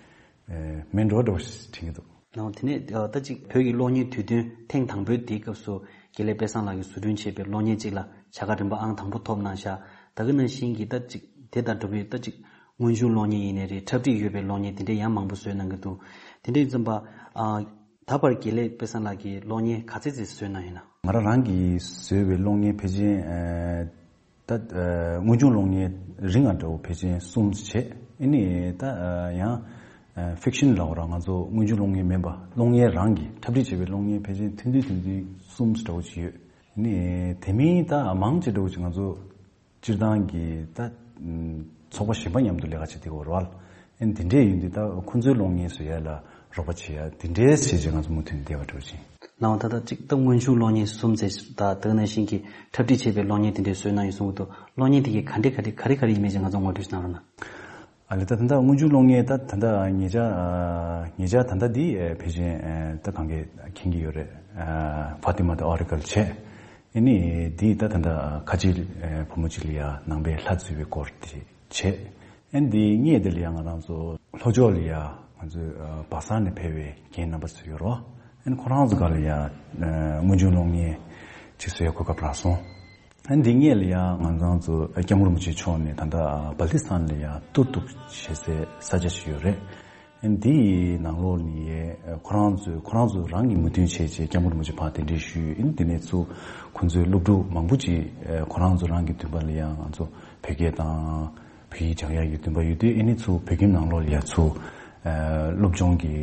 ཨ། མེད་འགྲོ་འདྲ་བོ་ཞིག་དྲན་གྱི་འདུག་ཨོ། དེ་ནས་ད་ཅིག་བོད་ཀྱི་གློག་བརྙན་དུས་སྟོན་ཐེངས་དང་པོའི་དེའི་སྐབས་སུ་དགེ་ལེགས་དཔལ་བཟང་ལགས་ཀྱིས་བཟོ་སྐྲུན་བྱས་པའི་གློག་བརྙན་གཅིག་ལ་བྱ་དགའ་རིམ་པ་ཨང་དང་པོ་ཐོབ་གནང་ཤག་ད་ག་ནང་བཞིན་གྱི་ད་ཅིག་དེ་དང་འདྲ་བའི་ད་ཅིག་དངོས་བྱུང་གློག་བརྙན་ཡིན་ནའི་རེད། འཁྲབ་ཁྲིད་ཡོད་པའི་གློག་བརྙན་དེ་འདྲ་ཡང་མང་པོ་བཟོས་གནང་གི་འདུག་དེ་འདྲ་ཡིན་ཙམ་པ། ཨ། ད་བར་དགེ་ལེགས་དཔལ་བཟང་ལགས་ཀྱིས་གློག་བརྙན་ག་ཚད་ཙམ་བཟོས་གནང་ཡོད་ན། ང་རང་རང་གིས་བཟོས་པའི་གློག་བརྙན་ཕལ་ཆེར། ཨ། ད། ཨ། དངོས་བྱུང་གློག་བརྙན་རིང་ང་འདྲ་བོ་ཕལ་ཆེར་གསུམ་བྱས། ཨ་ནི་ད། ཨ། ཡང་། ཨ། ཕིག་ཤན་ལབ་དགོས་རེད། ང་ཚོ་དངོས་བྱུང་གློག་བརྙན་མིན་པ། གློག་བརྙན་རང་གིས་འཁྲབ་ཁྲིད་བྱས་པའི་གློག་བརྙན་ཕལ་ཆེར་ཐུང་ཐུང་ཐུང་ཐུང་གསུམ་འདྲ་བོ་ཅིག་ཡོད། ཨ་ནི་དེ་མིན་ད་མང་ཆེ་འདྲ་བོ་ཅིག་ང་ཚོ་སྤྱིར་བཏང་གི་ད། ཨམ། ཚོགས་པ་གཞན་པ་མཉམ་དུ་ལས་ཀ་བྱེད་བསྡད་ཡོད་རེད་བ། ཨ་ནི་འདི་འདྲས་ཡིན་དུས་ད་ཁོང་ཚོའི་གློག་བརྙན་བཟོ་ཡ་ལ་རོགས་པ་བྱེད་ཡ་འདི་འདྲས་བྱས་རྗེས་ང་ཚོ་མུ་མཐུད་ནས་བསྡད་པ་འདྲ་བོ་ཅིག་ལའང་ད་ལྟ་གཅིག་ད་སྔོན་བྱུང་གློག་བརྙན་གསུམ་ཙམ་ད་ད་ག་ནང་བཞིན་གྱི་འཁྲབ་ཁྲིད་བྱས་པའི་གློག་བརྙན་དེ་འདྲའི་བཟོས་གནང་ཡོད་གསུང་གི་འདུག་གློག་བརྙན་དེ་གའི་ག་འདྲས་ག་འདྲས་ག་རེ་ག་རེ་ཡིན་མིན་ཅིག་ང་ཚོ་ངོ་སྤྲོད་ཅིག་གནང་རོགས་གནང་། ཨ་ལས་ད་ད་ལྟ་སྔོན་བྱུང་གློག་བརྙན་ད་ད་ལྟ་ཉེ་ཆར་ཨ་ཉེ་ཆར་ད་ལྟ་འདི་ཨ་ཕལ་ཆེར་ཨ་ད་གང་གས་མཁྱེན་གྱི་ཡོད་རེད། ཨ་Fatima the Oracle བྱས། ཨ་ནི་འདི་ད་ད་ལྟ་ཁ་ཆེ་ཨ་བུ་མོ་གཅིག་ལ་ཡ་ནང་པའི་ལྷ་འཛུལ་བའི་སྐོར་དེ་བྱས། ཨ་ནི་འདི་སྔོན་དེ་ལ་ཡ་ང་རང་ཚོ་ལྷོ་ཕྱོགས་ལ་ཡ་ང་ཚོའི་ཨ་སྦག་ས་ནས་ཕེབས་པའི་རྒན་རྣམ་པ་ཚོ་ཡོད་རེད། ཨ་ནི་ཁོ་རང་ཚོ་སྒང་ལ་ཡ་ཨ་སྔོན་བྱུང་གློག་བརྙན་ཅིག་བཟོ་ཡ་གོ་སྐབས་རག་སོང་། ཨ་ནི་འདི་སྔོན་ལ་ཡ་ང་ཚོ་ཚོ་ཨ་སྐྱབས་མགོན་རིན་པོ་ཆེ་མཆོག་ནས་ད་ལྟ་ཨ་སྦལ་ཏི་སི་ཐན་ལ་ཡ་ཏུར་ཏུག་ཞེས་སའི་ས་ཆ་ཞིག་ཡོད་རེད། ཨ་ནི་འདིའི་ནང་ལོགས་ནས་ཨ་ཁོ་རང་ཚོས་ཁོ་རང་ཚོ་རང་གི་མོས་མཐུན་བྱས་རྗེས་སྐྱབས་མགོན་རིན་པོ་ཆེ་ཕར་གདན་འདྲེན་ཞུས། ཨ་ནི་འདི་ནས་ཚུར་ཁོང་ཚོའི་སློབ་ཕྲུག་མང་པོ་ཅིག་ཨ་ཁོ་རང་ཚོ་རང་གི་འདུན་པ་ལ་ཡ་ང་ཚོ་བོད་སྐད་དང་བོད་ཡིག་སྦྱང་ཡག་གི་འདུན་པ་ཡོད་དུས་ཨ་ནི་ཚུར་བོད་ཁྱིམ་ནང་ལོགས་ལ་ཡ་ཚུར་ཨ་སློབ་སྦྱོང་གི་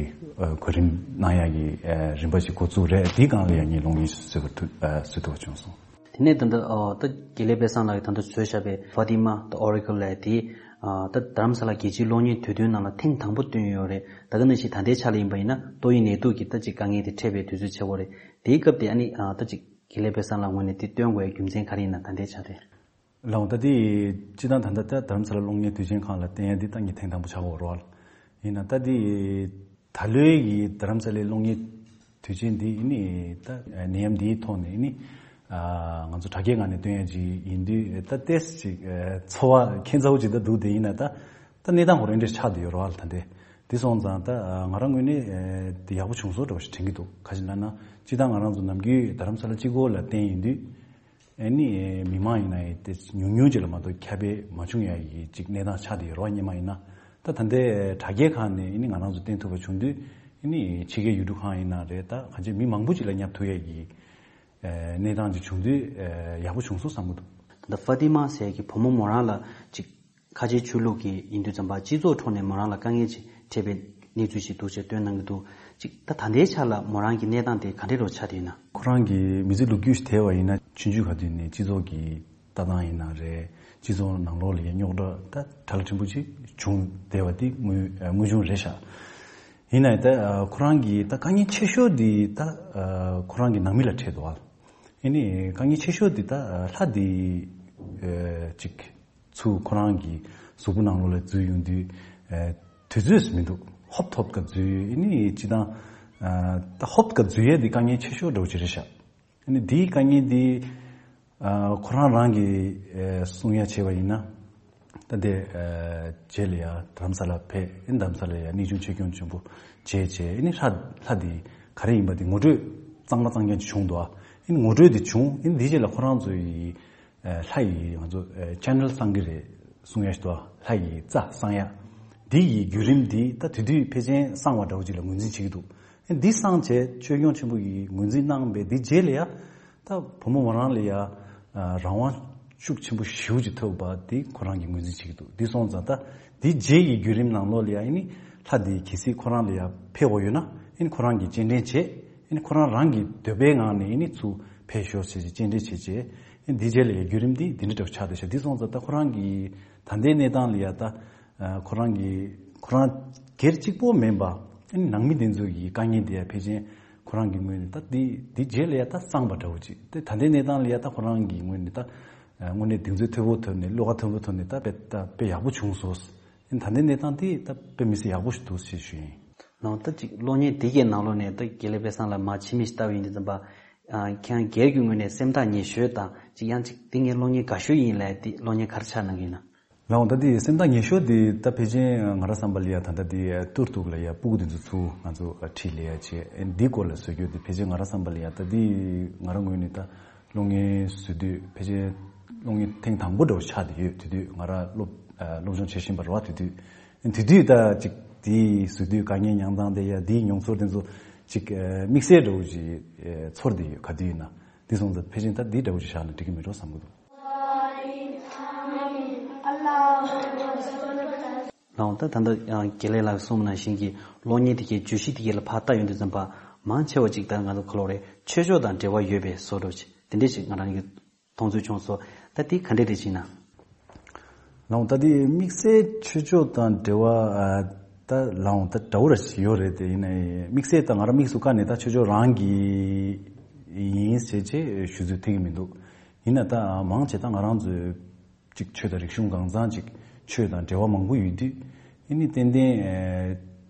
ཨ་གོ་རིམ་གནང་ཡག་གི་ཨ་རིམ་པ་ཞིག་འགོ་བཙུགས་རེད། འདིའི་སྒང་ལ་ཡ་ངས་གློག་བརྙན་ཞིག་བཟོས་པ་ཐུབ་ཨ་བཟོ་ཐུབ་པ་བྱུང་སོང་། དེ་ནས་ད་ལྟ་ཨ་ད་དགེ་ལེགས་དཔལ་བཟང་ལགས་ཀྱིས་ད་ལྟ་བཟོས་བཞག་པའི་Fatima the Oracle ལབ་དེ་ཨ་ད་རྡ་རམ་ས་ལ་རྒྱལ་སྤྱིའི་གློག་བརྙན་དུས་སྟོན་ནང་ལ་ཐེངས་དང་པོ་བཏོན་ཡོད་རེད། ད་ག་ནང་བཞིན་ད་ལྟའི་ཆ་ལ་ཡིན་པ་ཡིན་ན་ཏོག་དབྱིབས་ནད་དུག་གི་ད་ཅིག་དཀའ་ངལ་དེ་འཕྲད་པའི་དུས་ཚོད་ཆགས་ཡོད་རེད། དེའི་སྐབས་དེ་ཨ་ནི་ཨ་ད་ཅིག་དགེ་ལེགས་དཔལ་བཟང་ལགས་ངོས་ནས་དེ་བཏོན་དགོས་ཡའི་རྒྱུ་མཚན་ག་རེ་ཡིན་ན་ད་ལྟའི་ཆ་དེ། ལགས་འོང་། ད་དེ་སྤྱིར་བཏང་ད་ལྟ་ད་རྡ་རམ་ས་ལ་གློག་བརྙན་དུས་ཆེན་ཁང་ལ་བསྟན་ཡ་འདི་ད་ངས་ཐེངས་དང་པོ་ཆགས་ཀྱི་ཡོད་རེད། ཡིན་ན་ད་དེ་ད་ལོའི་གི་རྡ་རམ་ས་ལའི་གློག་བརྙན་དུས་ཆེན་འདི་ནི་ད་ནད་ཡམས་འདིའི་ཐོག་ནས་ནི་ང་ཚོ་དྲ་རྒྱའི་ངང་ནས་སྟོན་ཡ་ཅིག་ཡིན་དུས་ད་ཏོག་ཙམ་ཅིག་ཚོར་བ་ཁྱད་མཚར་པོ་ཅིག་ད་འདུག་དེ་ཡིན་ན་ད་ད་གནས་སྟངས་ཁོ་རང་འདྲ་ཆགས་བསྡད་ཡོད་རེད་ད་དེ། དེ་སོང་ཙང་ད་ང་རང་ངོས་ནས་དེ་ཡག་པོ་བྱུང་སོང་འདྲ་བོ་ཞིག་དྲན་གྱི་འདུག་ག་ཅི་ལབ་ན་སྤྱིར་བཏང་ང་རང་ཚོ་ནམ་རྒྱུན་རྡ་རམ་ས་ལ་གཅིག་པོ་ལ་བསྟན་ཡོང་དུས། ཨ་ནི་མི་མང་ཡིན་ན་ཡང་དེ་ཉུང་ཉུང་ཅིག་ལ་མ་གཏོགས་ཁྱབ་སྤེལ་མ་བྱུང་ཡ་གི་ཅིག་གནས་སྟངས་ཆགས་བསྡད་ཡོད་རེད་བ། སྔོན་མ་ཡིན་ན་ད་ད་ལྟའི་དྲ་རྒྱའི་ཁང་ནས་ཨ་ནི་ང་རང་ཚོ་བསྟན་ཐུབ་པ་བྱུང་དུས་ཨ་ནི་ཕྱི་རྒྱལ་ཡུལ་གྲུ་ཁག་ཡིན་ན་རེད་ད་གང་ཅི་མི་མང་པོ་ཅིག་ལ་བསྙབ་ཐུབ་ཡ་གི་གནས་སྟངས་ཅིག་བྱུང་དུས་ཡག་པོ་བྱུང་སོང་བསམ་གྱི་འདུག་ད་ལྟ་ཧྥ་ཏི་མ་ཟེར་ཡ་གི་བུ་མོ་མོ་རང་ལ་ཅིག་ཁ་ཆེའི་ཆོས་ལུགས་ཀྱི་ཡིན་དུས་ཙམ་པ་སྤྱི་ཚོགས་ཁྲོད་ནས་མོ་རང་ལ་དཀའ་ངལ་ཅིག་འཕྲད་པའི་གནས་ཚུལ་ཞིག་འདུག་ཅེས་སྟོན་གནང་གི་འདུག་ཅིག་ད་ད་ལྟའི་ཆ་ལ་མོ་རང་གི་གནས་སྟངས་དེ་ག་འདྲ་རུ་ཆགས་བསྡད་ཡོད་ན། ཁོ་རང་གི་མི་ཚེ་ལོ་རྒྱུས་ཤིག་དེ་བ་ཡིན་ན་ཆུང་ཆུང་ག་དུས་ནས་སྤྱི་ཚོགས་ཀྱི་ལྟ་སྟངས་ཡིན་ན་རེད། སྤྱི་ཚོགས་ནང་ལོགས་ལ་ཡ་རྙོག་དྲ་ད་གྲ་ལ་ཕྲན་བུ་ཅིག་བྱུང་བསྡད་པ་དེ་དངོས་དངོས་བྱུང་རེད་ཤག་ཡིན་ན་ཡང་ད་ཁོ་རང་གི་ད་དཀའ་ངལ་ཆེ་ཤོས་དེ་ད་ཁོ་རང་གི་ནང་མི་ལ་འཕྲད་འདུག་ཨ་ནི་དཀའ་ངལ་ཆེ་ཤོས་དེ་ད་ལྷ་དེ་ཅིག་ཚུར་ཁོ་རང་གི་གཟུགས་པོ་ནང་ལོགས་ལ་འཛུལ་ཡོང་དུས། ཨེ། དུས་ཚོད་མི་འདུག་ཧོབ་ཐོབ་ཀ་འཛུལ་ཨ་ནི་སྤྱིར་བཏང་། ཨ། ད་ཧོབ་ཀ་འཛུལ་ཡས་འདི་དཀའ་ངལ་ཆེ་ཤོས་འདྲ་བོ་ཅིག་རེད་ཤག་ཨ་ནི་འདིའི་དཀའ་ངལ་འདི། ཨ། ཁོ་རང་རང་གིས་ཨེ་གསུང་ཡ་བྱས་པ་ཡིན་ན། ད་དེ་ཨེ་རྗེས་ལ་ཡ་རྡ་རམ་ས་ལ་ཕེབས་ཨ་ནི་རྡ་རམ་ས་ལ་ཡ་གནས་ཆུང་ཆོས་སྐྱོང་ཆེན་པོ་མཇལ་བྱས་ཨ་ནི་ལྷ་ལྷ་འདི་ག་རེ་ཡིན་པ་འདི་ངོ་སྤྲོད་གཙང་མ་གཙང་རྐྱང་ཅིག་བྱུང་འདུག་ཨ་ནི་ངོ་སྤྲོད་འདི་བྱུང་ཨ་ནི་འདིའི་རྗེས་ལ་ཁོ་རང་ཚོ་ཡི། ལྷ་ཡི་ང་ཚོ་ཆེ་ནལ་གསང་གི་རེད་གསུང་ཡ་ཞིག་འདུག་ལྷ་ཡི་རྩ་གསང་ཡ། འདི་ཡི་བརྒྱུད་རིམ་འདི་ད་དེ་དུས་ཕལ་ཆེར་གསང་བ་འདྲ་བོ་ཅིག་ལ་ངོས་འཛིན་བྱེད་ཀྱི་འདུག་འདི་གསང་བྱས་ཆོས་སྐྱོང་ཆེན་པོ་ཡིས་ངོས་འཛིན་གནང་བའི་འདི་རྗེས་ལ་ཡ། ད་བུ་མོ་མོ་རང་ལ་ཡ། རང་དབང་ཤུགས་ཆེན་པོ་ཞེ་པོ་ཅིག་ཐོབ་པ་འདི་ཁོ་རང་གིས་ངོས་འཛིན་བྱེད་ཀྱི་འདུག་འདི་སོང་ཙང་ད་འདི་རྗེས་ཀྱི་བརྒྱུད་རིམ་ནང་ལོགས་ལ་ཡ་ཨ་ནི་ལྷ་འདི་གལ་སྲིད་ཁོ་རང་ལ་ཡ་ཕེབས་དགོས་ཡོད་ན་ཨ་ནི་ཁོ་རང་གིས་སྤྱན་འདྲེན་བྱེད་ཨ་ནི་ཁོ་རང་རང་གི་འདོད་པའི་ངང་ནས་ཨ་ནི་ཚུར་ཕེབས་ཤོག་ཟེར་ཅིག་སྤྱན་འདྲེན་བྱེད་ཅེས། འདི་རྗེས་ལ་ཡ་བརྒྱུད་རིམ་འདི་འདི་འདྲ་འདྲ་བོ་ཆགས་བསྡད་ཤག་འདི་སོང་ཙང་ད་ཁོ་རང་གི་ད་ལྟའི་གནས་སྟངས་ལ་ཡ་ད་ཁོ་རང་གི་ཁོ་རང་སྒེར་གཅིག་པོ་མིན་པ་ཨ་ནི་ནང་མི་དེ་ཚོ་གི་དཀའ་ངལ་དེ་ཡ་ཕལ་ཆེར་ཁོ་རང་གི་ངོས་ནས་ད་འདི་འདི་རྗེས་ལ་ཡ་ད་གསང་བ་འདྲ་བོ་ཅིག་དེ་ད་ལྟའི་གནས་སྟངས་ལ་ཡ་ད་ཁོ་རང་གི་ངོས་ནས་ད་དངོས་གནས་གདེང་ཚོད་མཐོ་པོ་ཐོབ་ནས་བློ་ཁ་མཐོ་པོ་ཐོབ་ནས་ད་དཔེ་ད་དཔེ་ཡག་པོ་བྱུང་སོང་། ད་ལྟའི་གནས་སྟངས་དེ་ད་དཔེ་མི་སྲིད་ཡག་པོ་ཞིག་འདུག་ཞེས་ཞུ་ཡིན། ནང་ད་ཅིག་གློག་བརྙན་དེ་གའི་ནང་ལོགས་ནས་ད་དགེ་ལེགས་དཔལ་བཟང་ལ་མ་ཕྱི་མིག་ཞིག་ལྟ་བ་ཡིན་དུས་ཙམ་པ། ཁྱེད་རང་སྒེར་གྱི་ངོས་ནས་སེམས་ཐག་ཉེ་ཤོས་དང་ཅིག་ཡང་ཅིག་དེ་ངའི་གློག་བརྙན་དགའ་ཤོས་ཡིན་ལབ་དེ་གློག་བརྙན་ག་རེ་ཆགས་གནང་གི་ཡིན་ན། ལགས་འོང་། ད་དེ་སེམས་ཐག་ཉེ་ཤོས་དེ་ད་ཕལ་ཆེར་ང་རང་བསམ་པ་ལ་ཡ་ད་ལྟ་དེ་ཏུར་ཏུག་ལ་ཡ་སྤུ་གུ་དེ་ཚོ་ཚུར་ང་ཚོ་ཁྲིད་ལས་ཡ་བྱས་འདི་སྐོར་ལ་བཟོ་རྒྱུ་དེ་ཕལ་ཆེར་ང་རང་བསམ་པ་ལ་ཡ་ད་དེ་ང་རང་ངོས་ནས་ད། གློག་བརྙན་བཟོ་དུས་ཕལ་ཆེར་གློག་བརྙན་ཐེངས་དང་པོ་འདྲ་བོ་ཆགས་བསྡད་ཡོད། དེ་དུས་ང་རང་སློབ་སློབ་སྦྱོང་བྱེད་བཞིན་པ་རེད་བ། དེ་དུས་དེ་དུས་ད་ཅིག་དེའི་བཟོ་དུས་དཀའ་ངལ་མྱངས་སྟངས་དེ་ཡ་དེའི་མྱོང་ཚོར་དེ་ཚོ་ཅིག་དམིགས་བསལ་འདྲ་བོ་ཅིག་ཚོར་བསྡད་ཡོད། ག་དུས་ཡིན་ན་དེ་སོང་ཙང་ཕལ་ཆེར་ད་འདི་འདྲ་བོ་ཅིག་བཞག་ན་འགྲིག་གི་མེད་འགྲོ་བསམ་གྱི་འདུག་ལགས་འོང་། ད་ད་ལྟ་དགེ་ལེགས་ལགས་གསུངས་ནང་བཞིན་གྱི་གློག་བརྙན་དེ་གའི་བརྗོད་གཞི་དེ་གའི་ལ་ཕར་ལྟ་ཡོང་དུས་ཙམ་པ་མང་ཆེ་བ་ཅིག་ད་ང་ཚོ་ག་ལབ་དགོས་རེད། ཆོས་ཕྱོགས་དང་འབྲེལ་བ་ཡོད་པའི་བཟོ་འདྲ་ཅིག་དེ་འདྲས་ཅིག་ང་རང་གི་མཐོང་ཚུལ་བྱུང་སོང་། ད་དེ་ག་འདྲས་རེད་ཅེ་ན། ལའང་ད་དེ་དམིགས་བསལ་ཆོས་ཕྱོགས་དང་འབྲེལ་བ་ཨ་ད་ལའང་ད་འདྲ་བོ་ར་ཞིག་ཡོད་རེད། དེ་ཡིན་ནའི་དམིགས་བསལ་ད་ང་རང་དམིགས་སུ་བཀར་ནས་ད་ཆོས་ཕྱོགས་རང་གི་ཡིན་ཟེར་བྱས་ཞུ་ཚུལ་ཐེབས་ཀྱི་མི་འདུག་ཡིན་ན་ད་མང་ཆེ་ད་ང་རང་ཚོའི་ཅིག་ཆོས་དང་རིག་གཞུང་གང་ཚང་ཅིག་ཆོས་དང་འབྲེལ་བ་མང་པོ་ཡོད་དུས་ཨ་ནི་ཏན་ཏན་ཨ་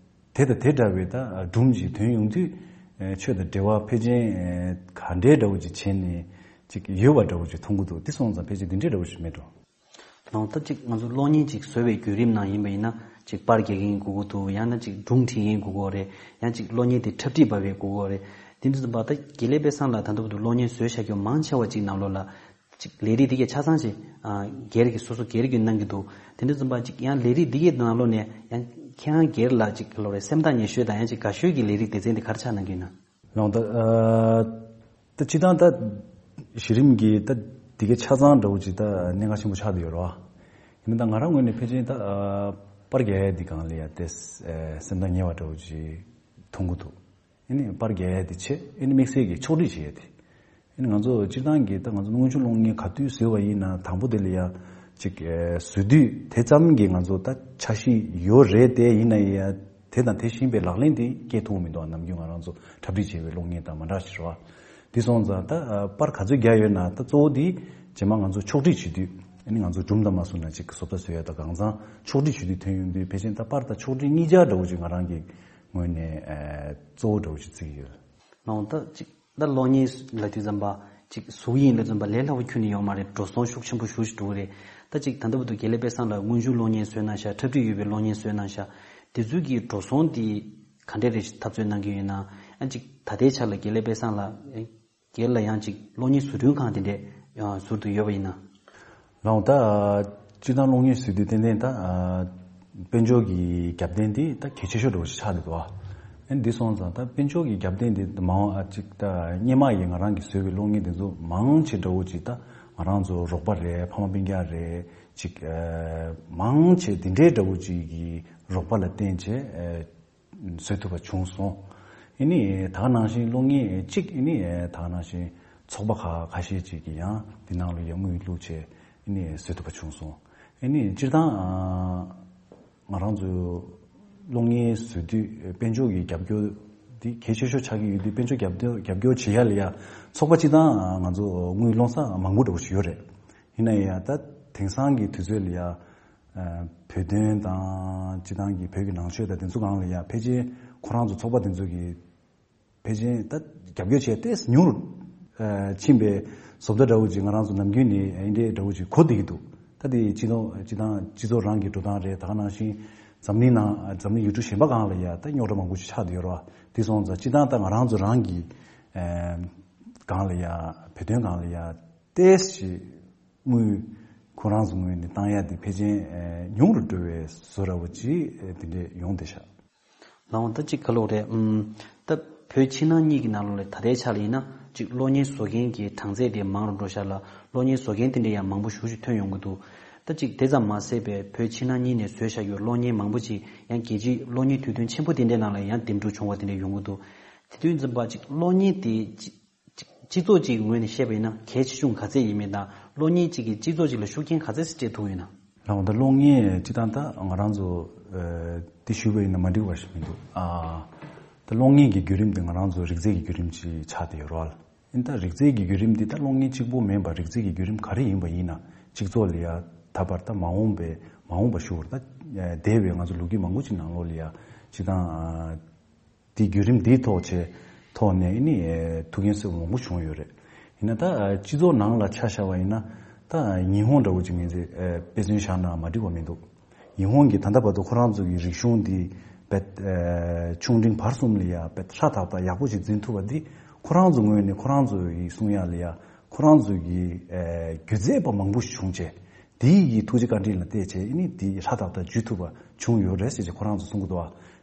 དེ་དང་དེ་འདྲ་བའི་ད་སྒྲུང་ཅིག་ཐོན་ཡོང་དུས་ཨ་ཆོས་དང་འབྲེལ་བ་ཕལ་ཆེར་ཨ་ག་འདྲའི་འདྲ་བོ་ཅིག་བྱས་ནས་ཅིག་ཡོད་པ་འདྲ་བོ་ཅིག་མཐོང་གི་འདུག་དེ་སོང་ཙང་ཕལ་ཆེར་དེ་འདྲའི་འདྲ་བོ་ཞིག་མེད་འགྲོ། ནང་ལྟར་ཅིག་ང་ཚོ་གློག་བརྙན་ཅིག་བཟོ་བའི་བརྒྱུད་རིམ་ནང་ཡིན་པ་ཡིན་ན་ཅིག་པར་རྒྱག་མཁན་དགོས་ཀྱི་འདུག་ཡང་ན་ཅིག་སྒྲུང་འབྲི་མཁན་དགོས་ཀྱི་རེད། ཡང་ཅིག་གློག་བརྙན་དེ་འཁྲབ་ཁྲིད་འབབ་པའི་དགོས་ཀྱི་རེད། དེ་འདྲ་ཙམ་པ་ད་དགེ་ལེགས་དཔལ་བཟང་ལགས་ད་ལྟ་བར་དུ་གློག་བརྙན་བཟོས་བཞག་རྒྱུ་མང་ཆེ་བ་ཅིག་ནང་ལོགས་ལ་ཅིག་ལས་རིགས་འདི་གས་ཆ་ཚང་ཅིག་ཨ་སྒེར་གྱི་སོ་སོ་སྒེར་གྱི་གནང་གི་འདུག་དེ་འདྲ་ཙམ་པ་ཅིག་ཡང་ལས་རིགས་འདི་གས་ནང་ལོགས་ནས་ཡང་ཁྱེད་རང་སྒེར་ལ་ཅིག་ལོ་རེ་སེམས་ཐག་ཉེ་ཤོས་དང་ཡང་ཅིག་དགའ་ཤོས་ཀྱི་ལས་རིགས་སྡེ་ཚན་དེ་ག་རེ་ཆགས་གནང་གི་ཡིན་ན། ལའང་ད་ཨ་ད་སྤྱིར་བཏང་ད་གཞི་རིམ་གྱི་ད་འདི་གའི་ཆ་ཚང་འདྲ་བོ་ཅིག་ད་གནད་འགག་ཆེན་པོ་ཆགས་བསྡད་ཡོད་རེད་བ། ཡིན་ན་ད་ང་རང་ངོས་ནས་ཕལ་ཆེར་ད་ཨ་པར་རྒྱག་ཡ་འདི་སྒང་ལ་ཡ་ཏེ་ཨ་སེམས་ཐག་ཉེ་བ་འདྲ་བོ་ཅིག་མཐོང་གི་འདུག་ཨ་ནི་པར་རྒྱག་ཡ་འདི་བྱས་ཨ་ནི་དམིགས་བསལ་གྱི་ཕྱོགས་སྒྲིག་བྱེད་ཡ་དེ། ཨ་ནི་ང་ཚོ་སྤྱིར་བཏང་གི་ད་ང་ཚོ་དངོས་བྱུང་གློག་བརྙན་ག་དུས་བཟོས་པ་ཡིན་ན་དང་པོ་དེ་ལ་ཡ་ཅིག་ཨ་བཟོ་དུས་དེ་ཙམ་གྱི་ང་ཚོ་ད་འཆར་གཞི་ཡོད་རེད་དེ། ཡིན་ན་ཡ་དེ་དང་དེ་བཞིན་པའི་ལག་ལེན་དེ་སྐྱེལ་ཐུབ་མི་འདུག་ནམ་རྒྱུན་ང་རང་ཚོ་འཁྲབ་ཁྲིད་བྱས་པའི་གློག་བརྙན་དང་མ་འདྲ་ཞིག་རེད་བ། དེ་སོང་ཙང་ད་ཨ་པར་ག་ཚོད་རྒྱག་ཡོད་ན་ད་གཙོ་བོ་དེ་རྗེས་མ་ང་ཚོ་ཕྱོགས་སྒྲིག་བྱེད་དུས་ཨ་ནི་ང་ཚོ་སྒྲུང་དང་མ་བཟོ་ན་ཅིག་བཟོ་ལྟ་བཟོ་ཡ་ད་གང་ཚང་ཕྱོགས་སྒྲིག་བྱེད་དུས་ཐོན་ཡོང་དུས་ཕལ་ཆེར་ད་པར་དང་ཕྱོགས་སྒྲིག་གཉིས་ཆ་འདྲ་བོ་ཅིག་ང་རང་གི་ངོས་ནས་ཨ་གཙོ་བོ་འདྲ་བོ་ཅིག་བརྩི་གི་ཡོད། ནང་ད་ཅིག་ད་གློག་བརྙན་ལབ་དུས་ཙམ་པ་ཅིག་གཟུགས་ཡིན་ལབ་ཙམ་པ་ལས་སླ་བོ་ཁྱོན་ནས་ཡོད་མ་རེད། འགྲོ་སོང་ཤུགས་ཆེན་པོ་ཞེ་པོ་ཅིག་འགྲོ་གི་རེད། ད་ཅིག་ད་ལྟ་བར་དུ་དགེ་ལེགས་དཔལ་བཟང་ལགས་དངོས་བྱུང་གློག་བརྙན་བཟོས་གནང་ཤག་འཁྲབ་ཁྲིད་ཡོད་པའི་གློག་བརྙན་བཟོས་གནང་ཤག་དེ་ཚོའི་གི་འགྲོ་སོང་དེ་ག་འདྲས་རེད་འཐབ་རྩོད་གནང་གི་ཡོད་ན། ཡང་ཅིག་ད་ལྟའི་ཆར་ལ་དགེ་ལེགས་དཔལ་བཟང་ལགས་སྒེར་ལ་ཡང་ཅིག་གློག་བརྙན་བཟོ་སྐྲུན་ཁང་དེ་འདྲས་ཡང་ཟུར་དུ་ཡོད་པ་ཡིན་ན། ལའང་ད་སྤྱིར་བཏང་གློག་བརྙན་བཟོས་དུས་ཏན་ཏན་ད་དཔལ་འབྱོར་གྱི་རྒྱབ་རྟེན་དེ་ད་གལ་ཆེ་ཤོས་འདྲ་བོ་ཞིག་ཆགས་བསྡད་འདུག་ཨ་འདི་སོང་ཙང་ད་དཔལ་འབྱོར་གྱི་རྒྱབ་རྟེན་དེ་མང་བ་ཅིག་ད་སྔོན་མ་ཡི་ང་རང་གིས་བཟོས་པའི་གློག་བརྙན་དེ་ཚོ་མང་ཆེ་འདྲ་བོ་ཅིག་ད་ང་རང་ཚོ་རོགས་པ་རེད། ཕ་མ་སྤུན་ཀྱག་རེད། ཅིག་མང་ཆེ་དེ་འདྲའི་འདྲ་བོ་ཅིག་གི་རོགས་པ་ལ་བརྟེན་བྱས། བཟོ་ཐུབ་པ་བྱུང་སོང་། ཨ་ནི་ད་ག་ནང་བཞིན་གློག་བརྙན་གཅིག་ཨ་ནི་ད་ག་ནང་བཞིན་ཚོགས་པ་ཁག་ཁ་ཤས་ཅིག་གིས་ཡང་འདི་ནང་ལ་ཡང་དངུལ་བླུགས་བྱས་ཨ་ནི་བཟོ་ཐུབ་པ་བྱུང་སོང་། ཨ་ནི་སྤྱིར་བཏང་ང་རང་ཚོ་གློག་བརྙན་བཟོ་དུས་དཔལ་འབྱོར་གྱི་རྒྱབ་སྐྱོར་འདི་གལ་ཆེ་ཤོས་ཆགས་ཀྱི་ཡོད་དུས་དཔལ་འབྱོར་རྒྱབ་སྐྱོར་རྒྱབ་སྐྱོར་བྱེད་ཡ་ལ་ཡ་ཚོགས་པ་སྤྱིར་བཏང་ང་ཚོ་དངུལ་སློང་ས་མང་པོ་འདྲ་བོ་ཞིག་ཡོད་རེད། ཡིན་ན་ཡང་ད་དེང་སང་གི་དུས་ཚོད་ལ་ཡ། བོད་དོན་དང་སྤྱི་བཏང་གི་བོད་ཀྱི་ནང་ཆོས་དང་དེ་ཚོ་སྒང་ལ་ཡ་ཕལ་ཆེར་ཁོ་རང་ཚོ་ཚོགས་པ་དེ་ཚོ་གིས་ཕལ་ཆེར་ད་རྒྱབ་སྐྱོར་བྱས་ཏེ་ཉུང་རུ་ཕྱིན་པའི་བཟོ་ལྟ་འདྲ་བོ་ཅིག་ང་རང་ཚོ་ནམ་རྒྱུན་ནས་འདི་འདྲའི་འདྲ་བོ་ཅིག་གོ་བསྡད་ཀྱི་འདུག་ད་དེ་སྤྱི་ཚོགས་སྤྱི་བཏང་སྤྱི་ཚོགས་རང་གི་འགྲོ་སྟངས་རེད། ད་ག་ནང་བཞིན་འཛམ་གླིང་ནང་འཛམ་གླིང་ཡུལ་གྲུ་གཞན་པ་སྒང་ལ་ཡ་ད་རྙོག་དྲ་མང་པོ་ཞིག་ཆགས་བསྡད་ཡོད་རེད་བ། དེ་སོང་ཙང་སྤྱི་བཏང་ད་ང་རང་ཚོ་རང་གི་སྒང་ལ་ཡ་བོད་དོན་སྒང་ལ་ཡ། ཏོག་ཙམ་དངུལ་ཁོ་རང་ཚོ་ངོས་ནས་བཏང་ཡ་དེ་ཕལ་ཆེར་ཉུང་རུ་འགྲོ་བའི་བཟོ་འདྲ་བོ་ཅིག་དེ་འདྲས་ཡོང་བསྡད་ཤག་ལའང་ད་ཅིག་ག་ལོག་རེད། ཨུམ། ད་བོད་ཕྱི་ནང་གཉིས་ཀྱི་ནང་ལོགས་ལ་ད་ལྟའི་ཆ་ལ་ཡིན་ན་ཅིག་གློག་བརྙན་བཟོ་མཁན་གྱི་གྲངས་ཚད་དེ་མང་རུ་འགྲོ་ཤག་ལ། གློག་བརྙན་བཟོ་མཁན་དེ་འདྲས་ཡང་མང་པོ་ཞེ་པོ་ཅིག་ཐོན་ཡོང་གི་འདུག་ད་ཅིག་དེ་ཙམ་མ་ཟད་པའི་བོད་ཕྱི་ནང་གཉིས་ནས་བཟོས་བཞག་ཡོད་གློག་བརྙན་མང་པོ་ཅིག་ཡང་རྒྱལ་སྤྱིའི་གློག་བརྙན་དུས་སྟོན་ཆེན་པོ་དེ་འདྲའི་ནང་ལ་ཡང་འདེམས་སྒྲུག་བྱུང་བ་དེ་འདྲས་ཡོང་གི་འདུག་དེ་དུས་ཙམ་པ་ཅིག་གློག་བརྙན་དེ་ཅིག་སྤྱི་ཚོགས་ཀྱི་ངོས་ནས་བཤད་པ་ཡིན་ན་གལ་ཆེ་ཆུང་ག་ཚད་ཡིན་མིན་དང་གློག་བརྙན་གཅིག་གིས་སྤྱི་ཚོགས་གཅིག་ལ་ཤུགས་རྐྱེན་ག་ཚད་ཅིག་སྤྲད་ཐུབ་ཡོད་ན། ལགས་འོང་ད་གློག་བརྙན་སྤྱི་བཏང་ད་ང་རང་ཚོ་ཨ་འདི་ཞུས་པ་ཡིན་ན་མ་འགྲིག་པ་ཞིག་མི་འདུག་ཨ་ད་གློག་བརྙན་གྱི་བརྒྱུད་རིམ་དེ་ང་རང་ཚོ་རིགས་རྫས་ཀྱི་བརྒྱུད་རིམ་ཅིག་ཆགས་བསྡད་ཡོད་རེད་བ། ཨིན་ད་རིགས་རྫས་ཀྱི་བརྒྱུད་རིམ་འདི་ད་གློག་བརྙན་གཅིག་པོ་མིན་པར་རིགས་རྫས་ཀྱི་བརྒྱུད་རིམ་ག་རེ་ཡིན་པ་ཡིན་ན་སྤྱི་ཚོགས་ལ་ཡ་ད་བར་ད་མ་འོངས་པའི་མ་འོངས་པ་ཞུ་བར་ད་འདས་པའི་ང་ཚོ་ལོ་རྒྱུས་མང་པོ་ཅིག་ནང་ལོགས་ལ་ཡ་སྤྱི་བཏང་ཨ། དེའི་བརྒྱུད་རིམ་འདིའི་ཐོག་ཆེ་ཐོག་ནས་ནི་ཐུགས་འགན་གསོས་པ་མང་པོ་བྱུང་ཡོད་རེད། ཡིན་ན་ད་སྤྱི་ཚོགས་ནང་ལ་ཆ་བཞག་པ་ཡིན་ན་ད་ཉི་ཧོང་འདྲ་བོ་ཅིག་ངེས་ཚེ་དཔེ་མཚོན་བཞག་ན་མ་འགྲིག་པ་མི་འདུག་ཉི་ཧོང་གི་ད་ལྟ་བར་དུ་ཁོ་རང་ཚོ་གི་རིག་གཞུང་འདི་བེད་ཆུང་འབྲིང་བར་གསུམ་ལ་ཡ་བེད་ཧྲ་ཐག་ཐག་ཡག་པོ་ཞིག་འཛིན་ཐུབ་པ་འདི་ཁོ་རང་ཚོ་ངོས་ནས་ཁོ་རང་ཚོ་ཡི་གསུང་ཡག་ལ་ཡ་ཁོ་རང་ཚོ་གི་སྒྱུ་རྩལ་པ་མང་པོ་ཞིག་བྱུང་བྱས། དེའི་ཡི་ཐུགས་རྗེ་བཀའ་དྲིན་ལ་བརྟེན་བྱས་ཨ་ནི་དེ་ཧྲ་ཐག་ཐག་འཇུ་ཐུབ་པ་བྱུང་ཡོད་རེད་ཟེར་བྱས་ཁོ་རང་ཚོ་གསུང་གི་འདུག་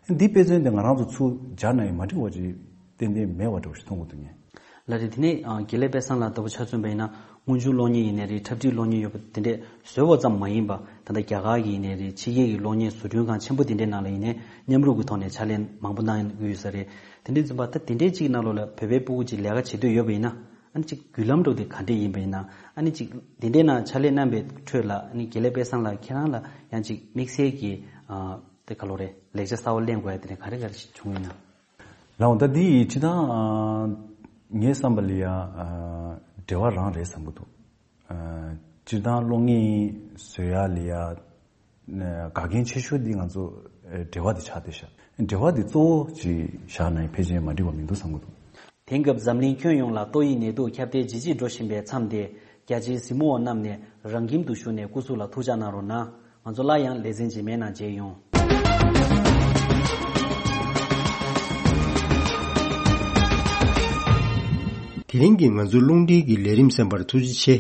ཨ། འདི་དཔེ་མཚོན་དེ་ང་རང་ཚོ་ཚུར་སྦྱར་ན་ཡང་མ་འགྲིག་པ་ཅིག་ཏན་ཏན་མེད་པ་འདྲ་བོ་ཞིག་མཐོང་གི་འདུག་ངས། ལགས་རེད། དེ་ནས་ཨ་དགེ་ལེགས་དཔལ་བཟང་ལགས་ལྟ་བུ་ཆ་མཚོན་པ་ཡིན་ན་དངོས་བྱུང་གློག་བརྙན་ཡིན་ནའི་རེད། འཁྲབ་ཁྲིད་གློག་བརྙན་ཡོད་པ་དེ་འདྲས་བཟོས་པ་ཙམ་མ་ཡིན་པ་ད་ལྟ་རྒྱ་གར་གྱི་ཡིན་ནའི་རེད། ཕྱི་རྒྱལ་གྱི་གློག་བརྙན་བཟོ་སྐྲུན་ཁང་ཆེན་པོ་དེ་འདྲའི་ནང་ལ་ཡིན་ནའི་མཉམ་རུབ་ཀྱི་ཐོག་ནས་ཕྱག་ལས་མང་པོ་གནང་གི་ཡོད་ས་རེད། དེ་འདྲས་ཙམ་པ་ད་དེ་འདྲས་ཅིག་ནང་ལོགས་ལ་བོད་པའི་ཕྲུ་གུ་ཅིག་ལས་ཀ་བྱེད་འདོད་ཡོད་པ་ཡིན་ན། ཨ་ནི་ཅིག་བརྒྱུད་ལམ་འགྲོ་དེ་ག་འདྲས་ཡིན་པ་ཡིན་ན། ཨ་ནི་ཅིག་དེ་འདྲས་ན་ཕྱག་ལས་གནང་པའི་ཁྲོད་ལ། ཨ་ནི་དགེ་ལེགས་དཔལ་བཟང་ལགས་ཁྱེད་རང་ལ་ཡང་ཅིག་དམིགས་བསལ་གྱི་ཨ་དེ་ག་ལོ་རེད། ལེགས་ཆ་གསར་པ་ལེན་དགོས་ཡ་དེ་འདྲས་ག་རེ་ག་རེ་ཞིག་བྱུང་ཡོད་ན། ལགས་འོང་། ད་འདི་ཡི་སྤྱིར་བཏང་ཨ་ངའི་བསམ་པ་ལ་ཡ་ཨ་འབྲེལ་བ་རང་རེད་བསམ་གྱི་འདུག་ཨ་སྤྱིར་བཏང་གློག་བརྙན་བཟོ་ཡ་ལ་ཡ་ཨ་འགལ་རྐྱེན་ཆེ་ཤོས་འདི་ང་ཚོ་ཨ་འབྲེལ་བ་འདི་ཆགས་བསྡད་ཤག་འབྲེལ་བ་འདི་གཙོ་བོ་ཅིག་བཞག་ན་ཡང་ཕལ་ཆེར་མ་འགྲིག་པ་མི་འདུག་བསམ་གྱི་འདུག་དེང་སྐབས་འཛམ་གླིང་ཁྱོན་ཡོངས་ལ་ཏོག་དབྱིབས་ནད་དུག་ཁྱབ་གདལ་ཇེ་ཆེར་འགྲོ་བཞིན་པའི་མཚམས་དེ། རྒྱ་ཆེའི་གཟིགས་མོ་བ་རྣམས་ནས་རང་ཁྱིམ་དུ་བཞུགས་ནས་སྐུ་གཟུགས་ལ་ཐུགས་ཅག་གནང་རོགས་གནང་། ང་ཚོ་སླར་ཡང་ལེ་ཚན་རྗེས་མའི་ནང་མཇལ་ཡོང་། དེ་རིང་གི་ང་ཚོའི་རླུང་འཕྲིན་གྱི་ལས་རིམ་གསན་པར་ཐུགས་རྗེ་ཆེ།